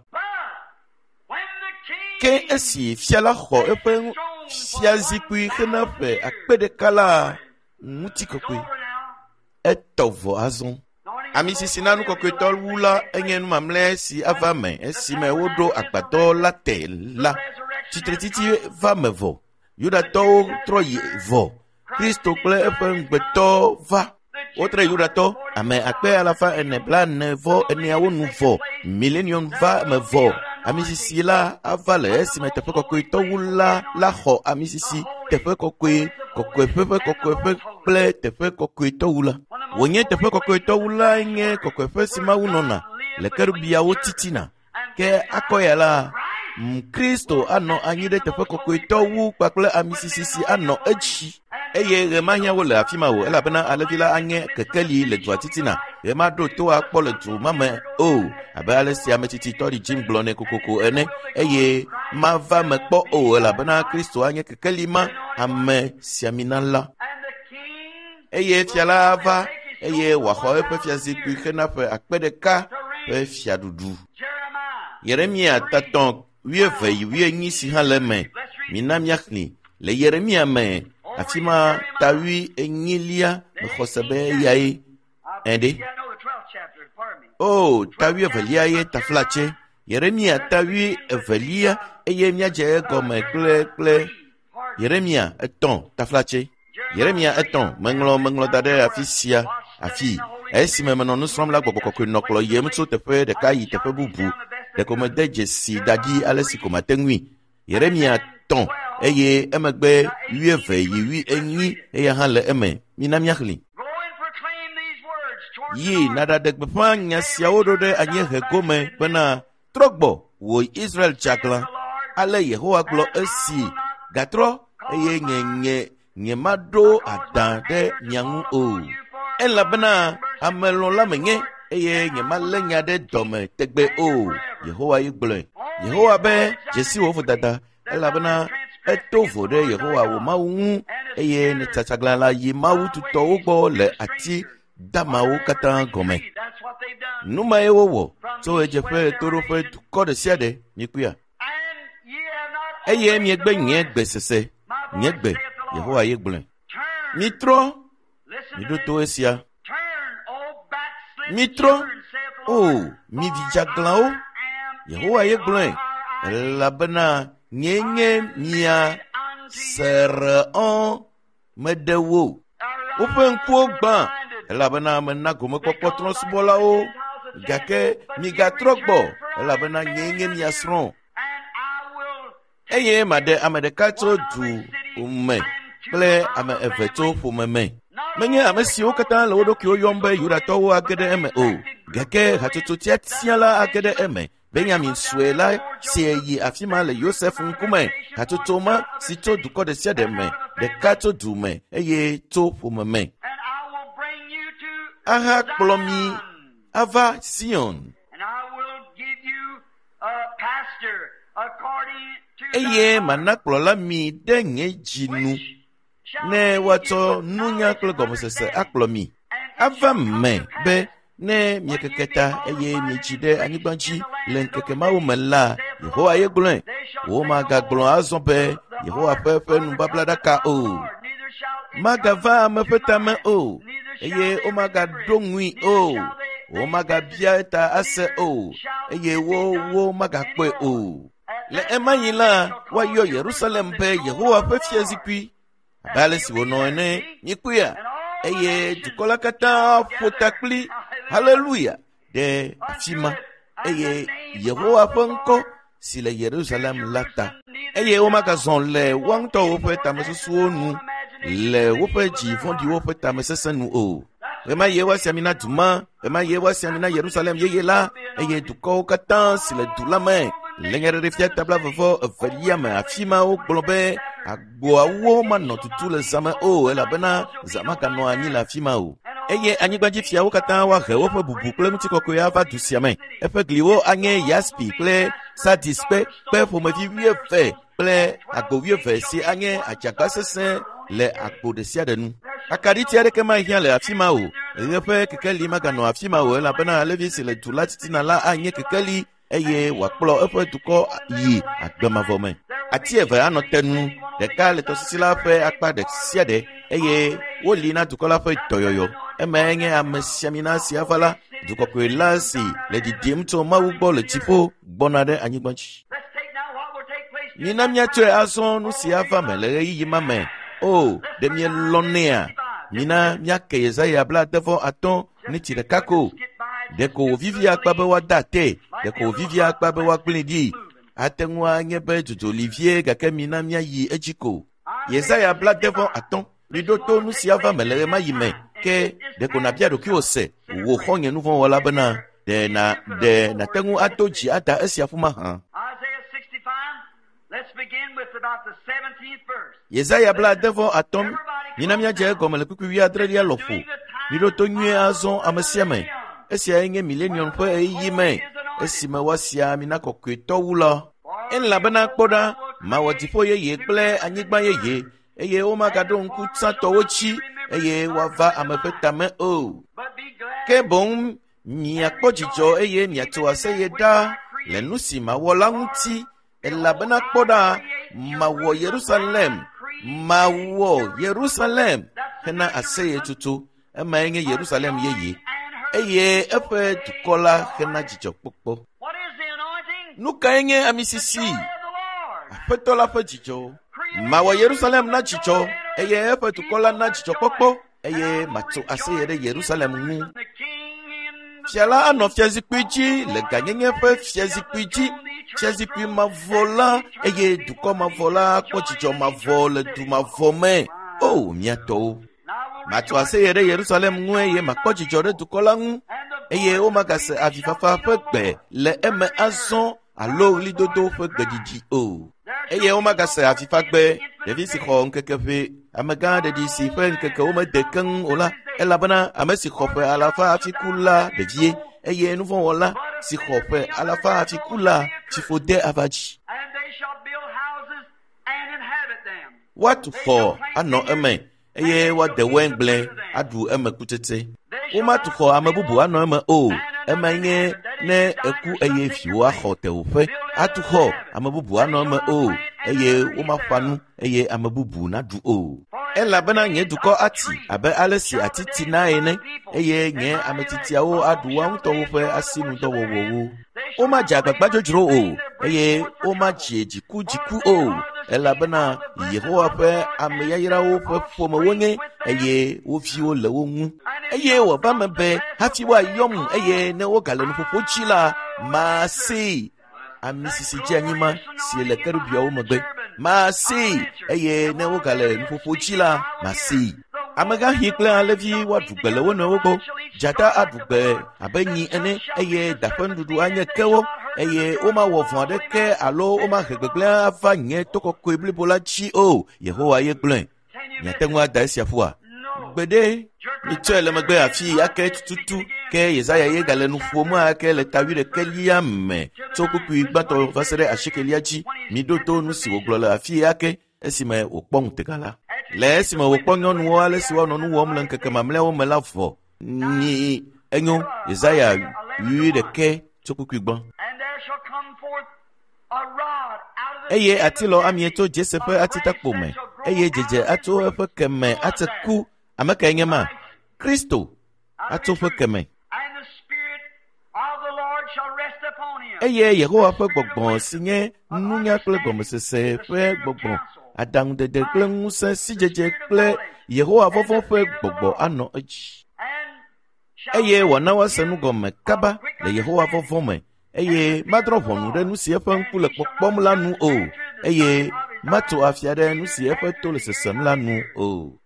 Ke esi fia la xɔ eƒe fiazikpui hena ƒe akpe ɖeka la, ŋutikɔkɔe etɔ vɔ azɔ. Ami sisi na nu kɔkɔetɔ wu la enye nu mamlɛ si ava me esime woɖo agbadɔ la te la. Tsitretsitsi va me vɔ. Yudatɔwo trɔ yi vɔ. Kristo kple eƒe ŋugbetɔ va. Wotre Yudatɔ ame akpe alafa ene blaene vɔ eneawo nu vɔ. Milenium va me vɔ. Ami sisi la ava le esime teƒe kɔkɔetɔ wu la la xɔ ami sisi teƒe kɔkɔe kɔkɔeƒe ƒe kɔkɔeƒe kple teƒe kɔkɔetɔ wu la. Wònye teƒe kɔkɔetɔ wu la nye kɔkɔeƒe si Mawu nɔna le kerubiawo titina. Ke akɔ ya la, Kristo anɔ anyi ɖe teƒe kɔkɔetɔ wu kpakple ami sisi si anɔ edzi. Eye ɣe mahiã wo le afi ma o, elabena alẽvi la anye kekeli le dua titina. Ɣe maɖo to akpɔ le du ma me o, abe ale si ame tsitsi tɔɖi Jim gblɔ nɛ kokoko ene. Eye mava me kpɔ o, elabena Kristo anye kekeli ma, ame siamina la. Eye fia la ava, eye wòaxɔ eƒe fiazikpui hena ƒe akpe ɖeka ƒe fiaɖuɖu. Yeremia tatɔ wuieve yi wuienyi si hã le eme. Mina míaxlẽ le Yeremia me, afi ma ta wuienyilia mexɔ se be eyae. Ɛɖe. O, ta wuievelia ye taflatse. Yeremia ta wuievelia eye míadze egɔme kple kple Yeremia etɔ̃ taflatse. Yeremia etɔ̃ meŋlɔ meŋlɔ da ɖe afi sia afi. Esime menɔ nu srɔ̃m la, gbɔgbɔ kɔkɔe nɔ kplɔ yiem tso teƒe ɖeka yi teƒe bubu. Ɖeko mede dzesi da ɖi ale si ko mate ŋui. Yeremia tɔ̃ eye emegbe wuieve yi wuienyi eya hã le eme. Mina míaxlẽ. Yi nàɖaɖe gbeƒã nya siawo ɖo ɖe anyiehe gome bena trɔ gbɔ wò Israel tsaglã. Ale Yehowa gblɔ esi gatrɔ eye nye nye nye maɖo adã ɖe mia ŋu o. Elabena amelɔ̃la menye eye nye malé nya ɖe dɔme tegbe o. Yehowa ye gblɔe. Yehowa be dzesi wò vodada elabena eto vo ɖe Yehowa wò Mawu ŋu eye nètsatsaglã la yi Mawu tutɔwo gbɔ le ati damawo katã gɔme. Nu mae wowɔ tso ɣedzeƒe ɣetoɖoƒe dukɔ ɖe sia ɖe mikpɔea. Eye miegbe nye gbe sese, nye gbe, Yehowa ye gblɔe. Mitrɔ, miɖo to esia. Mitrɔ, o mi vi dzeaglãwo, Yehowa ye gblɔe, elabena nyee nye mia sereɔ meɖe wo. Woƒe ŋkuwo gbã, elabena mena gomekpɔkpɔ trɔ̃subɔlawo, gake migatrɔ gbɔ, elabena nyee nye mia srɔ̃. Eye maɖe ame ɖeka tso du me kple ame eve tso ƒome me. Menye ame siwo katã le wo ɖokuiwo yɔm be Yudatɔwo age ɖe eme o, gake hatsotso tiatia la age ɖe eme. Benyamin sue la si yi afi ma le Yosef ŋkume, hatsotso ma si tso dukɔ ɖe sia ɖe me, ɖeka tso du me eye tso ƒome me. Ahakplɔ mi ava Sion. Eye mana kplɔla mi ɖe nye dzi nu, ne woatsɔ nunya kple gɔmesese akplɔ mi. Ava me be ne miekeke ta eye mietsi ɖe anyigba dzi le ŋkeke mawo me la, Yehowa ye gblɔe. Womagagblɔ azɔ be Yehowa ƒe ƒe nubablaɖaka o. Magava ame ƒe tame o, eye womagaɖo ŋui o. Womagabia eta ase o, eye wo wo magakpɔe o. Le ema yi la, woayɔ Yerusalem be Yehowa ƒe fiazikpui abe ale si wònɔ ene. Mikpɔea? Eye dukɔ la katã ƒo ta kpli haleluya ɖe afi ma eye Yehowa ƒe ŋkɔ si le Yerusalem la ta. Eye womagazɔ le woa ŋutɔwo ƒe tamesusuwo nu le woƒe dzi vɔ̃ɖiwo ƒe tamesesẽ nu o. Ɣemaɣie woasi ami na du ma, ɣemaɣie woasi ami na Yerusalem yeye la, eye dukɔwo katã si le du la me le nyaɖeɖefia ta blaeve evelia me afi ma wogblɔ be agboawo manɔ tutu le zã me o elabena zã maganɔ anyi le afi ma o. Eye anyigbadzifiawo katã woahe woƒe bubu kple ŋutikɔkɔe ava du sia me. Eƒe gliwo anye yaspi kple sardis kpe kpe ƒomevi wuieve kple agbo wuieve si anye adzagba sesẽ le agbo ɖe sia ɖe nu. Akaɖiti aɖeke mahiã le afi ma o. Ɣe ƒe kekeli maganɔ afi ma o elabena alevi si le du la titina la anye kekeli eye wòakplɔ eƒe dukɔ yi agbe mavɔ me. Ati eve anɔ te nu, ɖeka le tɔsisi la ƒe akpa ɖe sia ɖe eye woli na dukɔ la ƒe dɔyɔyɔ. Emae nye amesiamina si ava la, dukɔkɔe la si le ɖiɖim tso Mawu gbɔ le dziƒo gbɔna ɖe anyigba dzi. Let's take now what will take place. Mina míatsɔe azɔ nu si ava me le ɣeyiɣi ma me. O, ɖe mielɔ̃nɛa? Mina míake Yesaya 65 neti ɖeka ko. Ɖeko wòvivi akpa be woada ate, ɖeko wòvivi akpa be woagblẽe ɖi. Ate ŋu anye be dzodzo li vie gake mina míayi edzi ko. Yesaya 65 miɖo to nu si ava me le ɣemaɣi me ke ɖeko nàbia ɖokuiwò se wò xɔ̃nye nuvɔ̃wɔla bena ɖe na ɖe nàte ŋu ado dzi ada esia ƒu mahã. Isaiah 65. Let's begin with about the 17th verse. Yesaya 65 mina míadze egɔme le kpukpui wuiadrelia lɔƒo. Miɖo to nyuie azɔ ame sia ame. Esiae nye milenium ƒe ɣeyiɣi me esime woasi ami na kɔkɔetɔ wu la. Elabena kpɔ ɖa, mawɔ dziƒo yeye kple anyigba yeye eye womagaɖo ŋku tsãtɔwo dzi eye woava ame ƒe tame o. But be glad Ke boŋ miakpɔ dzidzɔ eye miatso aseye ɖa le nu si mawɔ la ŋuti elabena kpɔ ɖa mawɔ Yerusalem mawɔ Yerusalem hena aseyetsotso emae nye Yerusalem yeye eye eƒe dukɔ la hena dzidzɔkpɔkpɔ. What is the anointing? Nu kae nye ami The joy sisi? of the Lord. Aƒetɔ la ƒe dzidzɔ. Mawɔ Yerusalem na dzidzɔ eye eƒe dukɔ la na dzidzɔkpɔkpɔ eye matso aseye ɖe Yerusalem ŋu. The king in the Fia la anɔ fiazikpui dzi le gãnyenye ƒe fiazikpui dzi, fiazikpui mavɔ la eye dukɔ mavɔ la akpɔ dzidzɔ mavɔ le du mavɔ me. O mía tɔwo! Matso aseye ɖe Yerusalem ŋu eye makpɔ dzidzɔ ɖe dukɔ la ŋu eye womagase avifafa ƒe gbe le eme azɔ alo ɣlidodo ƒe gbeɖiɖi o. Eye womagase avifagbe ɖevi si xɔ ŋkeke ʋɛ amegã ɖeɖi si ƒe ŋkekewo mede keŋ o la elabena ame si xɔ ƒe alafa hafi ku la ɖevie eye nuvɔ̃wɔla si xɔ ƒe alafa hafi ku la tsiƒode ava dzi. And they shall build houses and inhabit them. Woatu xɔ anɔ eme eye woade waingble aɖu eme kutsetse. Womatu xɔ ame bubu anɔ eme o. Emae nye ne eku eye viwò axɔ tewòƒe. Atu xɔ ame bubu anɔ eme o eye womaƒã nu eye ame bubu naɖu o. Elabena nye dukɔ ati abe ale si ati tina ene eye nye ame tiatiawo aɖu woa ŋutɔwo ƒe asinudɔwɔwɔwo. Womadze agbagba dzodzro o eye womadze dzikudziku o elabena Yehowa ƒe ame yayrawo ƒe ƒome wonye eye wo viwo le wo ŋu. Eye wòava me be hafi woayɔm eye ne wogale nuƒoƒo dzi la, masee. Ami sisi dze anyi ma si le kerubiawo megbe. Masee eye ne wogale nuƒoƒo dzi la, masee. Amegãxi kple alẽvi woaɖu gbe le wo nɔewo gbɔ. Dzata aɖu gbe abe nyi ene eye da ƒe nuɖuɖu anye kewo eye womawɔ vɔ̃ aɖeke alo womahe gbegblẽ ava nye to kɔkɔe blibo la dzi o. Yehowa ye gblɔe. Miate ŋu ada esia ƒua? Gbeɖe mitsɔe le megbe afi ake tututu ke Yesaya ye gale nu ƒom ake le ta wuiɖekɛlia me tso kpukpui gbãtɔ va se ɖe asiekelia dzi. Miɖo to nu si wògblɔ le afi ake esime wòkpɔ ŋutega la. Le esime wòkpɔ nyɔnuwo ale si woanɔ nu wɔm le ŋkeke mamlɛawo me la vɔ. Nyi enyo Yesaya wuiɖekɛ tso kpukpui gbã. And there shall come forth a rod out of the Eye stem of atilɔ amie Jesse, tso Jese ƒe a branch atitakpo that me shall grow eye out dzedze of his atso root. eƒe keme ate ku. Ame kae nye ma? Kristo Out of atso his ƒe root. keme. And the Spirit of the Lord shall rest upon Eye Yehowa ƒe gbɔgbɔ si nye nunya kple gɔmesese ƒe gbɔgbɔ, aɖaŋudede kple ŋusẽ, sidzedze kple Yehowa vɔvɔ̃ ƒe gbɔgbɔ anɔ edzi. Eye wòana woase nu gɔme kaba le Yehowa vɔvɔ̃ me, eye madrɔ̃ ʋɔnu ɖe nu si eƒe ŋku le kpɔkpɔm la nu o, eye matso afia ɖe nu si eƒe to le sesem la nu o.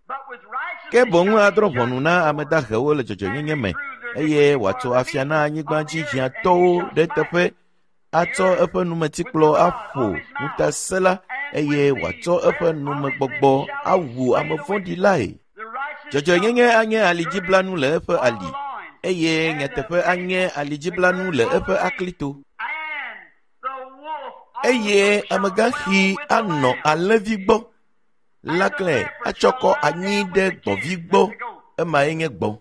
Ke boŋ adrɔ̃ ʋɔnu na ame dahewo le dzɔdzɔenyenye me, eye wòatso afia na anyigba dzi hiãtɔwo ɖe teƒe, atsɔ eƒe numetikplɔ aƒo ŋutasẽla, eye wòatsɔ eƒe numegbɔgbɔ awu ame vɔ̃ɖi lae. Dzɔdzɔenyenye anye alidziblanu le eƒe ali, eye nyateƒe anye alidziblanu le eƒe aklito. Eye amegãxi anɔ alẽvi gbɔ, lãklẽ atsɔ kɔ anyi ɖe gbɔ̃vi gbɔ, emae nye gbɔ̃.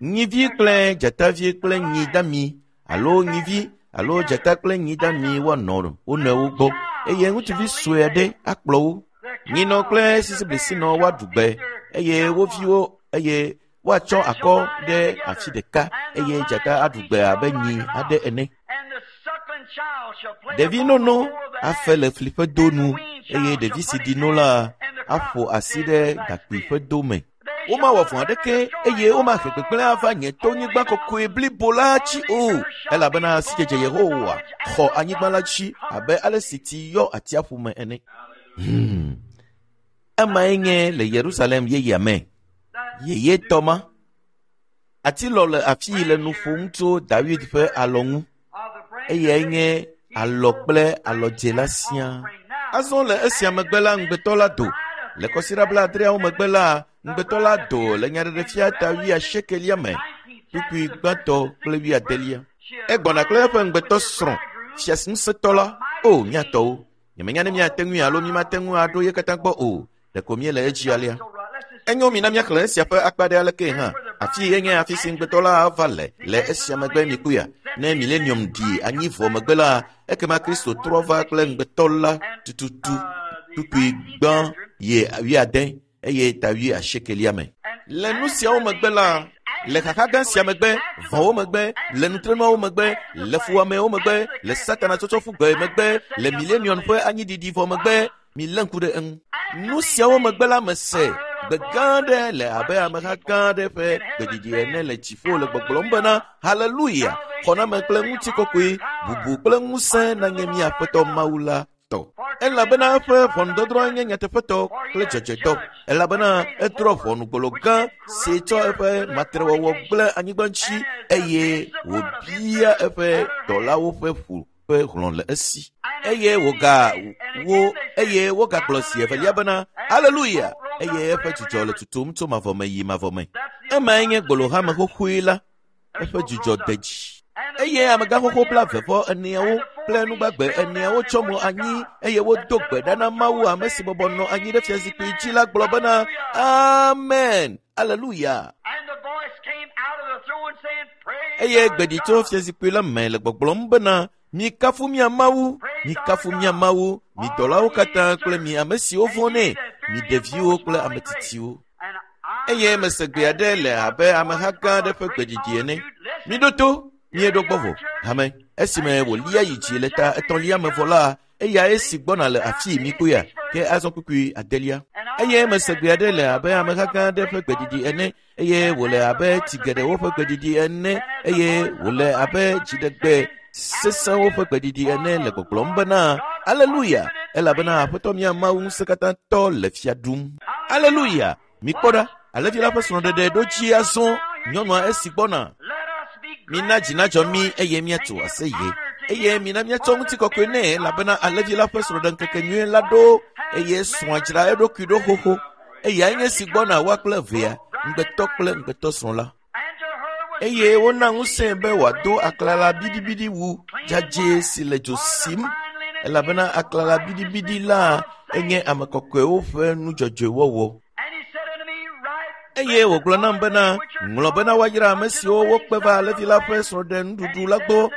Nyivi kple dzatavi kple nyi dami alo nyivi alo dzata kple nyi dami woanɔ wo nɔewo gbɔ, eye ŋutsuvi sue aɖe akplɔ wo. Nyinɔ kple sisiblisinɔ woaɖu gbe, eye wo viwo eye woatsɔ akɔ ɖe afi ɖeka, eye dzata aɖu gbe abe nyi aɖe ene. Ɖevi nono afe le fli ƒe do nu, eye ɖevi si ɖi no la aƒo asi ɖe gakpui ƒe do me. Womawɔ vɔ̃ aɖeke eye womahe gbegblẽ ava nye tonyigba kɔkɔe blibo la dzi o, elabena sidzedze Yehowa xɔ anyigba la dzi abe ale si tsi yɔ atsiaƒu me ene. Emae nye le Yerusalem yeyea me. Yeyetɔ ma. Atilɔ le afii le nu ƒom tso David ƒe alɔ ŋu. Eyae nye alɔ kple alɔdze la siaa. Azɔ le esia megbe la, ŋugbetɔ la do. Le kɔsiɖa blaadreawo megbe la, ŋugbetɔ la do le nyaɖeɖefia ta 80 me, kpukpui gbãtɔ kple 80. Egbɔna kple eƒe ŋugbetɔ srɔ̃, fiaŋusẽtɔ la. O, míatɔwo, nyemenya ne míate ŋui alo mímate ŋu aɖo ye katã gbɔ o, ɖeko míele edzi alea. Enyo, mina míaxlẽ esia ƒe akpa ɖe alekee hã. Afi ye nye afi si ŋugbetɔ la ava le le esia megbe mikpɔea. Ne milenium ɖi anyi vɔ megbe la, ekema Kristo trɔ va kple ŋugbetɔ la tututu, kpukpui gbã ye 80 eye ta 80 me. Le nu siawo megbe la, le xaxa gã sia megbe, vɔ̃wo megbe, le nutrenuawo megbe, le fuwɔamewo megbe, le Satana tsɔtsɔ ƒu gbe megbe, le milenium ƒe anyiɖiɖi vɔ megbe, milé ŋku ɖe eŋu. Nu siawo megbe la, mese gbe gã aɖe le abe ameha gã aɖe ƒe gbeɖiɖi ene le dziƒo le gbɔgblɔm bena, Haleluya! Xɔname kple ŋutikɔkɔe, bubu kple ŋusẽ nanye mía Aƒetɔ Mawu la tɔ. Elabena eƒe ʋɔnudɔdrɔ̃ nye nyateƒetɔ kple dzɔdzɔetɔ. Elabena edrɔ̃ ʋɔnugbolo gã si tsɔ eƒe matrewɔwɔ gblẽ anyigba ŋuti, eye wòbia eƒe dɔlawo ƒe ʋu ƒe hlɔ̃ le esi. Eye wogagblɔ zi evelia bena, Haleluya! Eye eƒe dzudzɔ le tutum tso mavɔ me yi mavɔ me. Emae nye gbolohame xoxoe la, eƒe dzudzɔ de dzi. Eye amegãxoxo 44 kple nugbagbe eneawo tsɔ mo anyi, eye wodo gbe ɖa na Mawu ame si bɔbɔ nɔ anyi ɖe fiazikpui dzi la gblɔ bena, Amen, Aleluya. Eye gbe ɖi tso fiazikpui la me le gbɔgblɔm bena, Mikafu mia Mawu, mikafu mia Mawu, mi dɔlawo katã kple mi ame siwo vɔ̃nɛ, mi ɖeviwo kple ame tsitsiwo. Eye mese gbe aɖe le abe ameha gã aɖe ƒe gbeɖiɖi ene. Miɖo to, mieɖo gbɔ vɔ. Hame, esime wòlia yi dzi le ta etɔ̃lia me vɔ la, eyae si gbɔna le afii mikpɔea, ke azɔ kpukpui adelia. Eye mese gbe aɖe le abe ameha gã aɖe ƒe gbeɖiɖi ene, eye wòle abe tsi geɖewo ƒe gbeɖiɖi ene, eye wòle abe dziɖegbe sesẽwo ƒe gbeɖiɖi ene le gbɔgblɔm bena, Aleluya! Elabena Aƒetɔ mía Mawu ŋusẽkatãtɔ le fia ɖum. Aleluya! Mikpɔ ɖa, alẽvi la ƒe srɔ̃ɖeɖe ɖo dzi azɔ, nyɔnua esi gbɔna. Mina dzi nadzɔ mí eye míatso aseye, eye mina míatsɔ ŋutikɔkɔe nɛ, elabena alẽvi la ƒe srɔ̃ɖeŋkeke nyui la ɖo, eye srɔ̃a dzra eɖokui ɖo xoxo. Eyae nye si gbɔna woa kple evea, ŋugbetɔ kple ŋugbetɔsrɔ̃ la. Eye wona ŋusẽe be wòado aklala biɖibiɖi wu dzadzɛ si le dzo sim, elabena aklala biɖibiɖi la enye ame kɔkɔewo ƒe nudzɔdzɔewɔwɔ. Eye wògblɔ nam bena, ŋlɔ bena woayra ame siwo wokpe va alẽvi la ƒe srɔ̃ɖenuɖuɖu la gbɔ.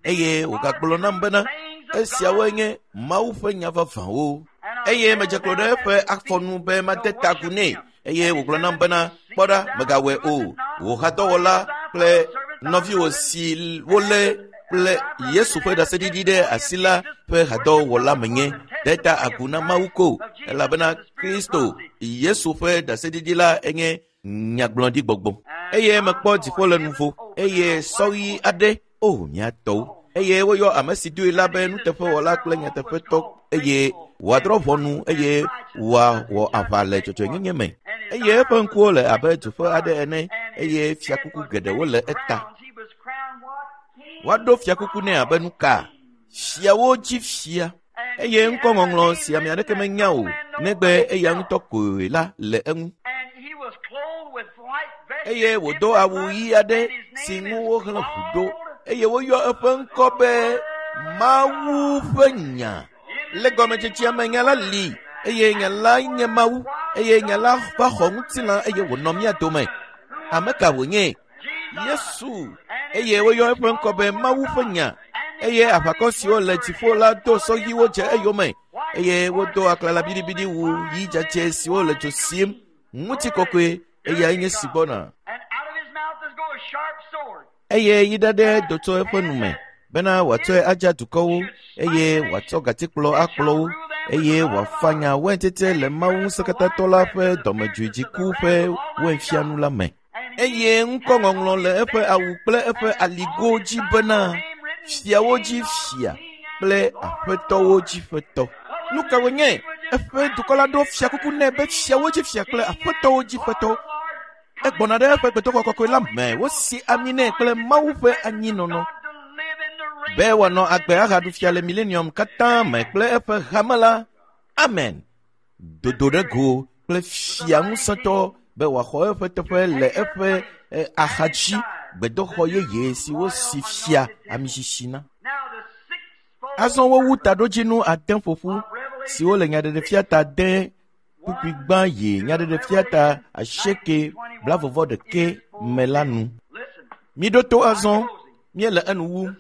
Eye wògagblɔ nam bena, esiawoe nye Mawu ƒe nya vavãwo. Eye medze klo ɖe eƒe afɔnu be made ta agu nɛ. Eye wògblɔ nam bena, kpɔ ɖa, mègawɔe o. Wò hadɔwɔla kple nɔviwò si wolé kple Yesu ƒe ɖaseɖiɖi ɖe asi la ƒe hadɔwɔla menye. De ta agu na Mawu ko, elabena Kristo Yesu ƒe ɖaseɖiɖi la enye nyagblɔɖigbɔgbɔ. Eye mekpɔ dziƒo le nuvo, eye sɔ ɣi aɖe, o mía tɔwo. Eye woyɔ ame si doe la be nuteƒewɔla kple nyateƒetɔ, eye wòadrɔ̃ ʋɔnu eye wòawɔ aʋa le dzɔdzɔenyenye me. Eye eƒe ŋkuwo le abe dzoƒe aɖe ene, eye fiakuku geɖewo le eta. Woaɖo fiakuku nɛ abe nuka? Fiawo dzi fia. Eye ŋkɔŋɔŋlɔ si ame aɖeke menya o, negbe eya ŋutɔ koe la le eŋu. Eye wòdo awu ɣi aɖe si ŋu wohlẽ ʋu ɖo, eye woyɔ eƒe ŋkɔ be Mawu ƒe Nya. Le gɔmedzedzea me nya la li, eye nya la nye Mawu, eye nya la va xɔ ŋutilã eye wònɔ mía dome. Ame ka wònye? Yesu. Eye woyɔ eƒe ŋkɔ be Mawu ƒe Nya. Eye aʋakɔ siwo le dziƒo la do sɔ ɣiwo dze eyome, eye wodo aklala biɖibiɖi wu ɣi dzadzɛ siwo le dzo sim. Ŋutikɔkɔe, eyae nye si gbɔna. Eye yi ɖaɖɛ do tso eƒe nu me bena wòatsɔe adza dukɔwo, eye wòatsɔ gatikplɔ akplɔ wo, eye wòafanya waintete le Mawu Ŋusẽkatãtɔ la ƒe dɔmedzoedziku ƒe wainfianu la me. Eye ŋkɔŋɔŋlɔ le eƒe awu kple eƒe aligo dzi bena, Fiawo dzi fia kple aƒetɔwo dzi ƒetɔ. Nu ka wònye? Eƒe dukɔ la ɖo fiakuku nɛ be fiawo dzi fia kple aƒetɔwo dzi ƒetɔ. Egbɔna ɖe eƒe gbedoxɔ kɔkɔe la me. Wosi ami nɛ kple Mawu ƒe anyinɔnɔ be wòanɔ agbe ahaɖu fia le milenium katã me kple eƒe hame la. Amen. Dodo ɖe go kple fia ŋusẽtɔ be wòaxɔ eƒe teƒe le eƒe axadzi gbedoxɔ yeye si wosi fia amisisi na. Azɔ wowu taɖodzinu ade ƒoƒu siwo le nyaɖeɖefia ta de kpukpui gbã yi nyaɖeɖefia ta asieke blaeve-vɔ-ɖekɛ me la nu. Miɖo to azɔ, míele enu wum.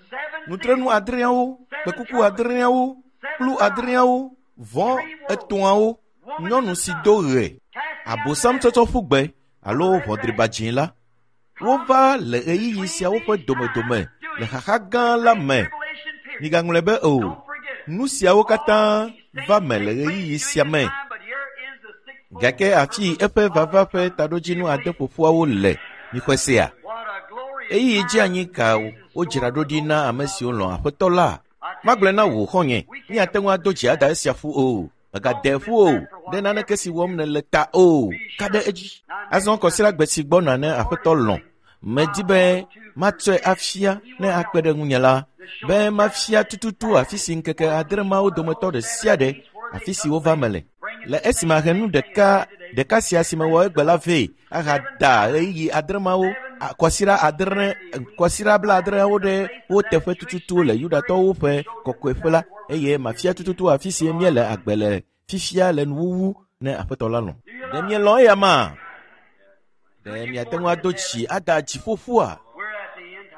Nutrenu adreawo, kpekuku adreawo, kplu adreawo, vɔ etɔ̃awo, nyɔnu si do ɣe, abosam tsɔtsɔ ƒu gbe alo ʋɔdriba dzĩ la. Wova le ɣeyiɣi siawo ƒe domedome le xaxa gã la me. Migaŋlɔe be o, nu siawo katã va me le ɣeyiɣi sia me. Gake afi eƒe vava ƒe taɖodzinu ade ƒoƒuawo le. Mixɔe sea? Ɣeyiɣi dzi anyi ka wodzra ɖo ɖi na ame siwo lɔ̃ Aƒetɔ la? Magblɔe na wò xɔ̃nye, míate ŋu ado dzi ada esia ƒu o. Mègade ƒu o, ɖe naneke si wɔm nèle ta o. Ka ɖe edzi. Azɔ kɔsiɖagbe si gbɔna ne Aƒetɔ lɔ̃, medi be matsɔe afia ne akpe ɖe ŋunye la, be mafia tututu afi si ŋkeke adre mawo dometɔ ɖe sia ɖe afi si wova me le. Le esime ahe nu ɖeka ɖeka sia si mewɔ egbe la vɛ ahada ɣeyiɣi adre mawo kɔsiɖa adre kɔsiɖa blaadreawo ɖe wo teƒe tututu le Yudatɔwo ƒe kɔkɔeƒe la, eye mafia tututu afi si míele agbe le fifia le nuwuwu ne Aƒetɔ la lɔ̃. Ɖe mielɔ̃ eya ma? Ɖe miate ŋu ado dzi ada dziƒoƒua?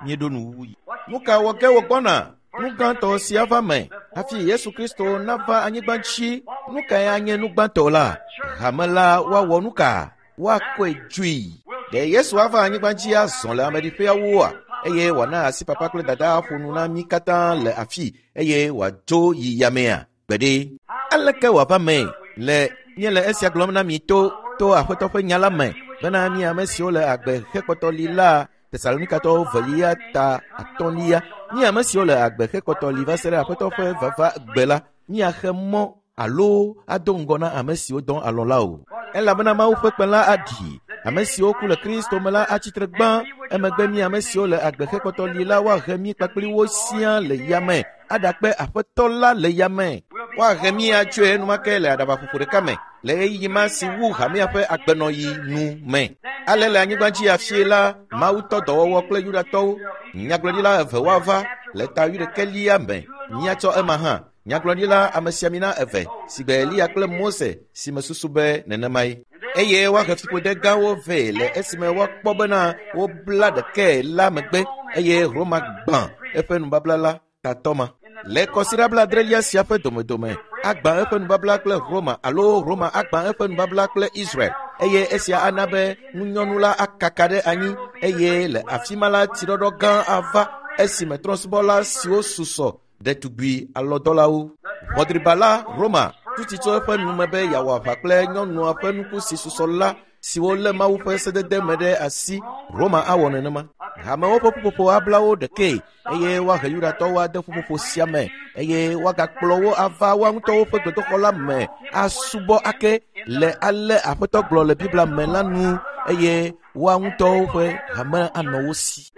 Míeɖo nuwuwu yi. Nu ka wɔ ge wògbɔna? Nu gãtɔ si ava me hafi Yesu Kristo nava anyigba dzi. Nu kae anye nu gbãtɔ la? Hame la woawɔ nu ka? Woakɔe dzoe. Ɖe Yesu ava anyigba dzi azɔ le ameɖiƒeawoa? Eye wòana asi papa kple dada aƒo nu na mí katã le afi eye wòadzo yi yamea? Gbeɖe. Aleke wòava mee? Le míele esia gblɔm na mi to to Aƒetɔ ƒe nya la me bena mi ame siwo le agbe hekpɔtɔ li la Tesalonikatɔwo velia ta atɔ̃lia. Mi ame siwo le agbe hekpɔtɔ li va se ɖe Aƒetɔ ƒe vava gbe la, míaxe mɔ alo ado ŋgɔ na ame siwo dɔ alɔ̃ la o. Elabena Mawu ƒe kpẽ la aɖi. Ame siwo ku le Kristo me la atsi tre gbã. Emegbe mi ame siwo le agbe hekpɔtɔ li la woahe mí kpakple wo siaa le yame aɖakpe Aƒetɔ la le yame. Woahe mí atsoe enumake le aɖabaƒoƒo ɖeka me le ɣeyiɣi ma si wu hamea ƒe agbenɔɣi nu me. Ale le anyigba dzi afie la, Mawu tɔ dɔwɔwɔ kple Yudatɔwo. Nyagblɔɖila eve woava le ta wuiɖekɛlia me. Míatsɔ ema hã. Nyagblɔɖila amesiamina eve si gbe Eliya kple Mose si mesusu be nenemae. Eye woahe fiƒode gãwo vɛ le esime woakpɔ bena wobla ɖekae la megbe eye Roma gbã eƒe nubabla la tatɔ ma. Le kɔsiɖa blaadrelia sia ƒe domedome, agbã eƒe nubabla kple Roma alo Roma agbã eƒe nubabla kple Israel. eye esia ana be ŋunyɔnu la akaka ɖe anyi eye le afi ma la tsiɖɔɖɔ gã ava esime trɔ̃subɔla siwo susɔ ɖetugbui alɔdɔlawo. Ʋɔdriba la Roma tuti tso eƒe nume be yeawɔ aʋa kple nyɔnua ƒe nuku si susɔ la siwo lé Mawu ƒe sedede me ɖe asi. Roma awɔ nenema. Hamewo ƒe ƒuƒoƒo abla wo ɖekee eye woahe Yudatɔwo ade ƒuƒoƒo sia me eye woagakplɔ wo ava woa ŋutɔwo ƒe gbedoxɔ la me asubɔ ake le ale Aƒetɔ gblɔ le Biblia me la nu eye woa ŋutɔwo ƒe hame anɔ wo si.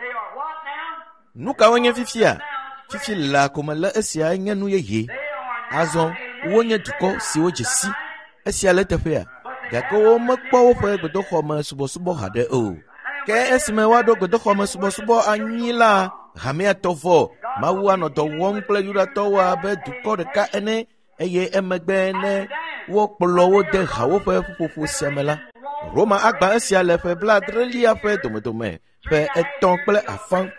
Nu kawo nye fifia? Fifi laa ko mele esia nye nu yeye. Azɔ wonye dukɔ siwo dze si. Esia le teƒea, gake womekpɔ woƒe gbedoxɔme subɔsubɔ haɖe o. Ke esime woaɖo gbedoxɔme subɔsubɔ anyi la, hamea tɔ vɔ. Mawu anɔ dɔ wɔm kple Yudatɔwo abe dukɔ ɖeka ene eye emegbe ne wokplɔ wo de hawo ƒe ƒuƒoƒo sia me la, Roma agbã esia le ƒe blaadrelia ƒe domedome ƒe 3.5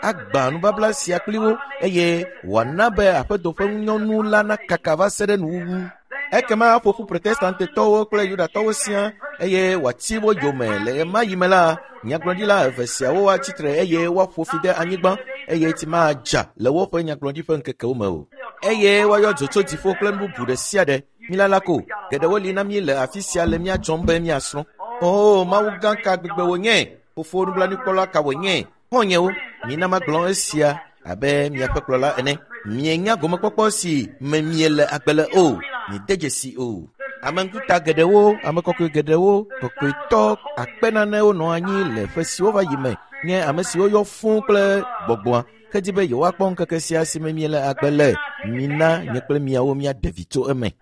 agbã nubabla sia kpli wo eye wòana be aƒedo ƒe ŋunyɔnu la nakaka va se ɖe nuwuwu. Ekema aƒo ƒu Protestantetɔwo kple Yudatɔwo siaa eye wòati wo yome. Le ɣemaɣi me la, nyagblɔɖila eve siawo atsi tre eye woaƒo fi de anyigba eye tsi madza le woƒe nyagblɔɖi ƒe ŋkekewo me o. Eye woayɔ dzo tso dziƒo kple nu bubu ɖe sia ɖe. Milala ko, geɖewo li na mí le afi sia le mía dzɔm be míasrɔ̃. Oo, Mawu gã ka gbegbe wònye! Fofo nublanuikpɔla ka wònye! Xɔ̃nyewo, mina magblɔ esia abe miaƒe kplɔla ene. Mienya gomekpɔkpɔ si me miele agbe le o. Miede dzesi o. Ame ŋkuta geɖewo, ame kɔkɔe geɖewo, kɔkɔetɔ akpe nanewo nɔ anyi le ƒe siwo va yi me nye ame siwo yɔ fũu kple gbɔgbɔa hedi be yewoakpɔ ŋkeke sia si me miele agbe le. Mina nye kple miawo míaɖe vi tso eme.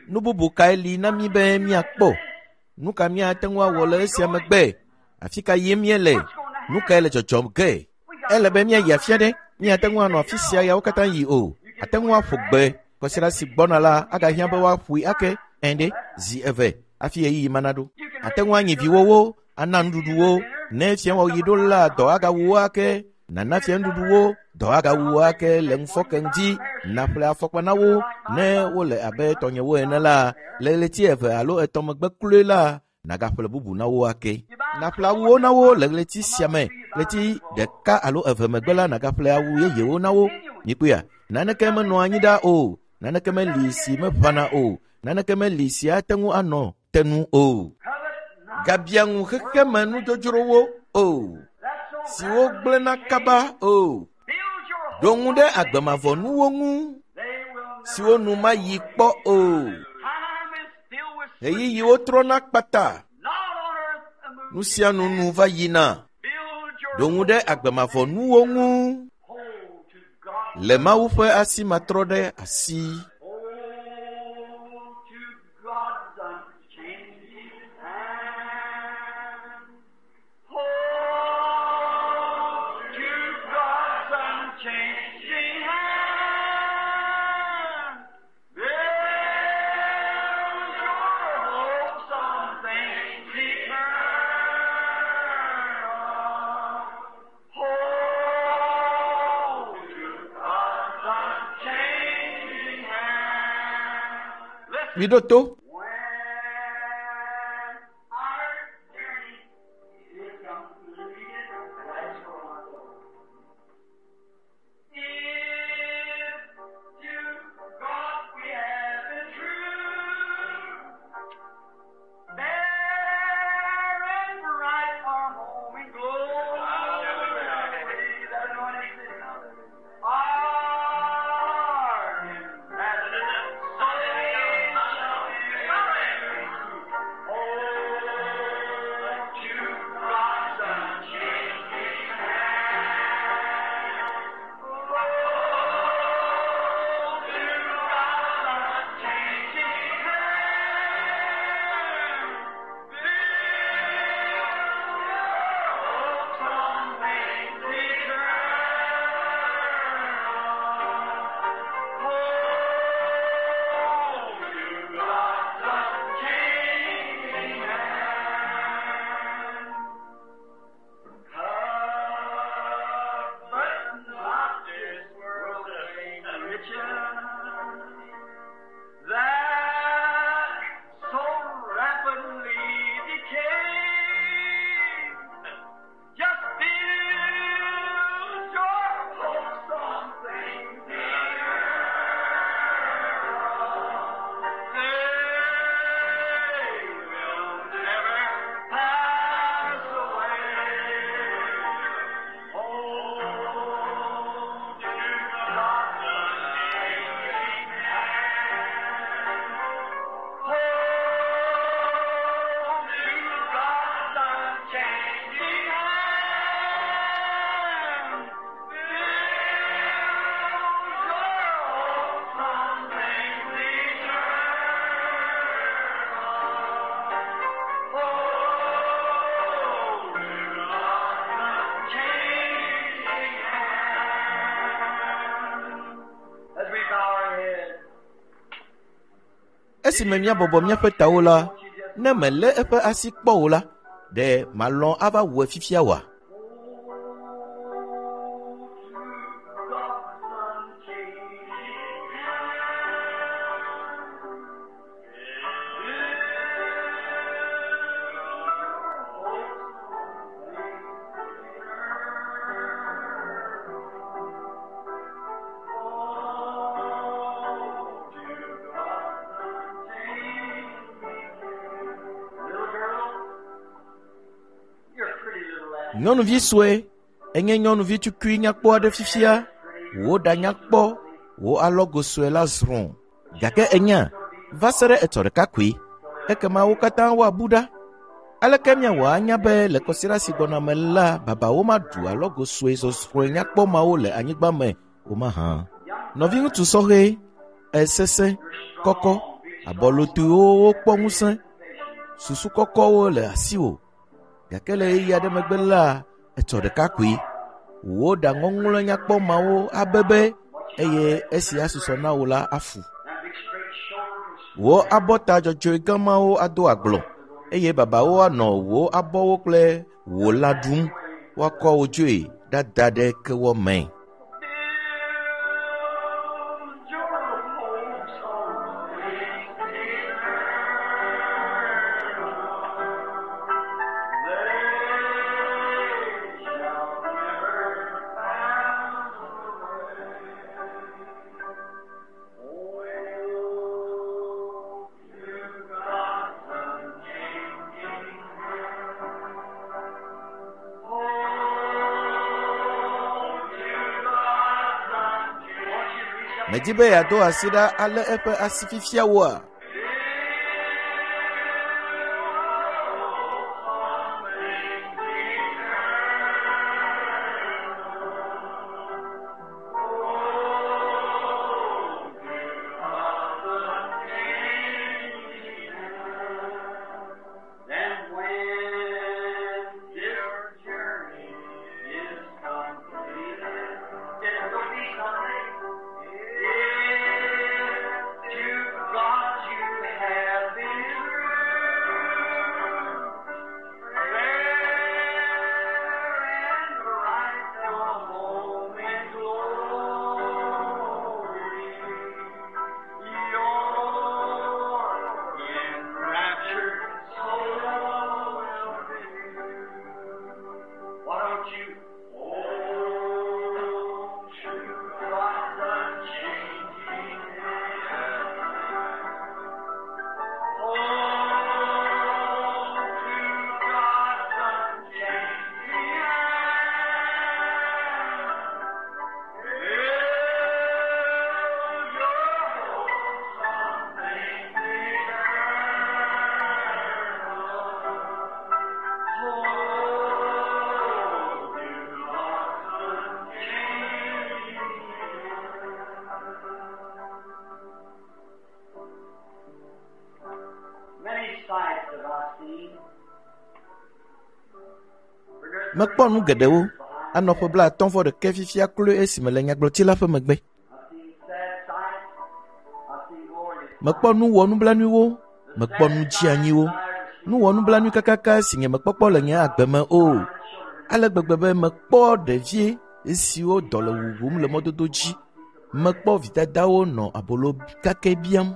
Nu bubu kae li na mí be míakpɔ? Nu ka míate ŋu awɔ le esia megbe? Afi ka yim míele? Nu kae le dzɔdzɔm ge? Ele be míayi afi aɖe. Míate ŋu anɔ afi sia yawo katã yi o. Ate ŋu aƒo gbe. Kɔsiɖa si gbɔna la agahiã be woaƒoe ake ɛ̃ ɖe zi eve hafi ɣeyiɣi ma naɖo. Ate ŋu anyi viwòwo, ana nuɖuɖu wo. Ne fiẽwɔɣi ɖo la, dɔ agawu wo ake. Nana fiẽnuɖuɖu wo, dɔ agawu wo ake le ŋufɔke ŋdi. Nàƒle afɔkpa na wo ne wole abe tɔnyewo ene la, le ɣleti eve alo etɔ̃ megbe kloe la, nàgaƒle bubu na wo ake. Nàƒle awuwo na wo le ɣleti sia me, ɣleti ɖeka alo eve megbe la, nàgaƒle awu yeyewo na wo. Mikpɔea? Naneke menɔa anyi ɖaa o. Naneke meli si meʋãna o. Naneke meli si ate ŋu anɔ te nu o. Gabia ŋu xexeme nudzodzrowo o, siwo gblẽna kaba o. Ɖo ŋu ɖe agbe mavɔ nuwo ŋu, siwo nu mayi kpɔ o. Ɣeyiɣiwo trɔna kpata. Nu sia nu nu va yina. Ɖo ŋu ɖe agbe mavɔ nuwo ŋu le Mawu ƒe asi matrɔ ɖe asi. Hold to God's unchanging hand. Hold to God's unchanging hand. Build your hopes on things eternal. Hold to God's unchanging hand. Listen. Miɖo to. When our journey is completed, that's for my soul. If to God we have been true, there and bright our home in glory, that anointing our ambassador shall be. Esime míabɔbɔ míaƒe tawo la, ne mèlé eƒe asi kpɔ o la, ɖe màlɔ̃ ava wɔe fifia oa? Nyɔnuvi sue, enye nyɔnuvi tukui nyakpɔ aɖe fifia. Wò ɖa nyakpɔ, wò alɔgo sue la zrɔ̃. Gake ènya, va se ɖe etsɔ ɖeka koe, ekema wo katã woabu ɖa. Aleke míawɔ anya be le kɔsiɖa si gbɔna me la, babawo maɖu alɔgo sue zɔzrɔ̃e nyakpɔ mawo le anyigba me o mahã? Nɔviŋutsu sɔhɛ, esesẽ, kɔkɔ, abɔlotoewo wokpɔ ŋusẽ, susu kɔkɔwo le asiwò. Gake le ɣeyiɣi aɖe megbe la, etsɔ ɖeka koe. Wò ɖa ŋɔŋlɔe nyakpɔ mawo abebe eye esi asusɔ na wò la afu. Wò abɔta dzɔdzɔe gã mawo ado agblɔ eye babawo anɔ wò abɔwo kple wò lã ɖum. Woakɔ wò dzoe ɖada ɖe kewɔ me. Medi be yeado asi ɖa alé eƒe asi fifia woa? Then when your journey is completed, it will be someday. If to God you have been true, fair and bright your home in glory. Your enraptured soul will be. Why don't you hold to God's unchanging hand? Hold to God's unchanging hand. Build your hopes on things eternal. Hold to God's unchanging hand. Many sights have I seen. Mekpɔ nu geɖewo anɔ ƒe blaatɔ̃ vɔ ɖekɛ fifia kloe esime le nyagblɔtsi la ƒe megbe. I've seen sad sights. I've seen glorious Mekpɔ nu wɔnublanuiwo, mekpɔ nu dzeanyiwo, nu wɔnublanui kakaka si nye mekpɔkpɔ le nye agbe me o. Ale gbegbe be mekpɔ ɖevi siwo dɔ le wuwum le mɔdodo dzi. Mekpɔ vidadawo nɔ abolo kakɛ biam.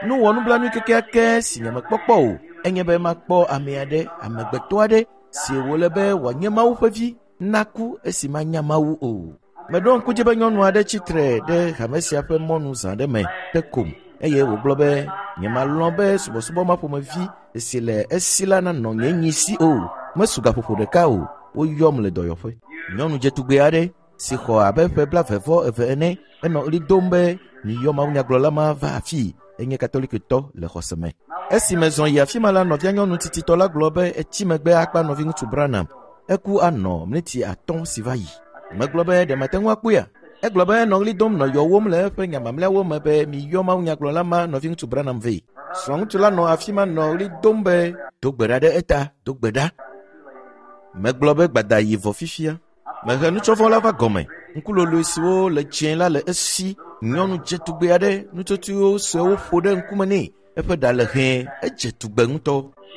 Nu wɔnublanui kekeake si nye mekpɔkpɔ o enye be makpɔ ame aɖe, amegbetɔ aɖe si wòle be wòanye Mawu ƒe vi naku esi manya Mawu o. Meɖo ŋku dzi be nyɔnu aɖe tsitre ɖe hame sia ƒe mɔnu zã ɖe me te kom eye wògblɔ be nyemalɔ̃ be subɔsubɔ ma ƒomevi si le esi la nanɔ nye nyi si o. Mesu gaƒoƒo ɖeka o, woyɔm le dɔyɔƒe. Nyɔnu dzetugbe aɖe si xɔ abe ƒe blaeve-vɔ-eve ene enɔ ɣli dom be miyɔ mawunyagblɔla ma va afii enye katolikitɔ le xɔse me. Esi mezɔ yi afi ma la, nɔvia nyɔnu tsitsitɔ la gblɔ be etsi megbe akpa nɔviŋutsu Branham. Eku anɔ miniti atɔ̃ si va yi. Megblɔ be ɖe mate ŋu akpɔea? Egblɔ be enɔ ɣli dom nɔ yɔwom le eƒe nya mamlɛawo me be miyɔ mawunyagblɔla ma nɔviŋutsu Branham vɛ. Srɔ̃ŋutsu la nɔ afi ma nɔ ɣli dom be do gbe ɖa ɖe eta, do gbe ɖa. Megblɔ be gbada yi vɔ fifia. Mehe nutsɔvɔ la va gɔme. Ŋkuloloe siwo le dzẽ la le esi. Nyɔnu dzetugbe aɖe, nutsotsoewo suewo ƒo ɖe ŋkume nɛ. Eƒe ɖa le hɛ̃, edze tugbe ŋutɔ.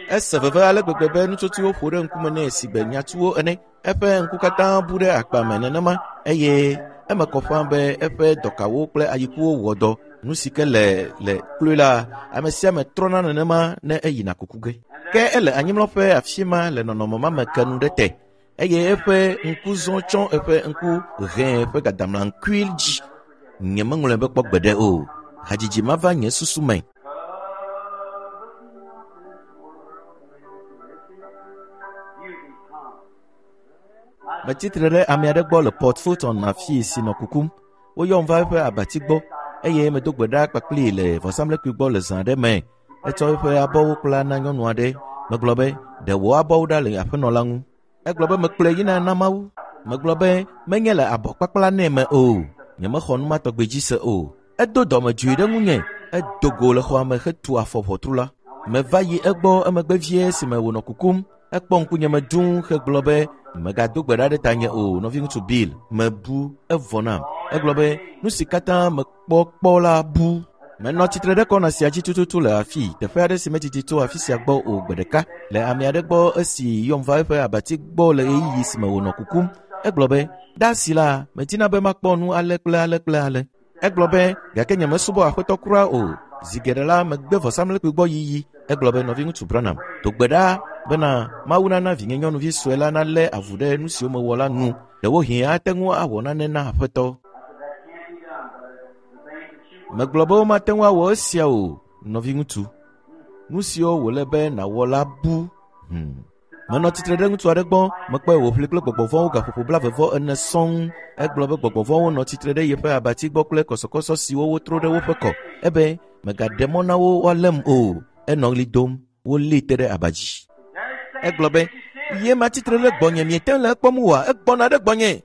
Ese veve ale gbegbe be nutsotsoewo ƒo ɖe ŋkume nɛ si gbe nyatuwo ene. Eƒe ŋku katã bu ɖe akpa me nenema eye eme kɔ ƒãa be eƒe dɔkawo kple ayikuwo wɔ dɔ. Nu si ke le le kloe la, ame sia ame trɔna nenema ne eyina kuku ge. Ke ele anyimlɔƒe afi ma le nɔnɔme ma me ke nu ɖe te eye eƒe ŋku zɔ tsɔ eƒe ŋku hɛ̃ ƒe gadamlaŋkui dzi. Nyemeŋlɔe be kpɔ gbeɖe o. Hadzidzi ma va nye susu me. Metsi tre ɖe ame aɖe gbɔ le Port Fulton afii si nɔ kukum. Woyɔm va eƒe abati gbɔ eye medo gbe ɖa kpakplii le vɔsamlekpui gbɔ le zã aɖe me. Etsɔ eƒe abɔwo kpla na nyɔnu aɖe. Megblɔ be, ɖe wò abɔwo ɖa le aƒenɔ la ŋu. Egblɔ be mekplɔe yina na Mawu. Megblɔ be menye le abɔ kpakpla nɛ me o. Nyemexɔ nu ma tɔgbi dzi se o. Edo dɔmedzoe ɖe ŋunye. Edo go le xɔa me hetu afɔ ʋɔtru la. Meva yi egbɔ emegbe vie esime wònɔ kukum. Ekpɔ ŋkunye me dũu hegblɔ be megado gbe ɖa ɖe tanye o, nɔviŋutsu Bill. Mebu, evɔ nam. Egblɔ be nu si katã mekpɔ kpɔ la bu. Menɔ tsitre ɖe kɔna sia dzi tututu le afii, teƒe aɖe si medidi tso afi sia gbɔ o gbe ɖeka le ame aɖe gbɔ esi yɔm va eƒe abati gbɔ le ɣeyiɣi si me wònɔ kukum. Egblɔ be, ɖe asi la, medina be makpɔ nu ale kple ale kple ale. Egblɔ be, gake nyemesubɔ aƒetɔ kura o. Zi geɖe la, megbe vɔsamlekpui gbɔ yiyi. Egblɔ be, nɔviŋutsu Branham, do gbe ɖa bena Mawu nana vinye nyɔnuvi sue la nalé avu ɖe nu siwo mewɔ la nu. Ɖewohĩ ate ŋu awɔ nane na aƒetɔ. Megblɔ be womate ŋu awɔ esia o, nɔviŋutsu. Nu siwo wòle be nàwɔ la bu. Menɔ tsitre ɖe ŋutsu aɖe gbɔ, mekpɔe wòʋli kple gbɔgbɔ vɔ̃wo gaƒoƒo 11 sɔŋ. Egblɔ be gbɔgbɔ vɔ̃wo nɔ tsitre ɖe yeƒe abati gbɔ kple kɔsɔkɔsɔ siwo wotro ɖe woƒe kɔ. Ebe, megaɖe mɔ na wo woalém o. Enɔ ɣli dom, wolée te ɖe aba dzi. Egblɔ be, ye ma tsitre ɖe gbɔnye, miete le ekpɔm oa? Egbɔna ɖe gbɔnye.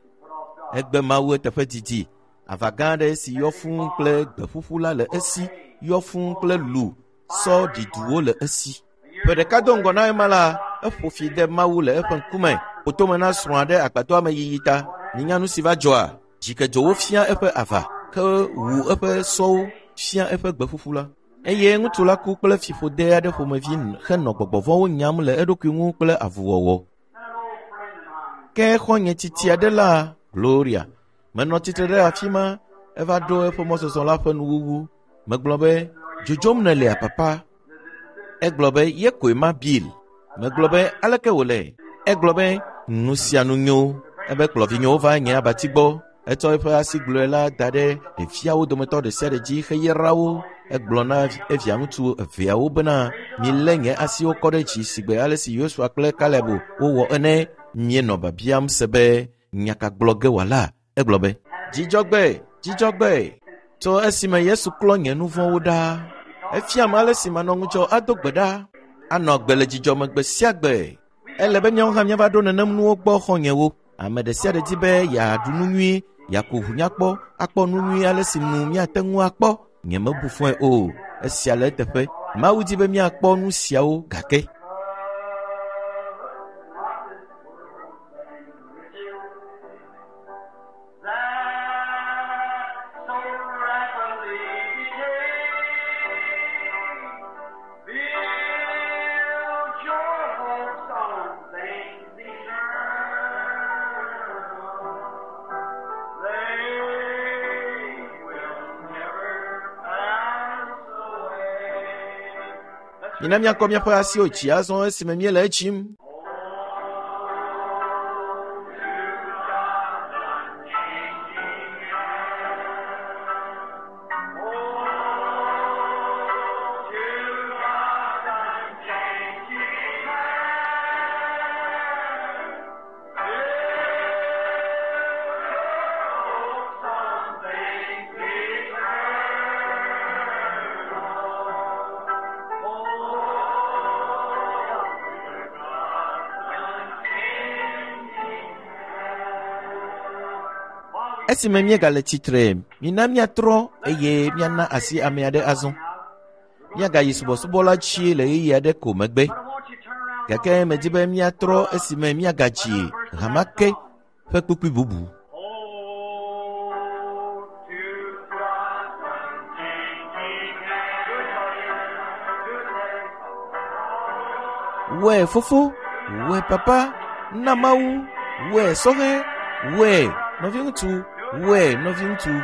Egbe Mawu eteƒe didi. Ava gã aɖe si yɔ fũu kple gbe ƒuƒu la le esi, yɔ fũu kple lu, sɔ ɖiduwo le esi. Ƒe ɖeka do ŋgɔ na ema la, eƒo fi de Mawu le eƒe ŋkume, ƒo tome na srɔ̃a ɖe agbadɔa me yiyi ta. Minya nu si va dzɔa? Dzikedzowo fia eƒe ava, ke wu eƒe sɔwo fia eƒe gbe ƒuƒu la. Eye ŋutsu la ku kple fiƒode aɖe ƒomevi henɔ gbɔgbɔ vɔ̃wo nyam le eɖokui ŋu kple avuwɔwɔ. Ke xɔ̃nye tsitsi aɖe la, Gloria, menɔ tsitre ɖe afi ma, eva ɖo eƒe mɔzɔzɔ la ƒe nuwuwu. Megblɔ be, dzodzom nèlea, papa? Egblɔ be, ye koe ma Bill. Megblɔ be, aleke wòle? Egblɔ be, nu sia nu nyo. Ebe kplɔ vinyewo va nye abati gbɔ. Etsɔ eƒe asi gblɔe la da ɖe ɖeviawo dometɔ ɖe sia ɖe dzi heyra wo. Egblɔ na evia ŋutsu eveawo bena, milé nye asiwo kɔ ɖe dzi sigbe ale si Yosua kple Kaleb wowɔ ene. Míenɔ biabiam se be nya ka gblɔ ge wòala. Egblɔ be, dzidzɔgbe, dzidzɔgbe. Tso esime Yesu klɔ nye nu vɔ̃wo ɖa, efiam ale si manɔ ŋudzɔ ado gbe ɖa, anɔ agbe le dzidzɔme gbe sia gbe. Ele be míawo hã míava ɖo nenem nuwo gbɔ xɔ̃nyewo. Ame ɖe sia ɖe di be yeaɖu nu nyui, yeaku ʋu nyakpɔ, akpɔ nu nyui ale si nu míate ŋu akpɔ. Nyemebu fɔe o. Esia le eteƒe. Mawu di be míakpɔ nu siawo gake. That so rapidly decay. Build your hopes on things eternal. They will never pass away. Mina míakɔ míaƒe asiwo dzi azɔ esime míele etsim. Esime míegale tsitre, mina míatrɔ eye míana asi ame aɖe azɔ. Míagayi subɔsubɔ la dzi le ɣeyiɣi aɖe ko megbe. Gake medi be míatrɔ esime míagadzi hama ke ƒe kpukpui bubu. Hold to God's unchanging hand. Wɔe fofo, wɔe papa, na Mawu, wɔe sɔhɛ, wɔe nɔviŋutsu, wɔe nɔviŋutsu.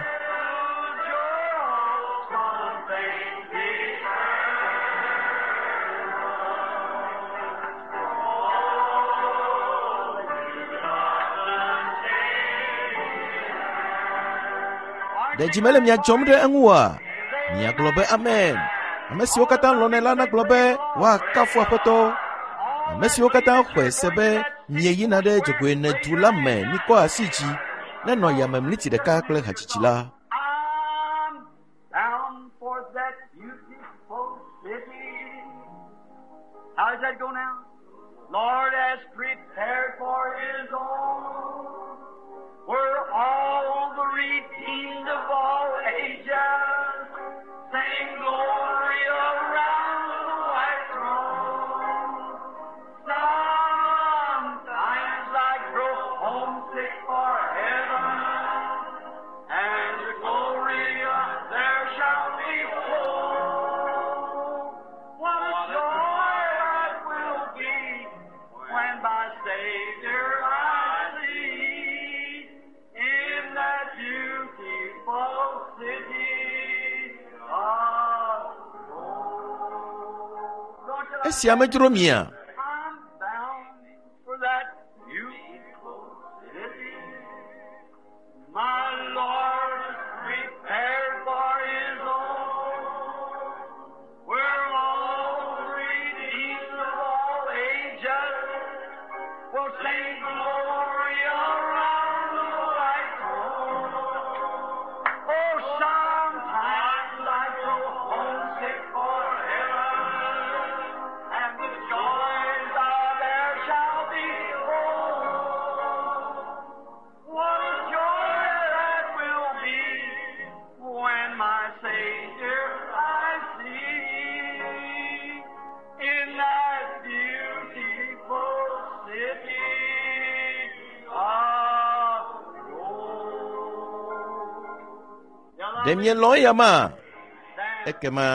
Ɖe dzi mele mia dzɔm ɖe eŋu oa? Miagblɔ be amen. Ame siwo katã lɔ̃nɛ la nagblɔ be woakafu Aƒetɔ. Ame siwo katã xɔe se be mieyina ɖe dzogoenedu la me mikɔ asi dzi nenɔ yame mliti ɖeka kple hadzidzi la. I'm bound for that beautiful city. How does that go now? Lord has prepared for his own. Where all the redeemed of all ages sing glory around the white throne. Sometimes I grow homesick for heaven, and the glory there shall be full. What a joy that will be when my Savior I see in that beautiful city of gold. Don't you like Esia medzro mia? I'm bound for that beautiful city. My Lord is prepared for his own. Where all the redeemed of all ages will sing glory around the white throne. Oh, sometimes I grow homesick for heaven, and the joys are there shall be full. What a joy that will be when my Savior I see in that beautiful city of gold. Ɖe mielɔ̃ eya ma? Ekema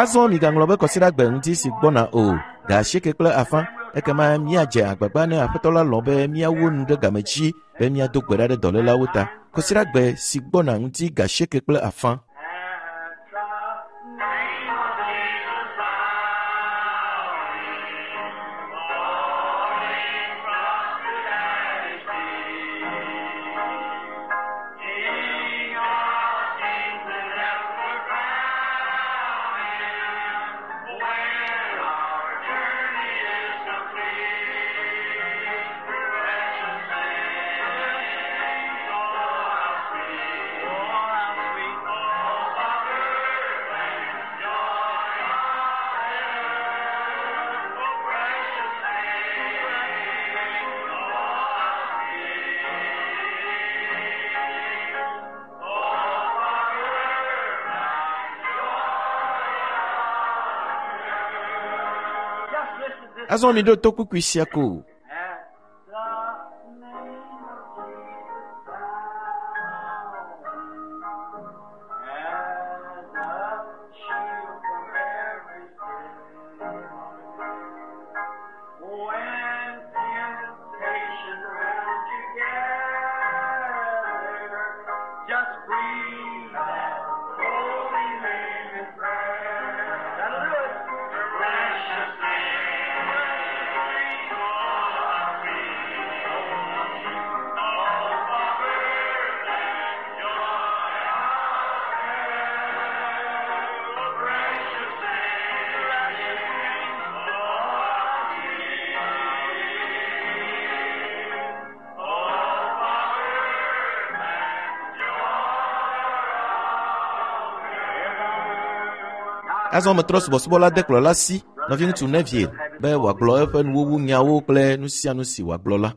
Azɔ migaŋlɔ be kɔsiɖagbe ŋuti si gbɔna o, ga asieke kple afã, ekema míadze agbagba ne Aƒetɔ la lɔ̃ be míawu nu ɖe game dzi be míado gbe ɖa ɖe dɔlélawo ta. Kɔsiɖagbe si gbɔna ŋuti ga asieke kple afã. Azɔ miɖo to kpukpui sia ko. At the name of Jesus, as a shield from every sin. When temptation round you gather, just breathe that holy name in prayer. That'll do it. Precious name, precious name, oh, how sweet, oh, Azɔ metrɔ subɔsubɔ la de kplɔla si, nɔviŋutsu Neville, be wòagblɔ eƒe nuwuwu nyawo kple nu sia nu si wòagblɔ la.